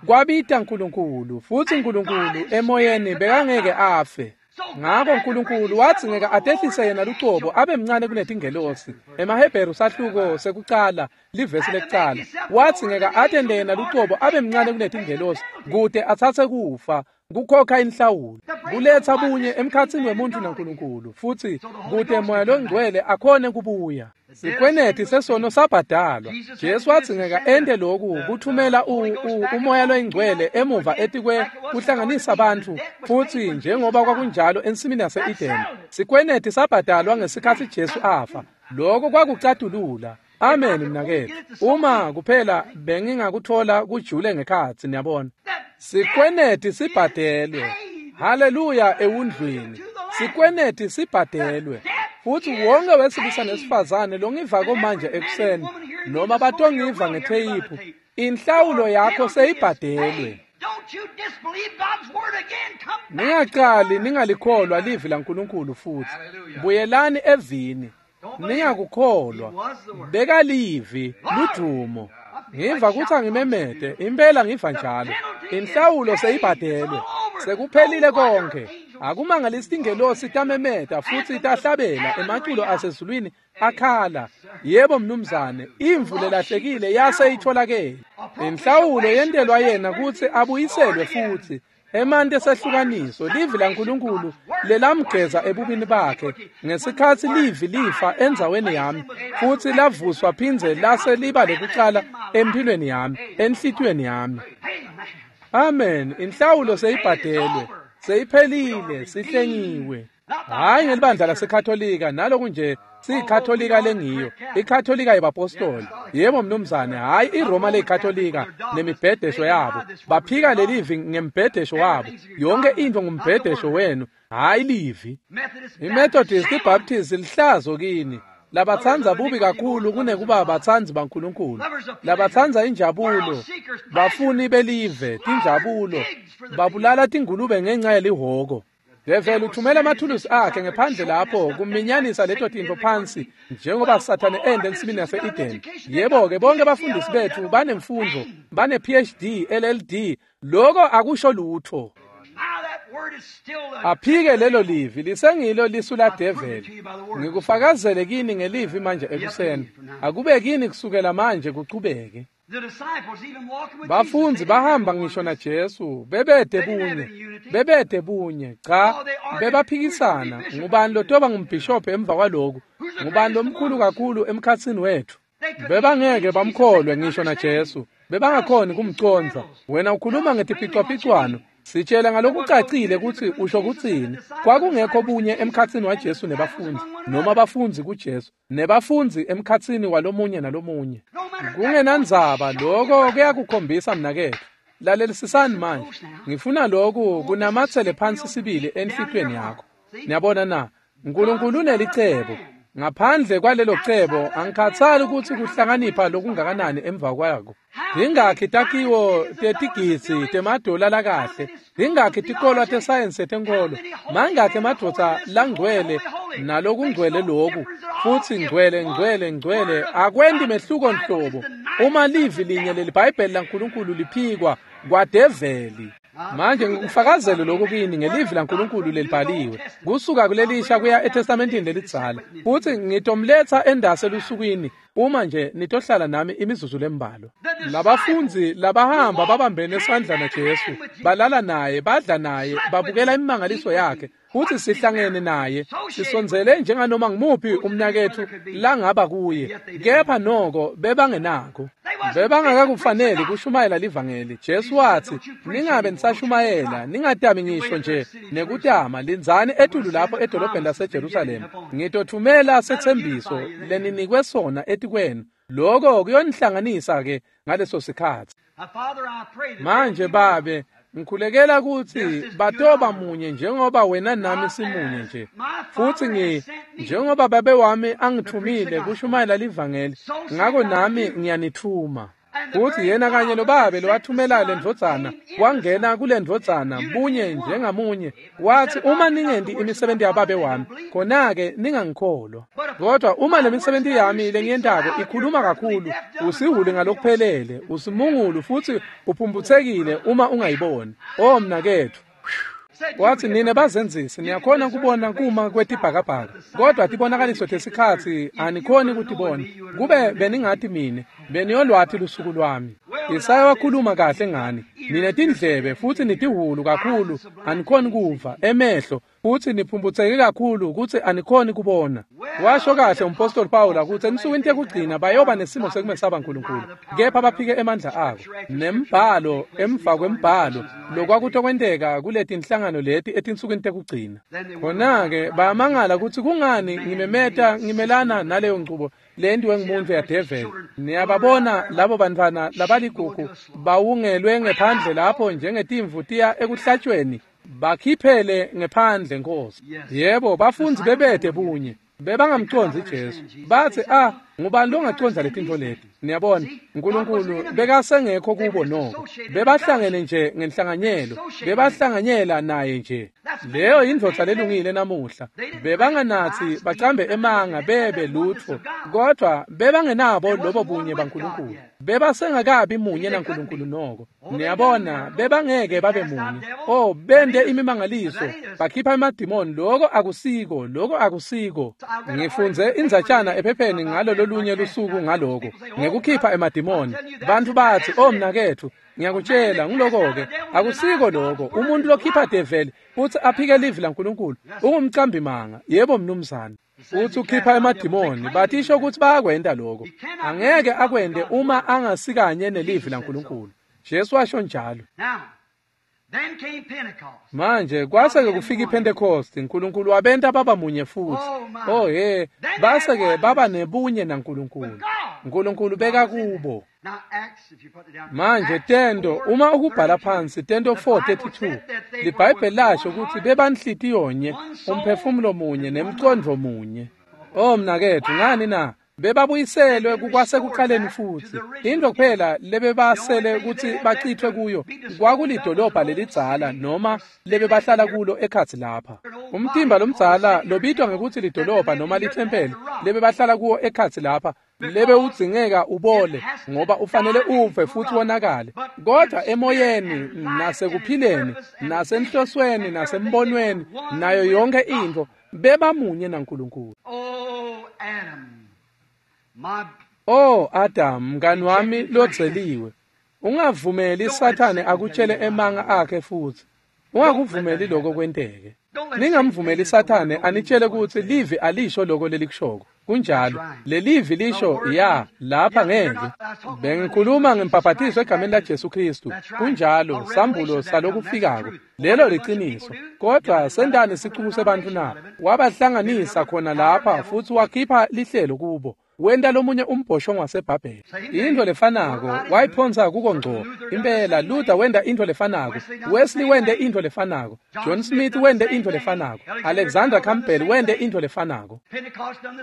Kwabita Nkulunkulu, futsi Nkulunkulu emoyeni bekangeke afe. Ngako Nkulunkulu wadzingeka atehlise yena lucobo abe mncane kunetingelosi. EmaHebheru sahluko sekucala, livesi lekucala. Wadzingeka atente yena lucobo abe mncane kunetingelosi kute atsatse kufa, kukhokha inhlawulo, kuletsa bunye emkhatsini wemuntfu naNkulunkulu, futsi kute moya longcwele akhone kubuya. Sikweneti sesono sabhadalwa. Jesu wadzingeka ente loku kuthumela umoya loyingcwele emuva etikwe kuhlanganisa bantfu, futsi njengoba kwakunjalo ensimini yase-Edeni. Sikweneti sabhadalwa ngesikhatsi Jesu afa. Lokho kwakucatulula. Amen mnaketfu. Uma kuphela bengingakuthola kujule ngekhatsi, niyabona. Sikweneti sibhadelwe. Haleluya ewundlwini. Sikweneti sibhadelwe. Futsi wonke wesilisa nesifazane longivako manje ekuseni, noma batongiva ngetheyiphu, inhlawulo yakho seyibhadelwe. Ningaqali ningalikholwa livi laNkulunkulu futhi. Buyelani evini. Ningakukholwa. Beka livi ludumo. Ngiva kutsi angimemete, impela ngiva njalo. Inhlawulo seyibhadelwe. Sekuphelile konke. Akumangalisi tingelosi tamemeta futsi tahlabela emaculo asezulwini akhala. Yebo mnumzane, imvu lelahlekile yase itholakele. Inhlawulo yentelwa yena kutsi abuyiselwe futsi. Emanti esehlukaniso, livi laNkulunkulu lelamgeza ebubini bakhe ngesikhatsi livi lifa endzaweni yami, futsi lavuswa phindze lase liba lekucala emphilweni yami, enhlitiyweni yami. Amen. Inhlawulo seyibhadelwe, seyiphelile, sihlengiwe. Hayi ngelibandla laseKatolika, naloku nje siyikatolika lengiyo, ikatolika yebapostoli. Yebo mnumzane, hayi iRoma leyikatolika nemibhedesho yabo. Baphika lelivi ngembhedesho wabo. Yonke into ngumbhedesho wenu, hayi livi. IMethodist, iBaptist lihlazo kini. Labatsandza bubi kakhulu kunekuba batsandzi baNkulunkulu. Labatsandza injabulo, bafuni belive, tinjabulo, babulala tingulube ngenxa yelihoko. Develi uthumela amathulusi akhe ngephandle lapho kuminyanisa leto tintfo phansi njengoba Sathane ende ensimini yase-Eden. Yebo-ke bonke abafundisi bethu banemfundo, bane-PhD, LLD, lokho akusho lutho. Aphike lelo livi, lisengilo lisu ladeveli. Ngikufakazele kini ngelivi manje ekuseni. Akube kini kusukela manje kuchubeke. Bafundzi bahamba ngisho na Jesu, bebede bunye, bebede bunye. Cha, bebaphikisana. Ngubani lotoba ngumbhishobhi emva kwaloku? Ngubani lomkhulu kakhulu emkhatsini wethu? Bebangeke bamkholwe ngisho na Jesu. Bebangakhoni kumcondza. Wena ukhuluma ngetiphicwaphicwano. Sitshela ngalokucacile kutsi usho kutsini. Kwakungekho bunye emkhatsini waJesu nebafundzi, noma abafundzi kuJesu, nebafundzi emkhatsini walomunye nalomunye. Kungenandzaba, lokho kuyakukhombisa mnaketfu. Lalelisisani manje. Ngifuna lokhu kunamatsele phansi sibili enhlitiyweni yakho. Niyabona na? Nkulunkulu unelicebo. Ngaphandle kwalelo cebo, angikhathali kutsi kuhlakanipha lokungakanani emva kwako. Ingakhi takhiwo tetigidzi temadola lakahle, ingakhi tikolwa tesayensi yetenkolo, mangakhi emadvodza langcwele nalokungcwele loku, futsi ngcwele ngcwele ngcwele, akwenti mehluko nhlobo. Uma livi linye leliBhayibheli laNkulunkulu liphikwa kwadeveli. Manje ngikufakazele lokhu kini ngelivi laNkulunkulu lelibhaliwe kusuka kulelisha kuya eTestamentini lelidzala, futsi ngitomletsa endase elusukwini uma nje nitohlala nami imizuzu lembalwa. Labafundzi labahamba babambene esandla naJesu, balala naye, badla naye, babukela imimangaliso yakhe, futsi sihlangene naye, sisondzele njenganoma ngimuphi umnaketfu langaba kuye, kepha noko bebangenako. Bebangakakufaneli kushumayela livangeli. Jesu watsi, ningabe nisashumayela, ningatami ngisho nje nekutama, lindzani etulu lapho edolobheni laseJerusalema. Ngitothumela setsembiso leninikwe sona etikwenu. Lokho kuyonihlanganisa ke ngaleso sikhatsi. Manje Babe, ngikhulekela kutsi batoba munye njengoba wena nami simunye nje, futsi njengoba Babe wami angithumile kushumayela livangeli, ngako nami ngiyanithuma. Futsi yena kanye lobabe lowathumela lendvodzana wangena kule ndvodzana bunye njengamunye, wathi uma ningenti imisebenti yababe wami, khona-ke ningangikholwa. Kodwa uma le misebenti yami lengiyentako ikhuluma kakhulu, usihule ngalokuphelele, usimungulu futsi uphumphutsekile uma ungayiboni. O mnaketfu, wathi nine bazenzisi niyakhona kubona kuma kwetibhakabhaka, kodwa tibonakaliso tesikhatsi anikhoni kutibona. Kube beningati mine, beniyolwati lusuku lwami. Isaya wakhuluma kahle ngani, nine tindlebe futsi nitihulu kakhulu anikhoni kuva, emehlo futsi niphumputseke kakhulu kutsi anikhoni kubona. Washo kahle umpostoli Pawula kutsi ensukwini tekugcina bayoba nesimo sekumesaba Nkulunkulu, kepha baphike emandla abo. Nembhalo emva kwembhalo lokwakutokwenteka kuletinhlangano leti etinsukwini tekugcina. Khona-ke bayamangala kutsi kungani ngimemeta ngimelana naleyo nchubo lentiwe ngumuntu yadeveli. Niyababona labo bantfwana labaligugu bawungelwe ngephandle lapho njengetimvu tiya ekuhlatshweni, bakhiphele ngephandle Nkosi. Yebo, bafundzi bebede bunye, bebangamcondzi Jesu. Batsi, ngubani longacondza letintfo leti? Niyabona, Nkulunkulu bekasengekho kubo noko. Bebahlangene nje ngenhlanganyelo, bebahlanganyela naye nje. Leyo indvodza lelungile namuhla. Bebanganatsi bacambe emanga bebe lutfo, kodwa bebangenabo lobo bunye baNkulunkulu. Bebasengakabi munye naNkulunkulu noko. Niyabona, bebangeke babe munye. Oh, bende imimangaliso, bakhipha emadimoni, lokho akusiko, lokho akusiko. Ngifunze indzatshana ephepheni ngalo lolunye lusuku ngaloko, ngekukhipha emadimoni. Bantu bathi, oh mnaketfu, ngiyakutshela ngiloko-ke, akusiko lokho. Umuntu lokhipha develi futsi aphike livi laNkulunkulu ungumcambi manga. Yebo mnumzane. Uthi ukhipha emadimoni, batisho ukuthi bayakwenta lokho. Angeke akwente uma angasikanye nelivi laNkulunkulu. Jesu washo njalo. Manje kwase-ke kufika iPhentekosti, Nkulunkulu wabenta baba munye futsi. Oh he, base-ke baba nebunye naNkulunkulu. Nkulunkulu beka kubo. Manje Tento, uma ukubhala phansi Tento 4:32, liBhayibheli lasho kutsi bebanhlitiyonye, umphefumulo munye nemcondvo munye. Oh mnaketfu, ngani na? Bebabuyiselwe kukwasekuqaleni futsi. Into kuphela lebebasele kutsi bachithwe kuyo kwakulidolobha lelidzala noma lebebahlala kulo ekhatsi lapha. Umtimba lomdzala lobitwa ngekutsi lidolobha noma lithempeli lebebahlala kuwo ekhatsi lapha lebewudzingeka ubole ngoba ufanele ufe futsi wonakale, kodwa emoyeni nasekuphileni nasenhlosweni nasembonweni nayo yonke intfo bebamunye naNkulunkulu. Oh Adam, mngani wami lodzeliwe, ungavumeli Sathane akutshele emanga akhe futsi. Ungakuvumeli lokho kwenteke. Ningamvumeli Sathane anitshele kutsi livi alisho lokho lelikushoko. Kunjalo, lelivi lisho ya lapha ngeke. Bengikhuluma ngembhaphathiso egameni laJesu Kristu. Kunjalo, sambulo salokufikako. Lelo liciniso. Kodwa sentani sicuku sebantfu na? Wabahlanganisa khona lapha futsi wakhipha lihlelo kubo. Wenta lomunye umbhoshongo waseBhabheli. Into lefanako wayiphonsa kuko ngco. Impela Luther wenta into lefanako, Wesley wente into lefanako, John Smith wente into lefanako, Alexander Campbell wente into lefanako,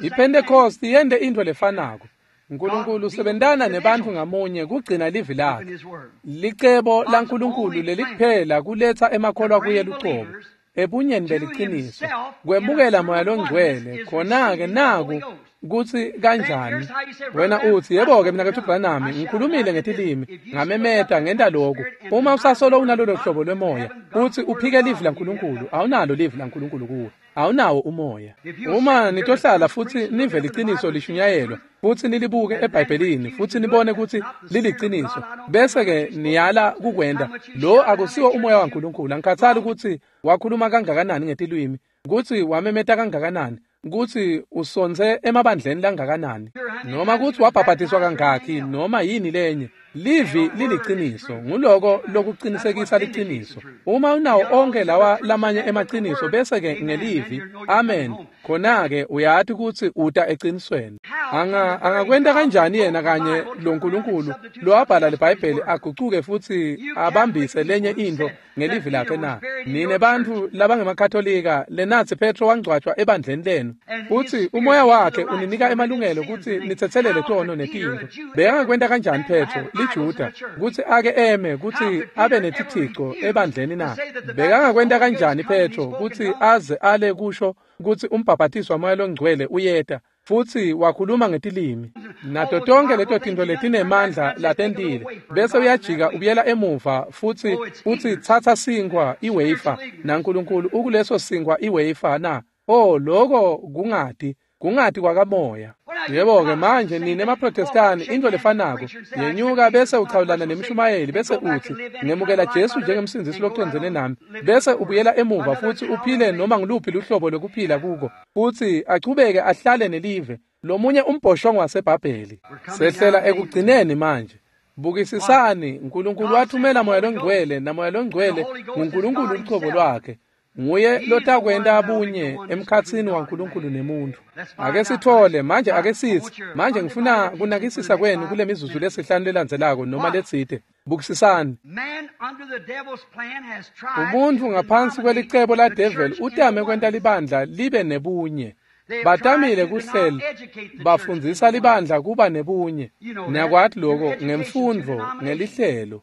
iPentecost yente into lefanako. Nkulunkulu usebentana nebantfu ngamunye kugcina livi lakhe. Licebo laNkulunkulu lelikuphela kuletsa emakholwa kuye lucobo ebunyeni beliciniso, kwemukela Moya Longcwele. Khona-ke naku kutsi kanjani. Wena utsi, yebo-ke mnaketfu Branham, ngikhulumile ngetilimi, ngamemeta, ngenta lokhu. Uma usasolo unalolo hlobo lwemoya, utsi uphike livi laNkulunkulu, awunalo livi laNkulunkulu kuwe. Awunawo umoya. Uma nitohlala futsi nive liciniso lishunyayelwa, futsi nilibuke eBhayibhelini futsi nibone kutsi liliciniso, bese-ke niyala kukwenta, lo akusiwo umoya waNkulunkulu. Angikhathali kutsi wakhuluma kangakanani ngetilwimi, kutsi wamemeta kangakanani, kutsi usontse emabandleni langakanani, noma kutsi wabhabhatiswa kangakhi, noma yini lenye. Livi liliciniso, nguloko lokucinisekisa liciniso. Uma unawo onke lawa lamanye emaciniso bese-ke ngelivi, amen, khona-ke uyati kutsi uta ecinisweni. Angakwenta kanjani yena kanye lo Nkulunkulu lowabhala liBhayibheli agucuke futsi abambise lenye intfo ngelivi lakhe na? Nine bantfu labangemakatolika lenatsi Petro wangcwatjwa ebandleni lenu, futsi umoya wakhe uninika emalungelo kutsi nitsetselele tono netintfo. Bekangakwenta kanjani Petro liJuda kutsi ake eme kutsi abe netithico ebandleni na? Bekangakwenta kanjani Petro kutsi aze ale kusho kutsi umbhabhatiso waMoya loNgcwele uyeta, futsi wakhuluma ngetilimi nato tonke leto tintfo letinemandla latentile, bese uyajika ubuyela emuva futsi utsi tsatsa sinkhwa iwafer naNkulunkulu ukuleso sinkhwa iwafer na? Oh, loko kungati kwakamoya. Yebo-ke manje nine emaProtestani intfo lefanako, yenyuka bese uchawulana nemshumayeli bese utsi ngemukela Jesu njengemsindzisi locondzene nami, bese ubuyela emuva futsi uphile noma nguluphi luhlobo lokuphila kuko, futsi achubeke ahlale nelive lomunye umbhoshongo waseBhabheli. Sehlela ekugcineni manje. Bukisisani, Nkulunkulu wathumela Moya loNgcwele, naMoya loNgcwele nguNkulunkulu lucobo lwakhe. Nguye lotakwenta bunye emkhatsini waNkulunkulu nemuntu. Ake sithole manje, ake sitsi manje, ngifuna kunakisisa kwenu kule mizuzu lesihlanu lelandzelako noma letsite. Bukisisani, umuntfu ngaphansi kwelicebo la devil utame kwenta libandla libe nebunye. Batamile kuhlela, bafundzisa libandla kuba nebunye. Niyakwati loko ngemfundvo, ngelihlelo.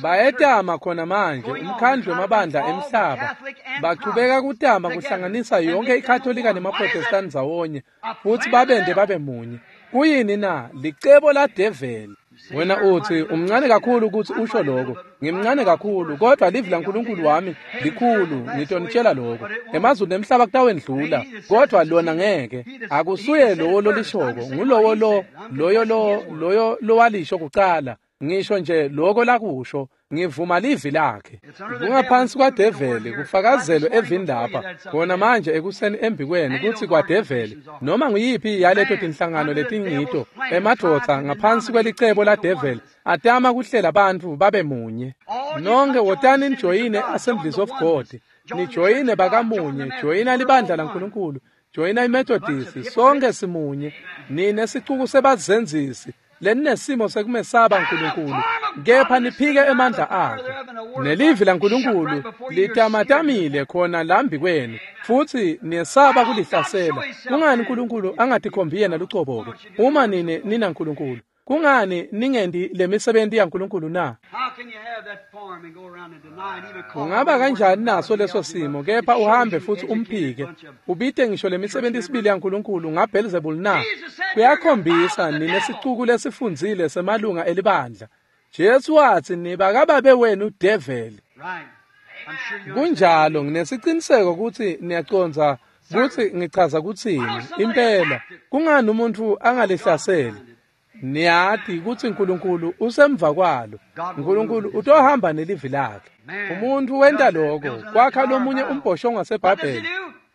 Bayetama khona manje umkhandlu wemabandla emhlaba, bachubeka kutama kuhlanganisa yonke iKatolika nemaProtestani ndzawonye futsi babente babe munye. Kuyini na? Licebo ladeveli. Wena utsi umncane kakhulu kutsi usho lokho. Ngimncane kakhulu, kodwa livi laNkulunkulu wami likhulu, ngitonitshela lokho. Emazulu nemhlaba kutawendlula, kodwa lona ngeke. Akusuye lowo lolishoko, ngulowo lo loyo lo loyo lowalisho kucala. Ngisho nje lokho lakusho, ngivuma livi lakhe. Kungaphansi kwadeveli kufakazelwe evini lapha khona manje ekuseni embikwenu kutsi kwadeveli noma nguyiphi yaleto tinhlangano letingito emadvodza ngaphansi kwelicebo ladeveli atama kuhlela bantfu babe munye. Nonke wotani nijoyine Assemblies of God, nijoyine bakamunye, joyina libandla laNkulunkulu, joyina iMethodist, sonke simunye. Nine sicuku sebazenzisi leninesimo sekumesaba Nkulunkulu, kepha niphike emandla akhe. Nelivi laNkulunkulu litamatamile khona lambi kwenu, futsi niyesaba kulihlasela. Kungani Nkulunkulu angatikhombi yena lucobo-ke uma nine ninaNkulunkulu? Kungani ningendi lemisebenti yaNkulunkulu na? Ungaba kanjani naso leso simo kepha uhambe futsi umphike, ubite ngisho lemisebenti isibili yaNkulunkulu ngaBelzebul na? Kuyakhombisa nine sicuku lesifundzile semalunga elibandla. Jesu watsi nibakababe wenu develi. Kunjalo, nginesiciniseko kutsi niyacondza kutsi ngichaza kutsini. Impela, kungani umuntfu angalihlaseli? Niyati kutsi Nkulunkulu usemva kwalo. Nkulunkulu utohamba nelivi lakhe. Umuntfu wenta loko kwakha lomunye umbhoshongo waseBhabheli.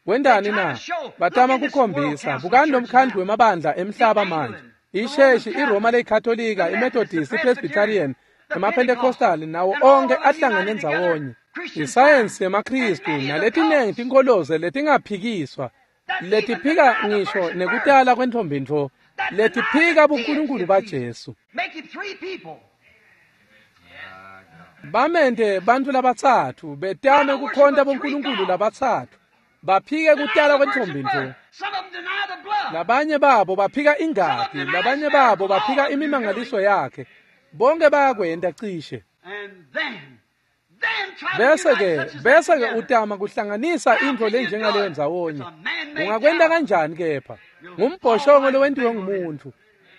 Wentani na? Batama kukhombisa, bukani lo mkhandlu wemabandla emhlaba manje. Isheshi, iRoma leyiKatolika, iMethodist, iPresbyterian, emaPentecostal nawo onke ahlangene ndzawonye. Isayensi yemaKhristu naletinengi tinkholoze letingaphikiswa, letiphika ngisho nekutala kwentfombi-ntfo, letiphika buNkulunkulu baJesu. Bamente bantfu labatsatfu betame kukhonta boNkulunkulu labatsatfu, baphike kutala kwentfombi-ntfo. Labanye babo baphika ingati, labanye babo baphika imimangaliso yakhe. Bonke bayakwenta cishe. Bese-ke utama kuhlanganisa intfo lenjengaleyo ndzawonye. Ungakwenta kanjani kepha? Ngumbhoshongo lowentiwe ngumuntfu.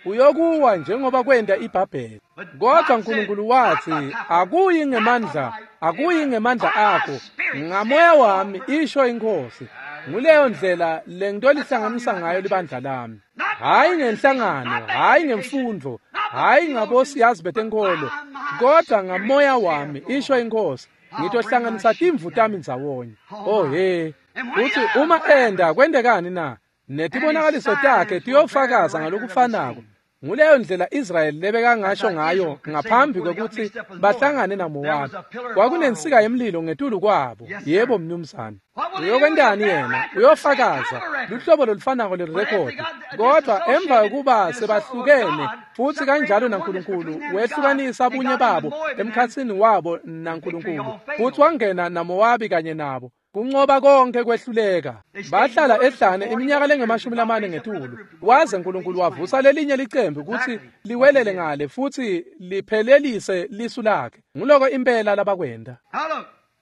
Uyokuwa njengoba kwenta iBhabheli. Kodwa uNkulunkulu wathi, akuyi ngemandla, akuyi ngemandla akho, ngamoya wami, isho iNkosi. Nguleyo ndlela lengitolihlanganisa ngayo libandla lami. Hhayi ngenhlangano, hhayi ngemfundvo, hhayi ngabosiyazi betenkolo, kodwa ngamoya wami, isho iNkosi, ngitohlanganisa timvu tami ndzawonye. Oh he, uthi uma enda kwentekani na? Netibonakaliso takhe tiyofakaza ngalokufanako. Nguleyo ndlela Israyeli lebekangasho ngayo ngaphambi kwekutsi bahlangane naMowabi. Kwakunensika yemlilo ngetulu kwabo. Yebo mnumzane. Uyokwentani yena? Uyofakaza luhlobo lolufanako lelirekhodi. Kodwa emva kokuba sebahlukene futhi kanjalo naNkulunkulu wehlukanisa bunye babo emkhatsini wabo naNkulunkulu, futhi wangena naMowabi kanye nabo. Kunqoba konke kwehluleka. Bahlala ehlane iminyaka lengama-40 ngetulu. Waze uNkulunkulu wavusa lelinye licembu kutsi liwelele ngale futhi liphelelise lisu lakhe. Nguloko impela labakwenta.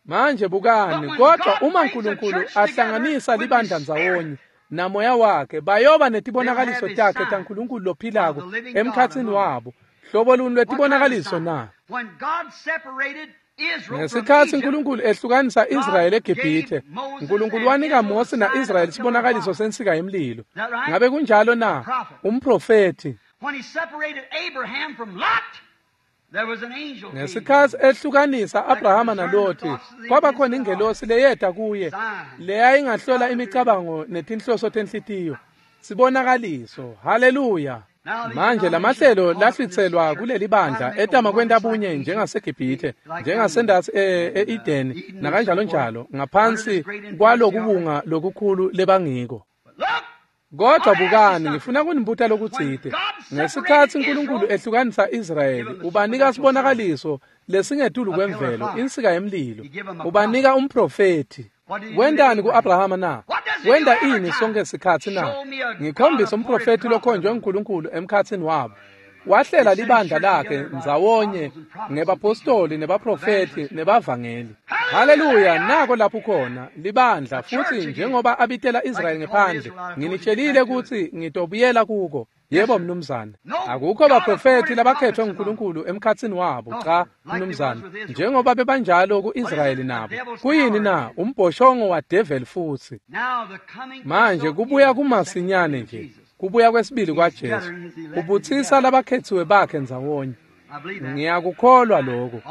Manje bukani, kodwa uma uNkulunkulu ahlanganisa libandla ndzawonye namoya wakhe, bayoba netibonakaliso takhe taNkulunkulu lophilako emkhatsini wabo. Hlobo luni lwetibonakaliso na? Ngesikhatsi uNkulunkulu ehlukanisa Israyeli eGibhithe, uNkulunkulu wanika Mose na-Israyeli sibonakaliso sensika yemlilo. Ngabe kunjalo na? Umprofethi. Ngesikhatsi ehlukanisa Abrahama naLothi, kwaba khona ingelosi leyeta kuye leyayingahlola imicabango netinhloso tenhlitiyo. Sibonakaliso. Haleluya. Manje lamahlelo lahlwitselwa kuleli bandla etama kwenta bunye njengaseGibhithe, njengasendatsi e-Edeni nakanjalo njalo, ngaphansi kwalokubunga lokukhulu lebangiko. Kodwa bukani, ngifuna kunibuta lokutsite. Ngesikhatsi uNkulunkulu ehlukanisa Israyeli, ubanika sibonakaliso lesingetulu kwemvelo, insika yemlilo. Ubanika umprofethi. Wentani ku-Abrahama na? Wenta ini sonke sikhatsi na? Ngikhombisa umprofethi lokhonjwe uNkulunkulu emkhatsini wabo. Wahlela libandla lakhe ndzawonye ngebapostoli nebaprofethi nebavangeli. Haleluya, nako lapho khona libandla, futhi njengoba abitela Israyeli ngephandle, nginitshelile kutsi ngitobuyela kuko. Yebo mnumzane. Akukho baprofethi labakhethwe nguNkulunkulu emkhatsini wabo, cha mnumzane, njengoba bebanjalo ku-Israyeli nabo. Kuyini na? Umbhoshongo wa-devil futhi. Manje kubuya kumasinyane nje. Kubuya kwesibili kwaJesu kubutsisa labakhethiwe bakhe ndzawonye. Ngiyakukholwa lokho.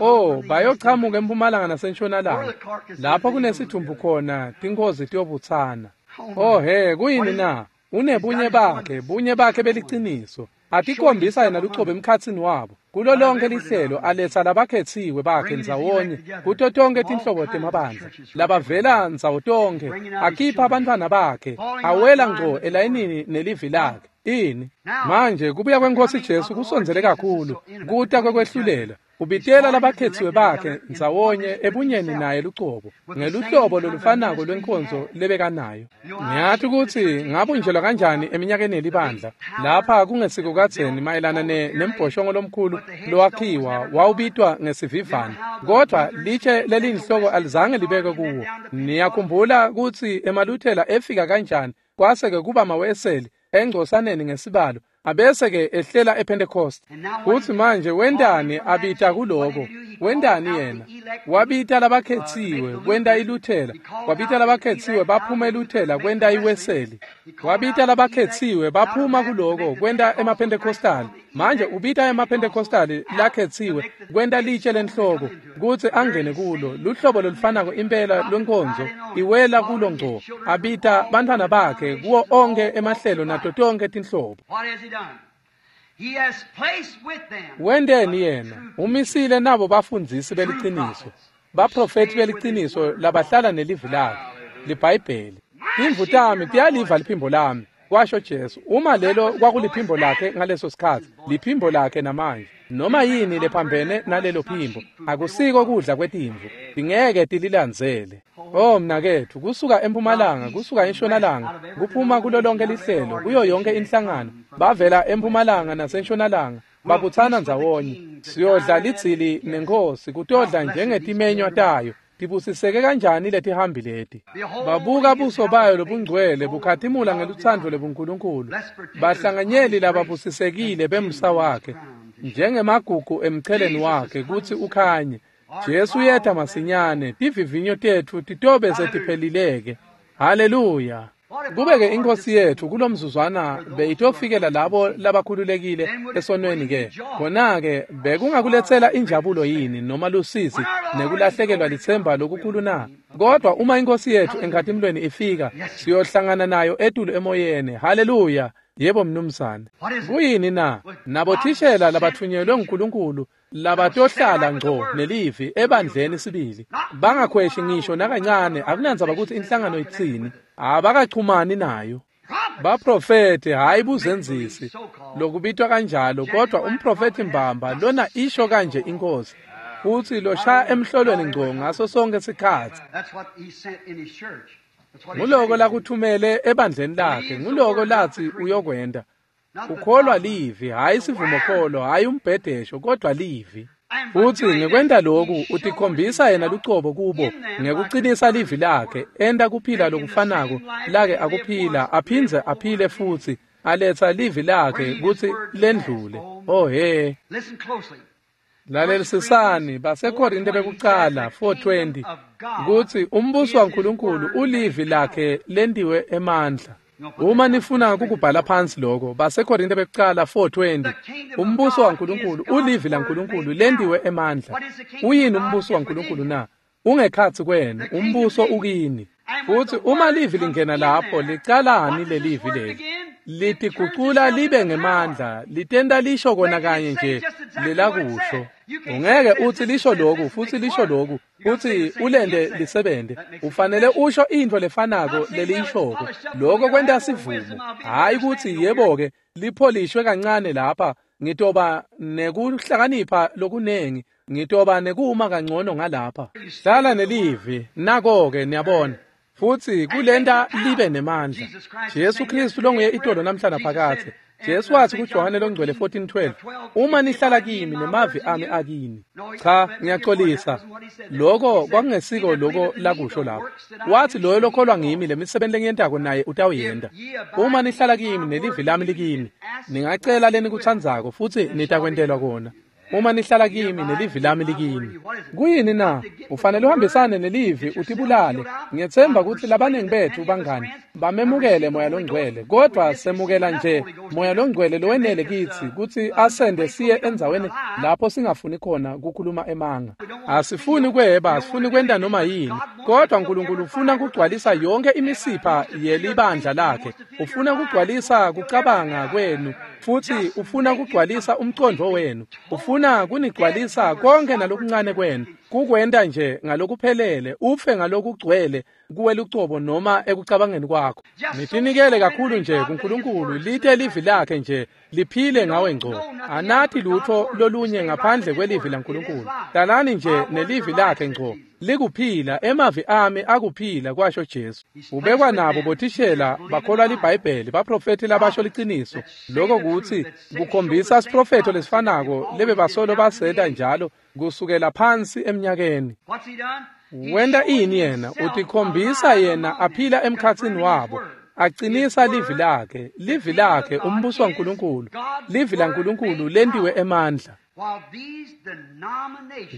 Oh, bayochamuka empumalanga nasentshonalanga, lapho kunesithumbu khona tinkhozi tiyobutsana. Oh he, kuyini na? Unebunye bakhe, bunye bakhe beliciniso. Atikhombisa yena lucobo emkhatsini wabo. Kulo lonke lihlelo aletsa labakhethiwe bakhe ndzawonye kuto tonke tinhlobo temabandla labavela ndzawo tonke, akhipha abantwana bakhe awela ngco elayinini nelivi lakhe. Ini manje kubuya kweNkosi Jesu kusondzele kakhulu, kuta kwekwehlulela. Ubitela labakhethiwe bakhe ndzawonye ebunyeni naye lucobo, ngeluhlobo lolufanako lwenkonzo lebekanayo. Ngiyati kutsi ngabunjelwa kanjani eminyakeni yelibandla lapha kungesiko kadzeni mayelana nembhoshongo lomkhulu lowakhiwa wawubitwa ngesivivane, kodwa litshe leliyinhloko alizange libekwe kuwo. Niyakhumbula kutsi emaLuthela efika kanjani, kwase-ke kuba maWeseli engcosaneni ngesibalo, abese-ke ehlela ePentecost. Futhi manje wentani abita kuloko? Wentani yena? Wabita labakhetsiwe kwenta iLuthela, wabita labakhetsiwe baphuma eLuthela kwenta iWeseli, wabita labakhetsiwe baphuma kuloko kwenta emaPentecostali. Manje ubita emaPentecostali lakhetsiwe kwenta litshe lenhloko kutsi angene kulo, luhlobo lolufanako impela lwenkonzo iwela kulo ngco. Abita bantfwana bakhe kuwo onke emahlelo nato tonke tinhlobo. Wenteni yena? Umisile nabo bafundzisi beliciniso, baprofethi beliciniso labahlala nelivi lakhe, liBhayibheli. Timvu tami tiyaliva liphimbo lami, kwasho Jesu. Uma lelo kwakuliphimbo lakhe ngaleso sikhatsi, liphimbo lakhe namanje. Noma yini lephambene nalelo phimbo akusiko kudla kwetimvu, tingeke tililandzele. Oh mnaketfu, kusuka empumalanga, kusuka entshonalanga, kuphuma kulo lonke lihlelo, kuyo yonke inhlangano, bavela empumalanga nasentshonalanga. Babutsana ndzawonye. Siyodla lidzili nenkosi, kutodla njengetimenywa tayo. Tibusiseke kanjani letihambi leti. Babuka buso bayo lobungcwele bukhatimula ngelutsandvo lebuNkulunkulu. Bahlanganyeli lababusisekile bemsa wakhe, njengemagugu emcheleni wakhe kutsi ukhanye. Jesu uyeta masinyane, tivivinyo tetfu titobe setiphelileke. Haleluya. Kube-ke inkosi yetfu kulomzuzwana beyitofikela labo labakhululekile esonweni ke, khona-ke bekungakuletsela injabulo yini noma lusizi nekulahlekelwa litsemba lokukhulu na? Kodwa uma inkosi yetfu enkhatimulweni ifika, siyohlangana nayo etulu emoyeni. Haleluya. Yebo mnumzane. Kuyini na? Nabothishela labathunyelwe nguNkulunkulu labatohlala ngco nelivi ebandleni sibili, bangakhweshi ngisho nakancane. Akunandzaba kutsi inhlangano itsini, abakachumani nayo. Baprofethi, hhayi buzenzisi lokubitwa kanjalo, kodwa umprofethi mbamba lona isho kanje inkosi, futsi loshaya emhlolweni ngco ngaso sonke sikhatsi. Nguloko lakuthumele ebandleni lakhe, nguloko latsi uyokwenta. Ukholwa livi, hhayi sivumokholo, hhayi umbhedesho, kodwa livi. Futsi ngekwenta loku utikhombisa yena lucobo kubo ngekucinisa livi lakhe, enta kuphila lokufanako lake akuphila, aphindze aphile futsi aletsa livi lakhe kutsi lendlule. Oh he. Lalelisisani baseKorinte bekucala 4:20 kutsi umbuso waNkulunkulu ulivi lakhe lentiwe emandla. Uma nifuna kukubhala phansi lokho, baseKorinte bekucala 4:20, umbuso waNkulunkulu ulivi laNkulunkulu lentiwe emandla. Uyini umbuso waNkulunkulu na? Ungekhatsi kwenu, umbuso ukini. Futsi uma livi lingena lapho, licalani lelivi leli? Litigucula libe ngemandla, litenta lisho kona kanye nje lelakusho. Ungeke utsi lisho loku futsi lisho loku, utsi ulente lisebente. Ufanele usho intfo lefanako leliyishoko. Lokho kwenta sivumo. Hhayi kutsi yebo-ke lipholishwe kancane lapha, ngitoba nekuhlakanipha lokunengi, ngitoba nekuma kangcono ngalapha. Hlala nelivi, nako-ke niyabona. Futsi kulenta libe nemandla. Jesu Kristu longuye itolo namhla naphakadze. Jesu watsi kuJohane longcwele 14:12, uma nihlala kimi nemavi ami akini. Cha, ngiyaxolisa. Lokho kwakungesiko lokho lakusho lapho. Wathi loyo lokholwa ngimi, lemisebenti lengiyentako naye utawuyenta. Uma nihlala kimi nelivi lami likini, ningacela lenikutsandzako futsi nitakwentelwa kona. Uma nihlala kimi nelivi lami likini. Kuyini na? Ufanele uhambisane nelivi utibulale. Ngiyetsemba kutsi labaningi betfu bangani bamemukele Moya Longcwele, kodwa semukela nje Moya Longcwele lowenele kitsi kutsi asende siye endzaweni lapho singafuni khona kukhuluma emanga. Asifuni kweba, asifuni kwenta noma yini, kodwa uNkulunkulu ufuna kugcwalisa yonke imisipha yelibandla lakhe. Ufuna kugcwalisa kucabanga kwenu, futsi ufuna kugcwalisa umcondvo wenu. Ufuna kunigcwalisa konke nalokuncane kwenu, kukwenta nje ngalokuphelele, ufe ngalokugcwele kuwe lucobo noma ekucabangeni kwakho. Nitinikele kakhulu nje kuNkulunkulu, lite livi lakhe nje liphile ngawe ngco. Anathi lutho lolunye ngaphandle kwelivi laNkulunkulu. Hlalani nje nelivi lakhe ngco. Likuphila, emavi ami akuphila, kwasho Jesu. Ubekwa nabo bothishela bakholwa liBhayibheli, baprofethi labasho liciniso. Lokho kutsi kukhombisa siprofetho lesifanako lebebasolo basenta njalo kusukela phansi eminyakeni. Wenta ini yena? Utikhombisa yena aphila emkhatsini wabo, acinisa livi lakhe, livi lakhe, umbuso waNkulunkulu, livi laNkulunkulu lentiwe emandla.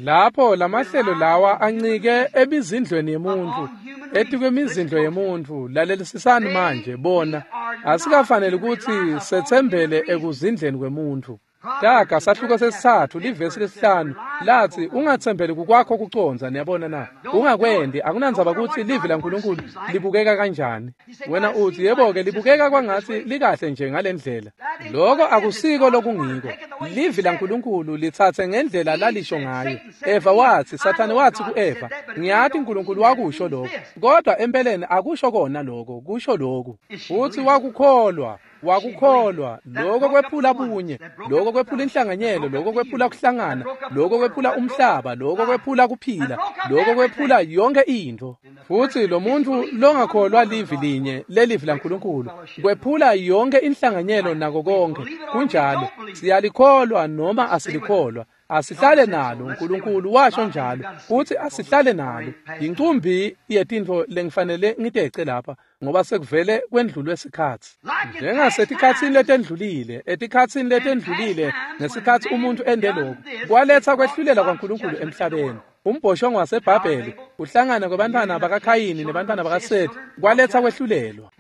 Lapho lamahlelo lawa ancike emizindlweni yemuntfu, etikwemizindlo yemuntfu. Lalelisisani manje, bona asikafaneli kutsi setsembele ekuzindleni kwemuntfu. Taga sahluko sesithathu livesi lesihlanu latsi ungatsembeli kukwakho kucondza. Niyabona na? Ungakwendi. Akunandzaba kutsi livi laNkulunkulu libukeka kanjani. Wena utsi yebo-ke libukeka kwangatsi likahle nje ngalendlela. Loko akusiko lokungiko. Livi laNkulunkulu litsatse ngendlela lalisho ngayo. Eva watsi, Sathane watsi ku-Eva, ngiyati uNkulunkulu wakusho lokho, kodwa empeleni akusho kona lokho, kusho lokhu. Futsi wakukholwa. Wakukholwa. Lokho kwephula bunye, lokho kwephula inhlanganyelo, lokho kwephula kuhlangana, lokho kwephula umhlaba, lokho kwephula kuphila, lokho kwephula yonke into. Futhi lo muntu longakholwa livi linye lelivi laNkulunkulu kwephula yonke inhlanganyelo nako konke. Kunjalo, siyalikholwa noma asilikholwa, asihlale nalo. uNkulunkulu washo njalo futhi asihlale nalo. Incumbi yetintfo lengifanele ngitece lapha ngoba sekuvele kwendlulwe sikhatsi. Njengasetikhatsini letendlulile, etikhatsini letendlulile ngesikhatsi umuntu ende lokhu kwaletsa kwehlulela kwaNkulunkulu emhlabeni. Umbhoshongo waseBhabheli, uhlangana kwebantwana bakaKhayini nebantwana bakaSethi, kwaletsa kwehlulelwa.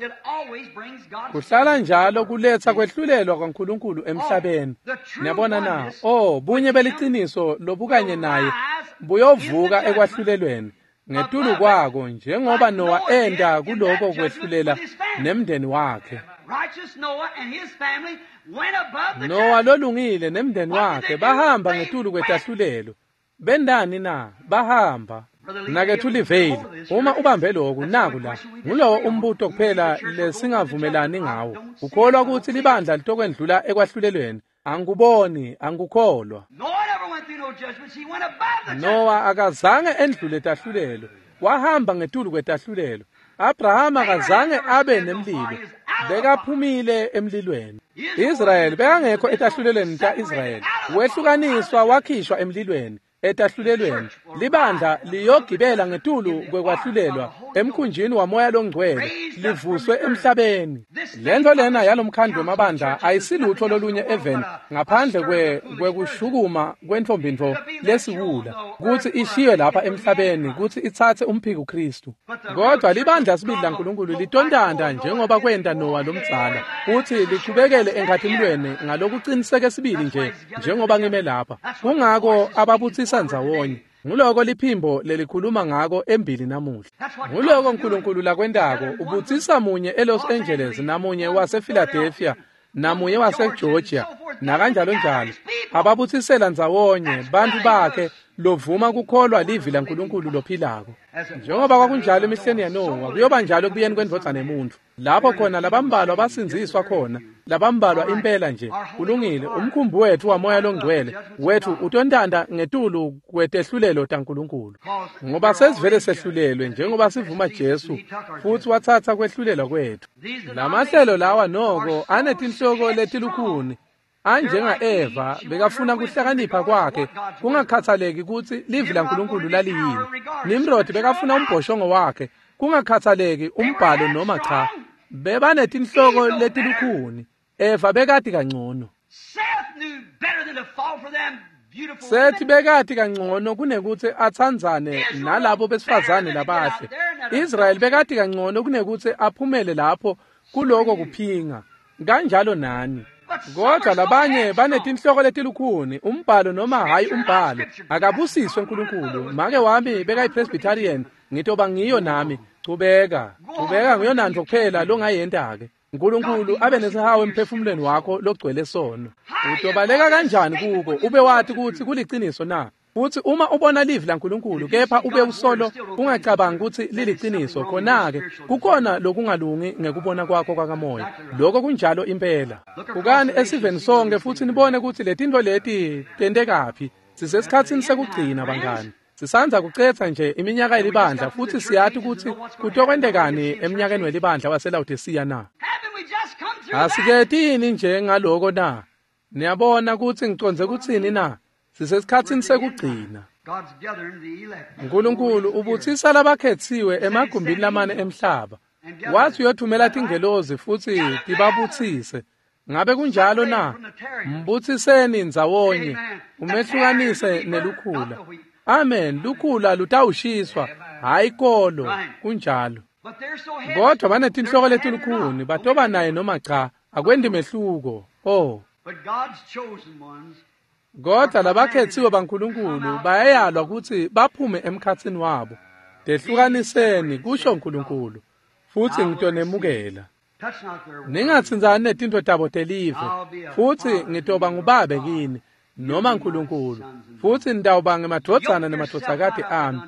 Kuhlala njalo kuletsa kwehlulelwa kwaNkulunkulu emhlabeni. Niyabona na? Oh, bunye beliciniso lobukanye naye buyovuka ekwahlulelweni ngetulu kwako, njengoba Noah enda kuloko kwehlulela nemndeni wakhe. Noah lolungile nemndeni wakhe bahamba ngetulu kwetahlulelo. Bendani na? Bahamba. Mnaketfu Liveli, uma ubambe lokhu naku la, ngulowo umbuto kuphela lesingavumelani ngawo. Ukholwa ukuthi libandla litokwendlula ekwahlulelweni. Angikuboni, angikukholwa. Noah akazange endlule tahlulelo, wahamba ngetulu kwetahlulelo. Abraham akazange abe nemlilo, bekaphumile emlilweni. Israel bekangekho etahlulelweni ta-Israyeli, wehlukaniswa wakhishwa emlilweni. Etahlulelweni libandla liyogibela ngetulu kwekwahlulelwa emkhunjini wamoya longcwele, livuswe emhlabeni. Lento lena yalomkhandlu wemabandla ayisilutho lolunye eveni ngaphandle kwekushukuma kwentfombintfo lesiwula kutsi ishiywe lapha emhlabeni kutsi itsatse umphiko Kristu. Kodwa libandla sibili laNkulunkulu litontanta njengoba kwenta Noah lomdzala, kutsi lichubekele enkhatimulweni ngalokuqiniseke sibili nje njengoba ngime lapha. Kungako ababutsisa ndzawonye. Nguloko liphimbo lelikhuluma ngako embili namuhla. Nguloko uNkulunkulu lakwentako, ubutsisa munye eLos Angeles namunye wasePhiladelphia namunye waseGeorgia nakanjalo njalo. Ababutsisela ndzawonye bantfu bakhe lovuma kukholwa livi laNkulunkulu lophilako. Njengoba kwakunjalo emihleni yaNowa, kuyoba njalo ekubuyeni kwendvodzana yemuntfu, lapho khona labambalwa basindziswa khona, labambalwa impela nje. Kulungile, umkhumbi wetfu wamoya longcwele wetfu utontanta ngetulu kwetehlulelo taNkulunkulu, ngoba sesivele sehlulelwe njengoba sivuma Jesu futhi watsatsa kwehlulelwa kwetfu. Lamahlelo lawa noko anetinhloko letilukhuni, anjenga Eva bekafuna kuhlakanipha kwakhe kungakhathaleki kutsi livi laNkulunkulu laliyini. Nimrod bekafuna umbhoshongo wakhe kungakhathaleki umbhalo noma cha. Bebanetinhloko letilukhuni. Eva bekati kangcono. Sethi bekati kangcono kunekutsi atsandzane nalabo besifazane labahle. Israel bekati kangcono kunekutsi aphumele lapho kuloko kuphinga. Kanjalo nani. Kodwa labanye banetinhloko letilukhuni, umbhalo noma hayi umbhalo. Akabusiswe uNkulunkulu. Make wami bekayiPresbyterian, ngitoba ngiyo nami. Chubeka, chubeka ngiyonantfo kuphela longayenta-ke. uNkulunkulu abe nesihawu emphefumulweni wakho logcwele sono. Utobaleka kanjani kuko ube wati kutsi kuliciniso na? Futhi uma ubona livi laNkulunkulu kepha ube usolo ungacabangi kutsi liliciniso, khona-ke kukhona lokungalungi ngekubona kwakho kwakamoya. Lokho kunjalo impela. Bukani esiveni sonke futhi nibone kutsi letintfo leti tentekaphi. Sisesikhatsini sekugcina bangani. Sisandza kucetsa nje iminyaka yelibandla futhi siyati kutsi kutokwentekani eminyakeni welibandla waseLawodisiya na. Asiketi yini nje ngaloko na? Niyabona kutsi ngicondze kutsini na? Sisesikhatsini sekugcina. uNkulunkulu ubutsisa labakhetsiwe emagumbini lamane emhlaba. Wathi uyothumela tingelozi futsi tibabutsise. Ngabe kunjalo na? Mbutsiseni ndzawonye, umehlukanise nelukhula. Amen, lukhula lutawushiswa, hayi kolo, kunjalo. Kodwa banetinhloko letilukhuni, batoba naye noma cha, akwendi mehluko. Oh. Kodwa labakhetsiwe baNkulunkulu bayayalwa kutsi baphume emkhatsini wabo. Tehlukaniseni, kusho uNkulunkulu, futhi ngitonemukela. Ningatsintsani netintfo tabo telive, futhi ngitoba ngubabe kini, noma uNkulunkulu, futhi nitawuba ngemadvodzana nemadvodzakati ami.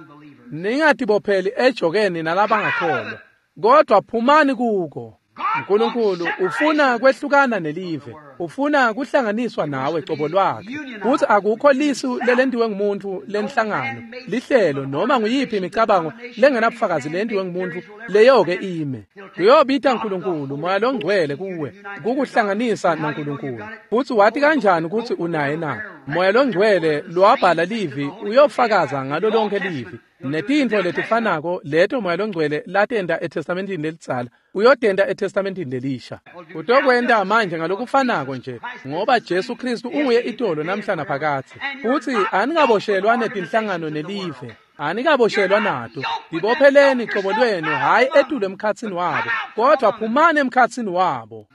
Ningatibopheli ejokeni nalabangakholwa, kodwa phumani kuko. Nkulunkulu ufuna kwehlukana nelive, ufuna kuhlanganiswa nawe cobo lwakhe. Kutsi akukho lisu lelentiwe ngumuntu lenhlangano, lihlelo noma nguyiphi imicabango lengenabufakazi lentiwe ngumuntu leyo-ke ime. Kuyobita Nkulunkulu Moya Longcwele kuwe kukuhlanganisa naNkulunkulu. Futsi wati kanjani kutsi unaye na? Moya Longcwele lowabhala livi uyofakaza ngalo lonke livi. Netintfo letifanako leto Moya Longcwele latenta eTestamentini lelidzala uyotenta eTestamentini lelisha. Utokwenta manje ngalokufanako nje, ngoba Jesu Kristu unguye itolo namhla naphakadze. Futsi anikaboshelwa netinhlangano nelive, anikaboshelwa nato. Tibopheleni cobo lwenu, hhayi etulu emkhatsini wabo, kodvwa phumani emkhatsini wabo.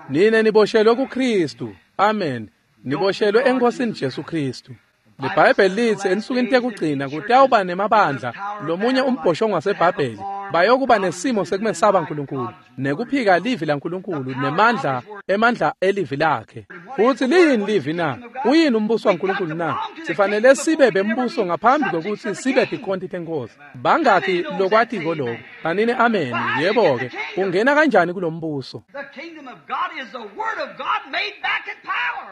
Nine niboshelwe kuKristu. Amen. Niboshelwe eNkosini Jesu Kristu. LiBhayibheli litsi ensukwini tekugcina kutawuba nemabandla lomunye umbhoshongo waseBhabheli bayokuba nesimo sekumesaba Nkulunkulu nekuphika livi laNkulunkulu nemandla emandla elivi lakhe. Futsi liyini livi na? Uyini umbuso waNkulunkulu na? Sifanele sibe bembuso ngaphambi kwekutsi sibe tikhonti tenkosi. Bangakhi lokwatiko lokho? Banini amen. Yebo-ke, ungena kanjani kulombuso?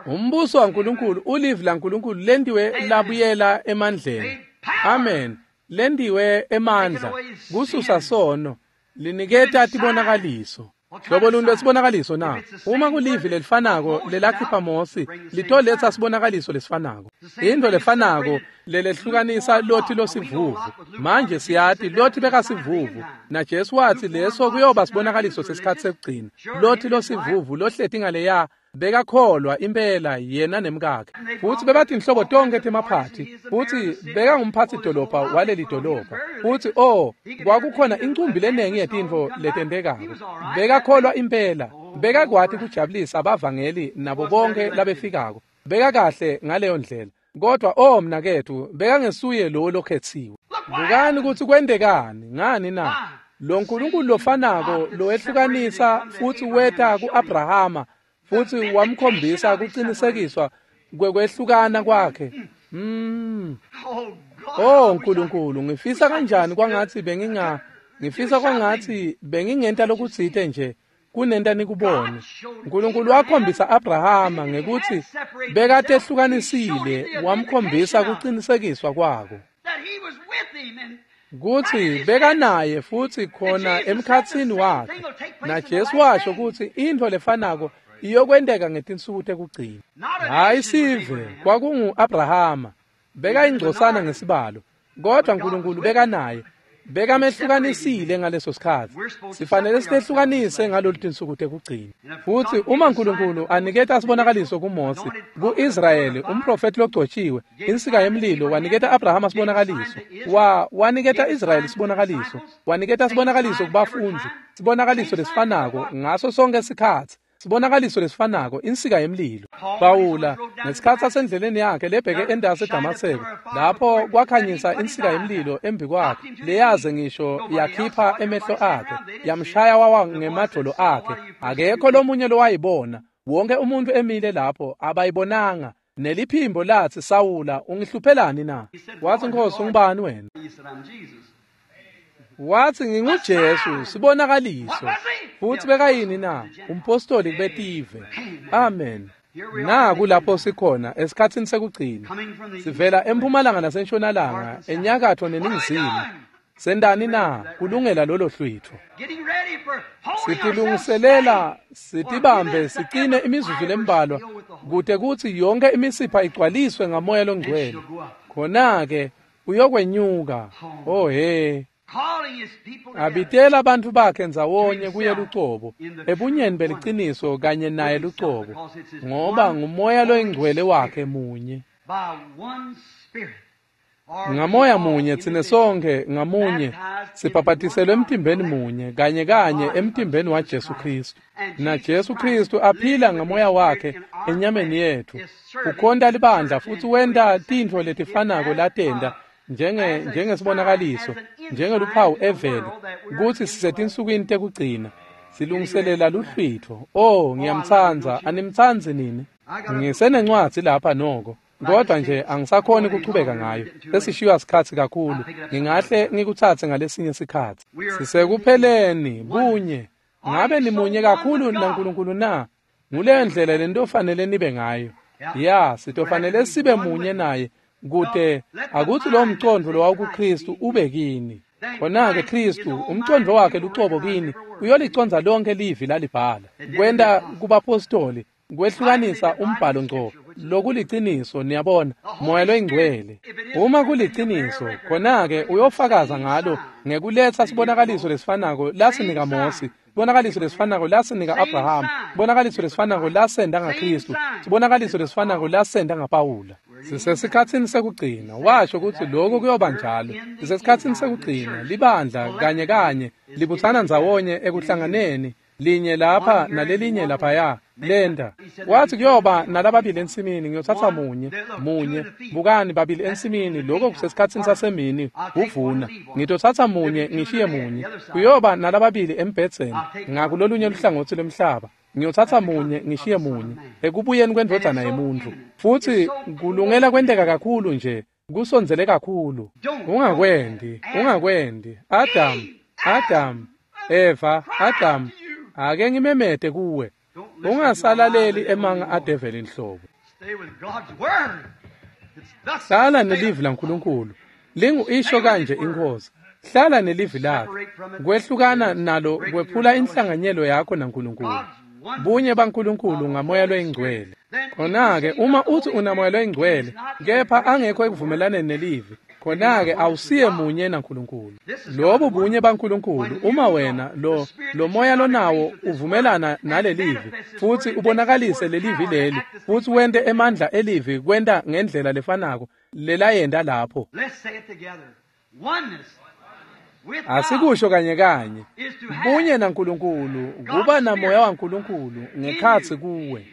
Umbuso waNkulunkulu ulivi laNkulunkulu lentiwe labuyela emandleni. Amen. Lentiwe emandla kususa sono, liniketa tibonakaliso. Hlobo luni lwesibonakaliso na? Uma kulivi lelifanako lelakhipha Mosi, litoletsa sibonakaliso lesifanako. Intfo lefanako lelehlukanisa Loti losivuvu. Manje siyati Loti bekasivuvu, naJesu watsi leso kuyoba sibonakaliso sesikhatsi sekugcina. Loti losivuvu lohleti ngaleya bekakholwa impela yena nemkakhe. Futsi bebatinhlobo tonkhe temaphathi, futsi bekangumphatsi dolobha waleli dolobha. Futsi kwakukhona incumbi lenengi yetintfo letentekako. Bekakholwa impela, bekakwati kujabulisa abavangeli nabo bonke labefikako. Bekakahle ngaleyo ndlela. Kodwa mnaketfu, bekangesuye lowo lokhetsiwe. Bukani kutsi kwentekani ngani na? Lo Nkulunkulu lofanako lowehlukanisa futsi weta ku-Abrahama futsi wamkhombisa kucinisekiswa kwekwehlukana kwakhe. Nkulunkulu, ngifisa kanjani kwangatsi ngifisa kwangatsi bengingenta lokutsite nje kunenta nikubone. Nkulunkulu wakhombisa Abrahama ngekutsi bekatehlukanisile, wamkhombisa kucinisekiswa kwako kutsi bekanaye futsi khona emkhatsini wakhe. NaJesu washo kutsi intfo lefanako iyokwenteka ngetinsuku tekugcina. Hhayi sive, kwakungu-Abrahama, bekayingcosana ngesibalo, kodwa Nkulunkulu bekanaye, bekamehlukanisile ngaleso sikhatsi. Sifanele sitehlukanise ngalolu tinsuku tekugcina. Futsi uma Nkulunkulu aniketa sibonakaliso kuMose, ku-Israyeli, umprofethi logcotshiwe, insika yemlilo, waniketa Abrahama sibonakaliso, waniketa Israyeli sibonakaliso, waniketa sibonakaliso kubafundzi, sibonakaliso lesifanako ngaso sonke sikhatsi. Sibonakaliso lesifanako, insika yemlilo. Pawula ngesikhatsi asendleleni yakhe lebheke endasi eDamaseko, lapho kwakhanyisa insika yemlilo embi kwakhe, leyaze ngisho yakhipha emehlo akhe, yamshaya wawa ngemadvolo akhe. Akekho lomunye lowayibona, wonke umuntu emile lapho abayibonanga. Neliphimbo latsi, Sawula, ungihluphelani na? Watsi, Nkosi, ungubani wena? Watsi, nginguJesu, sibonakaliso. Futsi bekayini na? Umpostoli kubetive. Amen. Naku lapho sikhona esikhatsini sekugcina. Sivela empumalanga nasentshonalanga, enyakatfo neningizimu. Sendani na? Kulungela lolo hlwitfo. Sitilungiselela, sitibambe, sicine imizuzu lembalwa kute kutsi yonke imisipha igcwaliswe ngaMoya Longcwele. Khona-ke uyokwenyuka. Oh he. Abitela abantu bakhe ndzawonye kuye lucobo, ebunyeni beliciniso kanye naye lucobo, ngoba nguMoya Loyingcwele wakhe munye. Ngamoya munye tsine sonke ngamunye sibhabhatiselwe emtimbeni munye kanye kanye emtimbeni waJesu Kristu. Na Jesu Kristu aphila ngamoya wakhe enyameni yetfu. Ukhonta libandla futsi wenta tintfo letifanako latenta njengesibonakaliso, njengeluphawu eveni kutsi sisetinsukwini tekugcina. Silungiselela luhlwitfo. Oh, ngiyamtsandza, animtsandzi nini? Ngisenencwadzi lapha noko, kodwa nje angisakhoni kuchubeka ngayo. Sesishiywa sikhatsi kakhulu. Ngingahle ngikutsatse ngalesinye sikhatsi. Sisekupheleni bunye. Ngabe nimunye kakhulu naNkulunkulu na? Nguleyo ndlela lentofanele nibe ngayo. Ya, sitofanele sibe munye naye kute akuthi lo mcondvo lowawukuKristu ube kini. Khona-ke Kristu, umcondvo wakhe lucobo kini, uyoliconza lonke livi lalibhala. Kwenta kubapostoli, kwehlukanisa umbhalo ngco, lokuliciniso, niyabona, Moya loyiNgcwele. Uma kuliciniso, khona-ke uyofakaza ngalo ngekuletsa sibonakaliso lesifanako lasinika Mosi, sibonakaliso lesifanako lasinika Abraham, sibonakaliso lesifanako lasenda ngaKristu, sibonakaliso lesifanako lasenda ngaPawula. Sisesikhatsini sekugcina, washo kutsi lokho kuyoba njalo. Sisesikhatsini sekugcina, libandla kanye kanye libutsana ndzawonye ekuhlanganeni, linye lapha nalelinye laphaya. Lenda wathi kuyoba nalababili ensimini, ngiyothatha munye munye. Bukani, babili ensimini, lokho kusesikhatsini sasemini kuvuna. Ngitothatha munye ngishiye munye. Kuyoba nalababili embhedzeni ngakulolunye luhlangotsi lwemhlaba, ngiyothatha munye ngishiye munye, ekubuyeni kwendvodzana yemuntfu. Futhi kulungela kwenteka kakhulu nje, kusondzele kakhulu. Ungakwendi, ungakwendi. Adam, Adam, Eva, Adam, ake ngimemete kuwe. Ungasalaleli emanga adeveli inhlobo. Hlala nelivi laNkulunkulu. Lingu isho kanje iNkhosi. Hlala nelivi lakhe. Kwehlukana nalo kwephula inhlanganyelo yakho naNkulunkulu. Bunye baNkulunkulu ngaMoya loyiNgcwele. Khona-ke uma uthi unaMoya loyiNgcwele kepha angekho ekuvumelaneni nelivi, khona-ke awusiye munye naNkulunkulu. Lobu bunye baNkulunkulu, uma wena lo moya lonawo uvumelana nalelivi futhi ubonakalise lelivi leli futhi wente emandla elivi kwenta ngendlela lefanako lelayenta lapho. Asikusho kanye kanye. Bunye naNkulunkulu kuba namoya waNkulunkulu ngekhatsi kuwe.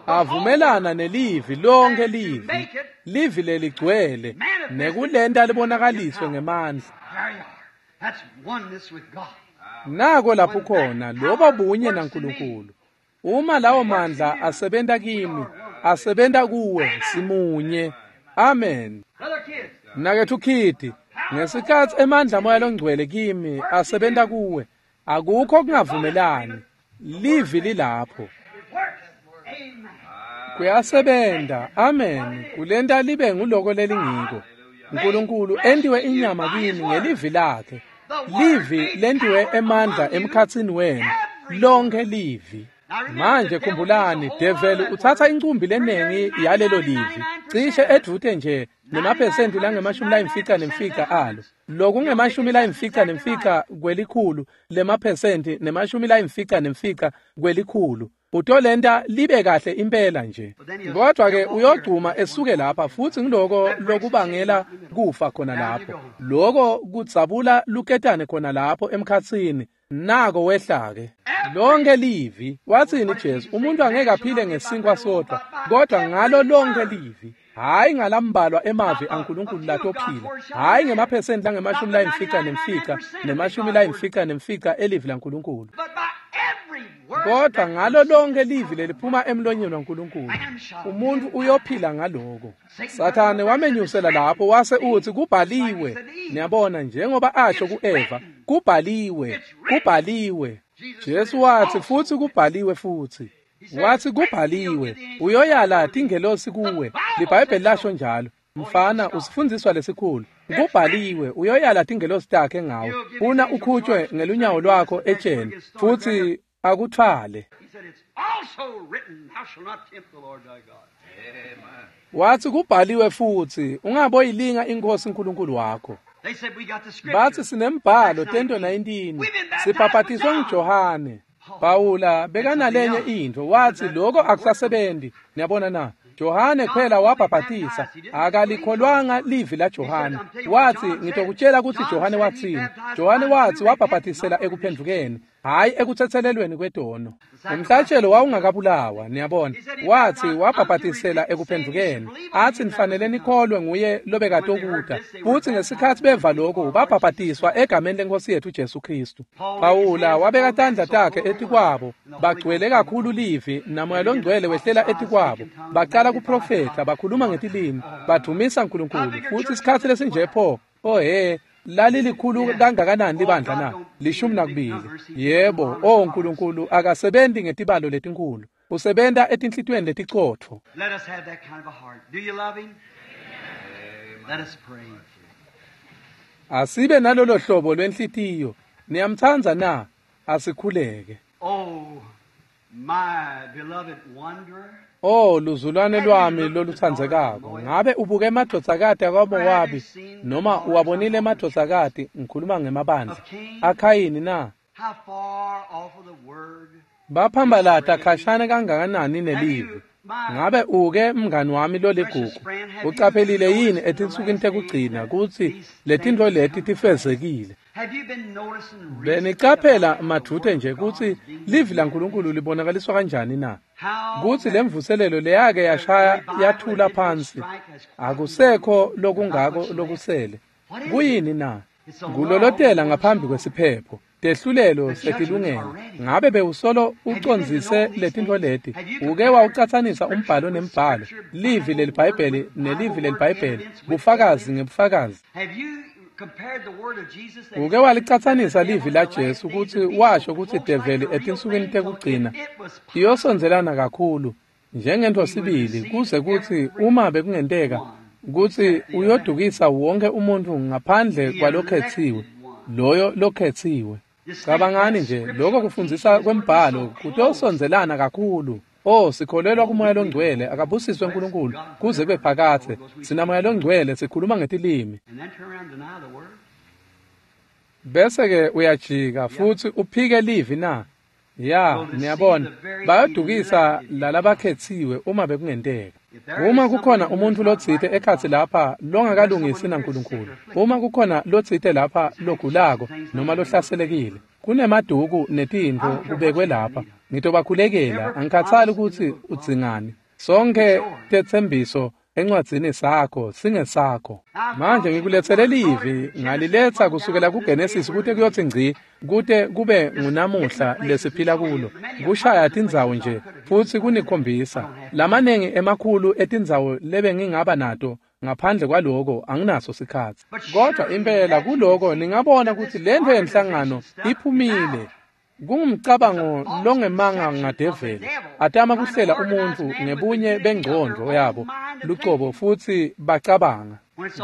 Avumelana nelivi lonke livi, livi leligcwele nekulenta libonakaliswe ngemandla. Nako lapho khona lobo bunye naNkulunkulu. Uma lawo mandla asebenta kimi, asebenta kuwe, simunye. Amen. Mnaketfu Khidi, ngesikhatsi emandla Moya loNgcwele kimi asebenta kuwe, akukho kungavumelani. Livi lilapho. Kuyasebenta. Amen. Kulenta libe nguloko lelingiko. Nkulunkulu entiwe inyama kimi ngelivi lakhe. Livi lentiwe emandla emkhatsini wenu. Lonke livi. Manje khumbulani, develi utsatsa incumbi lenengi yalelo livi, cishe edvute nje nemaphesenti langama-95 alo. Lokunge-95 kwelikhulu lemaphesenti nema-95 kwelikhulu. Utolenta libe kahle impela nje. Kodwa ke uyogcuma esuke lapha futhi ngiloko lokubangela kufa khona lapho. Loko kudzabula luketane khona lapho emkhatsini. Nako wehla ke. Lonke livi, wathini Jesu, umuntu angeke aphile ngesinkwa sodwa, kodwa ngalo lonke livi. Hayi ngalambalwa emavi aNkulunkulu latophila, hayi ngemaphesenti langama-95 nema-95 elivi laNkulunkulu, kodwa ngalo lonke livi leliphuma emlonyeni waNkulunkulu. Umuntu uyophila ngaloko. Sathane wamenyusela lapho wase uthi kubhaliwe. Niyabona, njengoba asho kuEva, kubhaliwe, kubhaliwe. Jesu wathi futhi kubhaliwe futhi. Wathi kubhaliwe, uyoyala tingelosi kuwe. LiBhayibheli lasho njalo. Mfana, usifundiswa lesikhulu. Kubhaliwe, uyoyala tingelosi takhe ngawe. Funa ukhutshwe ngelunyawo lwakho etsheni futhi akuthwale. Wathi kubhaliwe futhi, ungaboyilinga iNkosi uNkulunkulu wakho. Bathi sinembhalo Tento 19, sibhabhatiswe nguJohane. Pawula bekanalenye intfo, wathi lokho akusasebenzi. Niyabona na? Johane kuphela wabhabhatisa, akalikholwanga livi la Johane. Wathi ngitokutshela ukuthi Johane wathini. Johane wathi wabhabhatisela ekuphendukeni, hayi ekuthethelelweni kwetono. Umhlatshelo wawungakabulawa, niyabona. Wathi wabhabhatisela ekuphendukeni, athi nifanele nikholwe nguye lobekatokuta. Futhi ngesikhathi beva lokho babhabhatiswa egameni lenkosi yethu Jesu Kristu. Pawula wabeka tandla takhe etikwabo, bagcwele kakhulu livi namoya longcwele wehlela etikwabo. Baqala kuprofetha, bakhuluma ngetilimi, badumisa uNkulunkulu. Futhi isikhathi lesinje pho, oh he, Lalilikhulu kangakanani libandla na? 12. Yebo, oh Nkulunkulu akasebenzi ngetibalo letinkulu. Usebenta etinhlitiyweni leticotfo. Let us have that kind of a heart. Do you love him? Let us pray. Asibe nalolo hlobo lwenhlitiyo. Niyamtsandza na? Asikhuleke. Oh, my beloved wanderer. Oh, luzulwane lwami lolutsandzekako. Ngabe ubuke emadvodzakati akwaMowabi noma uwabonile emadvodzakati, ngikhuluma ngemabandla aKhayini na? How far off of the word? Baphambalata khashane kangakanani nelivi. Ngabe uke mngani wami loligugu, ucaphelile yini etinsukwini tekugcina kutsi letintfo leti tifezekile? Have you been noticing recently Benicaphela madvute nje kutsi livi laNkulunkulu libonakaliswa kanjani na? how Kutsi lemvuselelo leyake yashaya yathula phansi, akusekho lokungako lokusele. Kuyini na? Kulolotela ngaphambi kwesiphepho. Tehlulelo setilungele. Ngabe bewusolo ucondzise letintfo leti? Uke wawucatsanisa umbhalo nembhalo, livi leliBhayibheli nelivi leliBhayibheli, bufakazi ngebufakazi. Have you compared the word of Jesus that Uke walicatsanisa livi laJesu kutsi washo kutsi develi etinsukwini tekugcina iyosondzelana kakhulu njengentfo sibili, kuze kutsi uma bekungenteka kutsi uyodukisa wonke umuntfu ngaphandle kwalokhetsiwe, loyo lokhetsiwe. Cabangani nje, lokho kufundzisa kwembhalo kutosondzelana kakhulu. Oh, sikholelwa kuMoya loNgcwele, akabusiswe uNkulunkulu kuze kube phakadze. Sinamoya loNgcwele, sikhuluma ngetilimi. and then turn around and deny the word? Bese-ke uyajika futsi uphike livi na? Ya, niyabona, bayodukisa lalabakhetsiwe uma bekungenteka. Uma kukhona umuntfu lotsite ekhatsi lapha longakalungisi naNkulunkulu, uma kukhona lotsite lapha logulako noma lohlaselekile, kunemaduku netintfo kubekwe lapha. Ngitobakhulekela, angikhatsali kutsi udzingani. Sonke tetsembiso encwadzini sakho singesakho. Manje ngikuletsele livi, ngaliletsa kusukela kuGenesis kute kuyotsi ngci, kute kube ngunamuhla lesiphila kulo. Kushaya tindzawo nje futsi kunikhombisa lamanengi emakhulu etindzawo lebengingaba nato. Ngaphandle kwaloko anginaso sikhatsi. Kodwa impela kuloko ningabona kutsi lentfo yenhlangano iphumile. Kungumcabango longemanga ngadeveli, atama kuhlela umuntfu ngebunye bengcondvo yabo lucobo futsi bacabanga.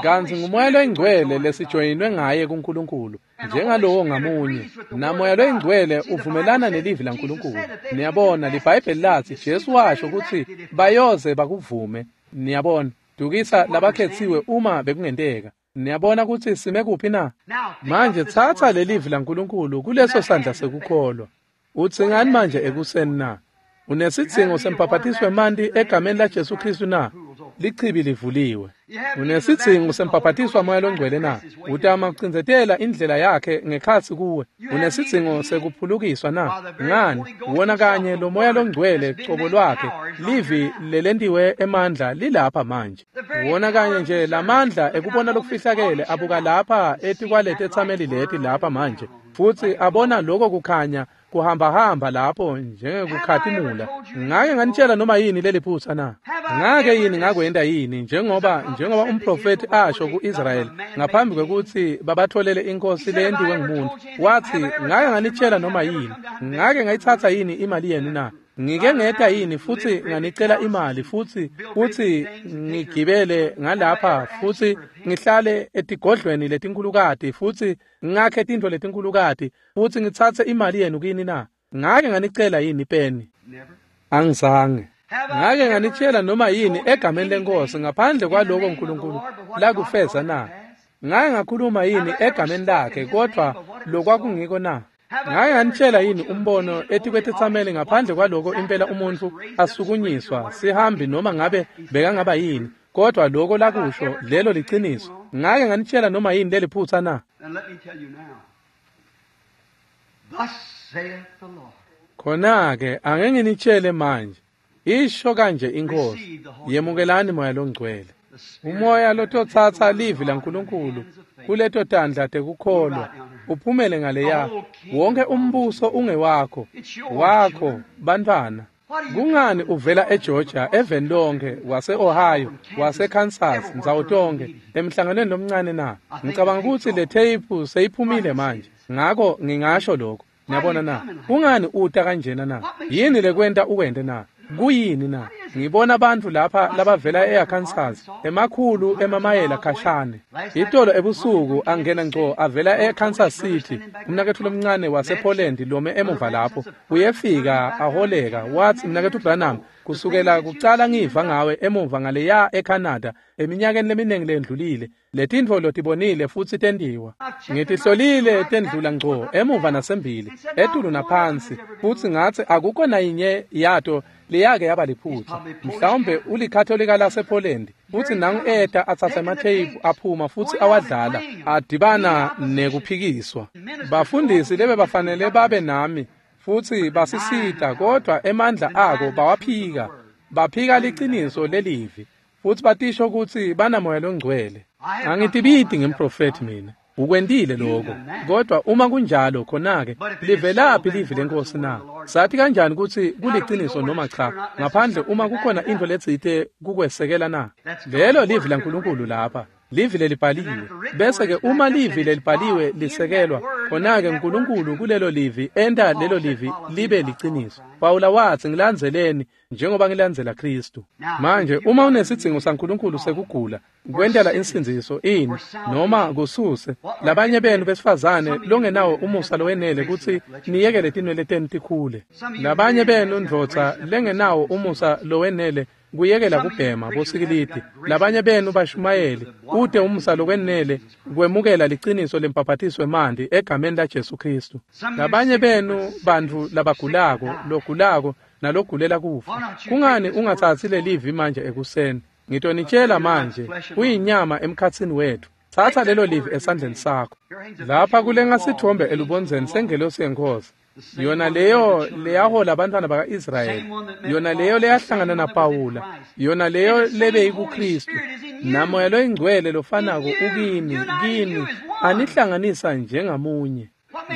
Kantsi nguMoya loyiNgcwele lesijoyinwe ngaye kuNkulunkulu, njengalowo ngamunye. NaMoya loyiNgcwele uvumelana nelivi laNkulunkulu. Niyabona, liBhayibheli latsi Jesu washo kutsi bayoze bakuvume. Niyabona, dukisa labakhetsiwe uma bekungenteka. Niyabona kutsi sime kuphi na? Manje tsatsa lelivi laNkulunkulu kuleso sandla sekukholwa. Utsingani manje ekuseni na? Unesidzingo sembhaphatiswe emanti egameni laJesu Khristu na? Lichibi livuliwe. Unesidzingo sembhaphatiswa Moya loNgcwele na? Utama kucindzetela indlela yakhe ngekhatsi kuwe. Unesidzingo sekuphulukiswa na? Ngani? Wona kanye lo Moya loNgcwele cobo lwakhe, livi lelentiwe emandla lilapha manje. Wona kanye nje lamandla ekubona lokufihlakele abuka lapha etikwaletetsameli leti lapha manje, futsi abona lokho kukhanya kuhambahamba lapho njengekukhatimula. Ngake nganitshela noma yini leliphutsa na? Ngake yini ngakwenta yini njengoba umprofethi asho ku-Israyeli ngaphambi kwekutsi babatholele inkosi leyentiwe ngumuntu, wathi ngake nganitshela noma yini? Ngake ngayitsatsa yini imali yenu na? Ngike ngeta yini futsi nganicela imali futsi ngigibele ngalapha futsi ngihlale etigodlweni letinkhulukati futsi ngakhe tintfo letinkhulukati futsi ngitsatse imali yenu kini na? Ngake nganicela yini peni? Angizange. Ngake nganitshela noma yini egameni lenkosi ngaphandle kwaloko uNkulunkulu lakufeza na? Ngake ngakhuluma yini egameni lakhe kodwa lokwakungiko na? Ngake nganitshela yini umbono etikwetitsameli ngaphandle kwaloko impela umuntfu asukunyiswa sihambi noma ngabe bekangaba yini, kodwa loko lakusho lelo liciniso? Ngake nganitshela noma yini leliphutsa na? Khona-ke ake nginitshele manje, isho kanje iNkhosi, yemukelani Moya loNgcwele. Umoya lototsatsa livi laNkulunkulu kuleto tandla tekukholwa uphumele ngaleya. Wonke umbuso ungewakho, wakho bantfwana. Kungani uvela eGeorgia, eveni lonke, wase-Ohio, wase-Kansas, ndzawo tonkhe, emhlanganweni lomncane na? Ngicabanga kutsi le theyiphu seyiphumile manje, ngako ngingasho lokho. Niyabona na? Kungani uta kanjena na? Yini lekwenta ukwente na? Kuyini na? Ngibona abantu lapha labavela eArkansas, emakhulu emamayela khashane. Itolo ebusuku angena ngco avela eKansas City, umnaketfu lomncane wasePoland lome emuva lapho. Uyefika aholeka, wathi mnaketfu Branham, kusukela kucala ngiva ngawe emuva ngaleya eCanada eminyakeni leminingi lendlulile, letintfo lotibonile futsi tentiwa. Ngitihlolile tendlula ngco emuva nasembili, etulu naphansi, futsi ngatsi akukho nayinye yato leyake yaba liphutsa. Mhlawumbe ulikatholika lasePoland, futsi nangu eta atsatsa ematheyiphu aphuma futsi awadlala, adibana nekuphikiswa. Bafundisi lebebafanele babe nami futsi basisita, kodwa emandla ako bawaphika. Baphika liciniso lelivi futsi batisho kutsi banamoya longcwele. Angitibiti ngemprofethi mina. Ukwentile lokho, kodwa uma kunjalo khona-ke livelaphi livi lenkosi na? Sathi kanjani kutsi kuliciniso noma cha, ngaphandle uma kukhona intfo letsite kukwesekela na? Lelo livi laNkulunkulu lapha, livi lelibhaliwe. Bese-ke uma livi lelibhaliwe lisekelwa, khona-ke uNkulunkulu kulelo livi enta lelo livi libe liciniso. Pawula watsi, ngilandzeleni njengoba ngilandzela Kristu. Manje uma unesidzingo saNkulunkulu sekugula, kwentela insindziso ini noma kususe labanye benu besifazane longenawo umusa lowenele kutsi niyekele tinwele tenu tikhule, labanye benu ndvodza lengenawo umusa lowenele kuyekela kubhema bosikilidi, labanye benu bashumayeli ute umusa lokwenele kwemukela liciniso lembhaphatiswe emanti egameni laJesu Kristu, labanye benu bantfu labagulako, logulako nalogulela kufa, kungani ungatsatsi lelivi manje ekuseni? Ngitonitshela manje, kuyinyama emkhatsini wethu. Tsatsa lelo livi esandleni sakho. Lapha kulenga sithombe elubondzeni sengelosi yenkosi, yona leyo leyahola abantwana baka-Israyeli, yona leyo leyahlangana naPawula, yona leyo lebeyikuKristu, namoya loyingcwele lofanako ukini, kini, anihlanganisa njengamunye.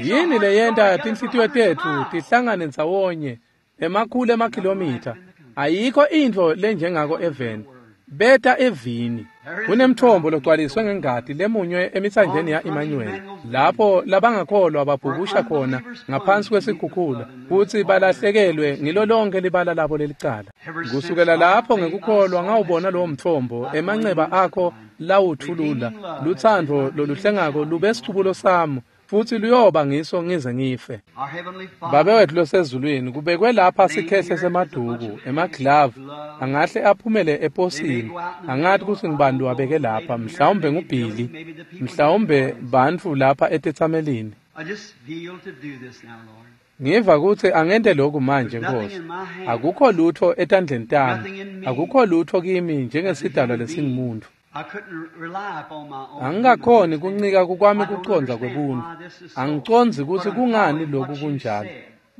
Yini leyenta tinhlitiyo tetfu tihlangane ndzawonye emakhulu emakhilomitha? Ayikho intfo lenjengako eveni. Beta evini. Kunemthombo logcwaliswe ngengati lemunywe emitsanjeni ya-Emmanuel, lapho labangakholwa babhukusha khona ngaphansi kwesikhukhula futsi balahlekelwe ngilo lonke libala labo lelicala. Kusukela lapho ngekukholwa ngawubona lowo mthombo, emanceba akho lawuthulula, lutsandvo loluhlengako lube sicubulo sami, futsi luyoba ngiso ngize ngife. Babe wethu losezulwini, kubekwe lapha sikhehle semaduku, emaglavu angahle aphumele eposini. Angathi kutsi ngibani wabeke lapha, mhlawumbe nguBilly, mhlawumbe bantfu lapha etetsamelini. Ngiva kutsi angente lokhu manje Nkosi. Akukho lutho etandleni tami, akukho lutho kimi njengesidalwa lesingumuntu. Angikakhoni kuncika kukwami kucondza kwebuntu. Angicondzi kutsi kungani lokhu kunjalo,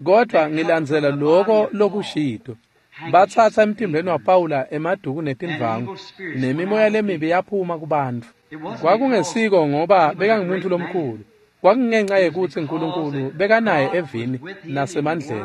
kodwa ngilandzela lokho lokushito. Batsatsa emtimbeni waPawula emaduku netindvangu, nemimoya lemibi yaphuma kubantfu. Kwakungesiko ngoba bekangumuntu lomkhulu, kwakungenxa yekutsi uNkulunkulu bekanaye evini nasemandleni,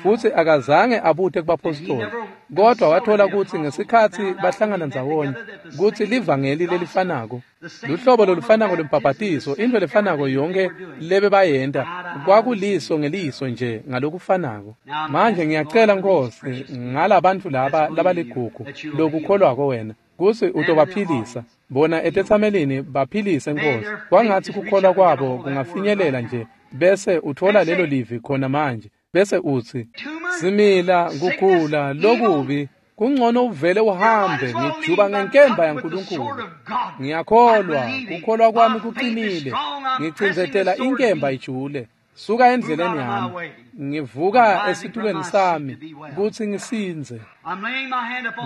futsi akazange abute kubapostoli, kodwa wathola kutsi ngesikhatsi bahlangana ndzawonye kutsi livangeli lelifanako, luhlobo lolufanako lwembhaphathiso, intfo lefanako yonke lebebayenta, kwakuliso ngeliso nje ngalokufanako. Manje ngiyacela Nkosi ngalabantfu laba labaligugu lokukholwako wena kutsi utobaphilisa bona etetsamelini, baphilise Nkosi. Kwangatsi kukholwa kwabo kungafinyelela nje, bese uthola lelo livi khona manje, bese utsi simila kugula lokubi, kungcono uvele uhambe. Ngijuba ngenkemba yaNkulunkulu. Ngiyakholwa, kukholwa kwami kuqinile. Ngicindzetela inkemba ijule. Suka endleleni yami. Ngivuka esitulweni sami kutsi ngisindze.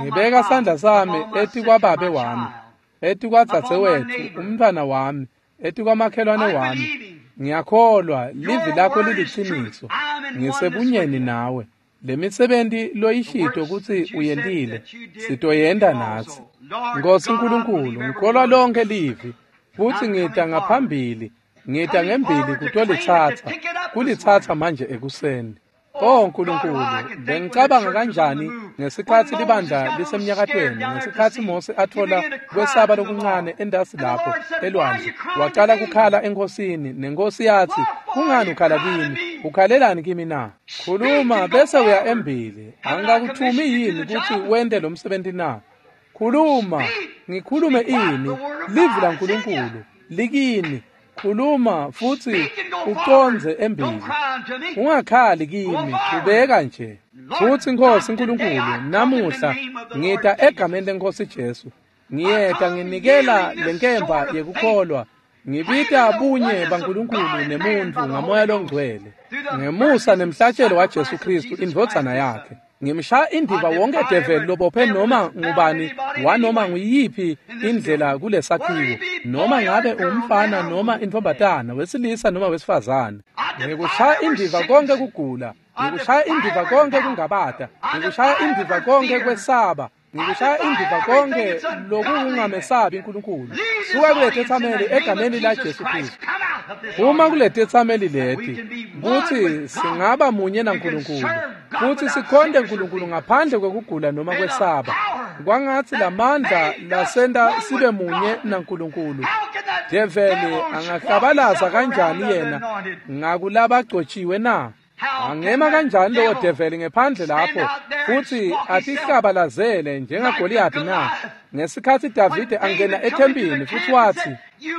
Ngibeka sandla sami etikwababe wami, etikwadzadzewetfu, umntfwana wami, etikwamakhelwane wami. Ngiyakholwa, livi lakho liliciniso. Ngisebunyeni nawe. Lemisebenti loyishito kutsi uyentile, sitoyenta natsi. Nkosi Nkulunkulu, ngikholwa lonke livi, futsi ngita ngaphambili, ngita ngembili kutolitsatsa, kulitsatsa manje ekuseni. O Nkulunkulu, bengicabanga kanjani ngesikhatsi libandla lisemnyakatweni, ngesikhatsi Mose atfola kwesaba lokuncane entasi lapho elwandle, wacala kukhala enkosini, nenkosi yatsi, kungani ukhala kimi? Ukhalelani kimi na? Khuluma bese uya embili. Angikakuthumi yini kutsi wente lo msebenti na? Khuluma, ngikhulume ini? Livi laNkulunkulu likini. Khuluma futsi ucondze embili. Ungakhali kimi, qhubeka nje. Futsi Nkosi Nkulunkulu, namuhla ngita egameni leNkosi Jesu. Ngiyeta nginikela lenkemba yekukholwa. Ngibita bunye baNkulunkulu nemuntfu ngamoya longcwele. Ngemusa nemhlatshelo waJesu Kristu indvodzana yakhe. Ngimshaya indiva wonke develi lobophe noma ngubani wanoma nguyiphi indlela kulesakhiwo, noma ngabe umfana noma intfombatana, wesilisa noma wesifazane. Ngikushaya indiva konke kugula, ngikushaya indiva konke kungabata, ngikushaya indiva konke kwesaba, ngikushaya indiva konke lokungamesabi uNkulunkulu. Suka kuletetsameli egameni la Jesu Kristu. Uma kuletetsameli leti kutsi singaba munye naNkulunkulu futsi sikhonte uNkulunkulu ngaphandle kwekugula noma kwesaba, kwangatsi lamandla lasenta sibe munye naNkulunkulu. Develi angahlabalaza kanjani yena ngakulabagcotshiwe na? Angema kanjani lowo develi ngephandle lapho futsi atihlabalazele njengaGoliyathi na? Ngesikhatsi Davide angena ethempini futsi watsi,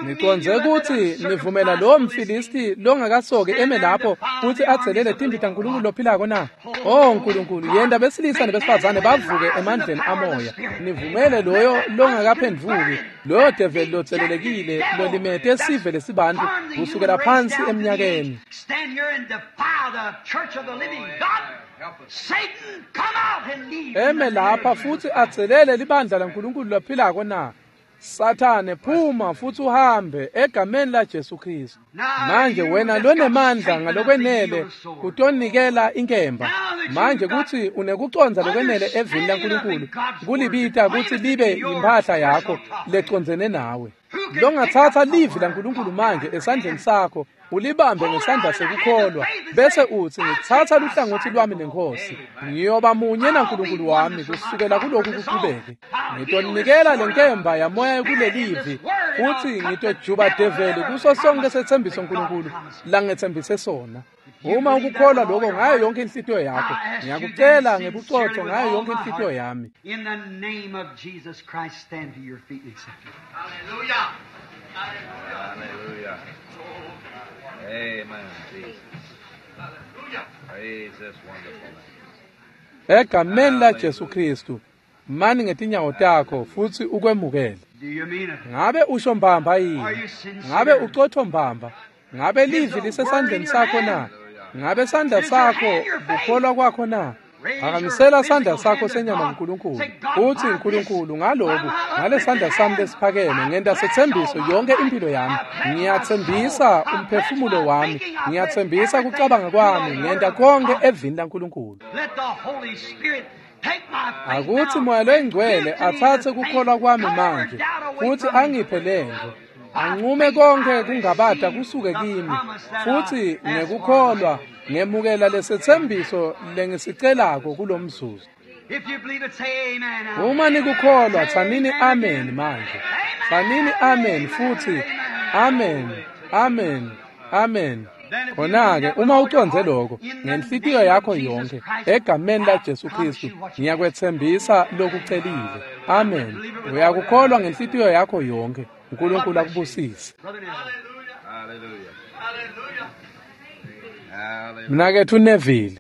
ngicondze kutsi nivumela lowo mFilisti longakasoki eme lapho futsi adzelele timbi taNkulunkulu lophilako na? O Nkulunkulu, yenta besilisa nebesifazane bavuke emandleni amoya. Nivumele loyo longakaphendvuki, loyo develi lotselelekile lolimete sive lesibantfu kusukela phansi eminyakeni. Eme lapha futsi adzelele libandla laNkulunkulu lophilako na? Sathane, phuma futsi uhambe egameni la Jesu Kristu. Manje wena lonemandla ngalokwenele kutonikela inkemba. Manje kutsi unekucondza lokwenele evini laNkulunkulu kulibita kutsi libe imphahla yakho lecondzene nawe. Longatsatsa livi laNkulunkulu manje esandleni sakho ulibambe ngesandla sekukholwa bese utsi, ngitsatsa luhlangotsi lwami nenkosi, ngiyoba munye naNkulunkulu wami kusukela kuloku kuqhubeke. Ngitonikela lenkemba yamoya kulelivi futsi ngitojuba develi kuso sonke setsembiso uNkulunkulu langetsembise sona. Uma ukukholwa lokho ngayo yonke inhlitiyo yakho, ngiyakucela ngebucotho ngayo yonke inhlitiyo yami. In the name of Jesus Christ, stand to your feet and accept it. Hallelujah. Hallelujah. Amen, Jesus. Praise this wonderful name. Egameni la Jesu Kristu, mani ngetinyawo takho futsi ukwemukele. Do you mean it? Ngabe usho mbamba yini? Ngabe ucotho mbamba? Ngabe livi lisesandleni sakho na? Ngabe sandla sakho kukholwa kwakho na? Phakamisela sandla sakho senyama kuNkulunkulu. Uthi, Nkulunkulu, ngaloku, ngale sandla sami lesiphakeme ngenta setsembiso yonke impilo yami. Ngiyatsembisa umphefumulo wami, ngiyatsembisa kucabanga kwami, ngenta konke evini laNkulunkulu. Let the Holy Spirit take my faith Akuthi now moya and loyingcwele give to me atsatse the kukholwa thing. kwami Cover manje doubt away futsi from me. angiphe lento. Anqume konke kungabata kusuke kimi futsi ngekukholwa ngemukela lesetsembiso lengisicelako kulomzuzu. If you believe it, say amen now. Uma nikukholwa tsanini amen manje. Tsanini amen futsi amen, amen, amen. Khona-ke uma ucondze lokho ngenhlitiyo yakho yonke egameni la Jesu Kristu, ngiyakwetsembisa lokucelile. Amen. Uyakukholwa ngenhlitiyo yakho yonke. uNkulunkulu akubusise. Brother Neville. Hallelujah. Hallelujah. Mnaketfu Neville.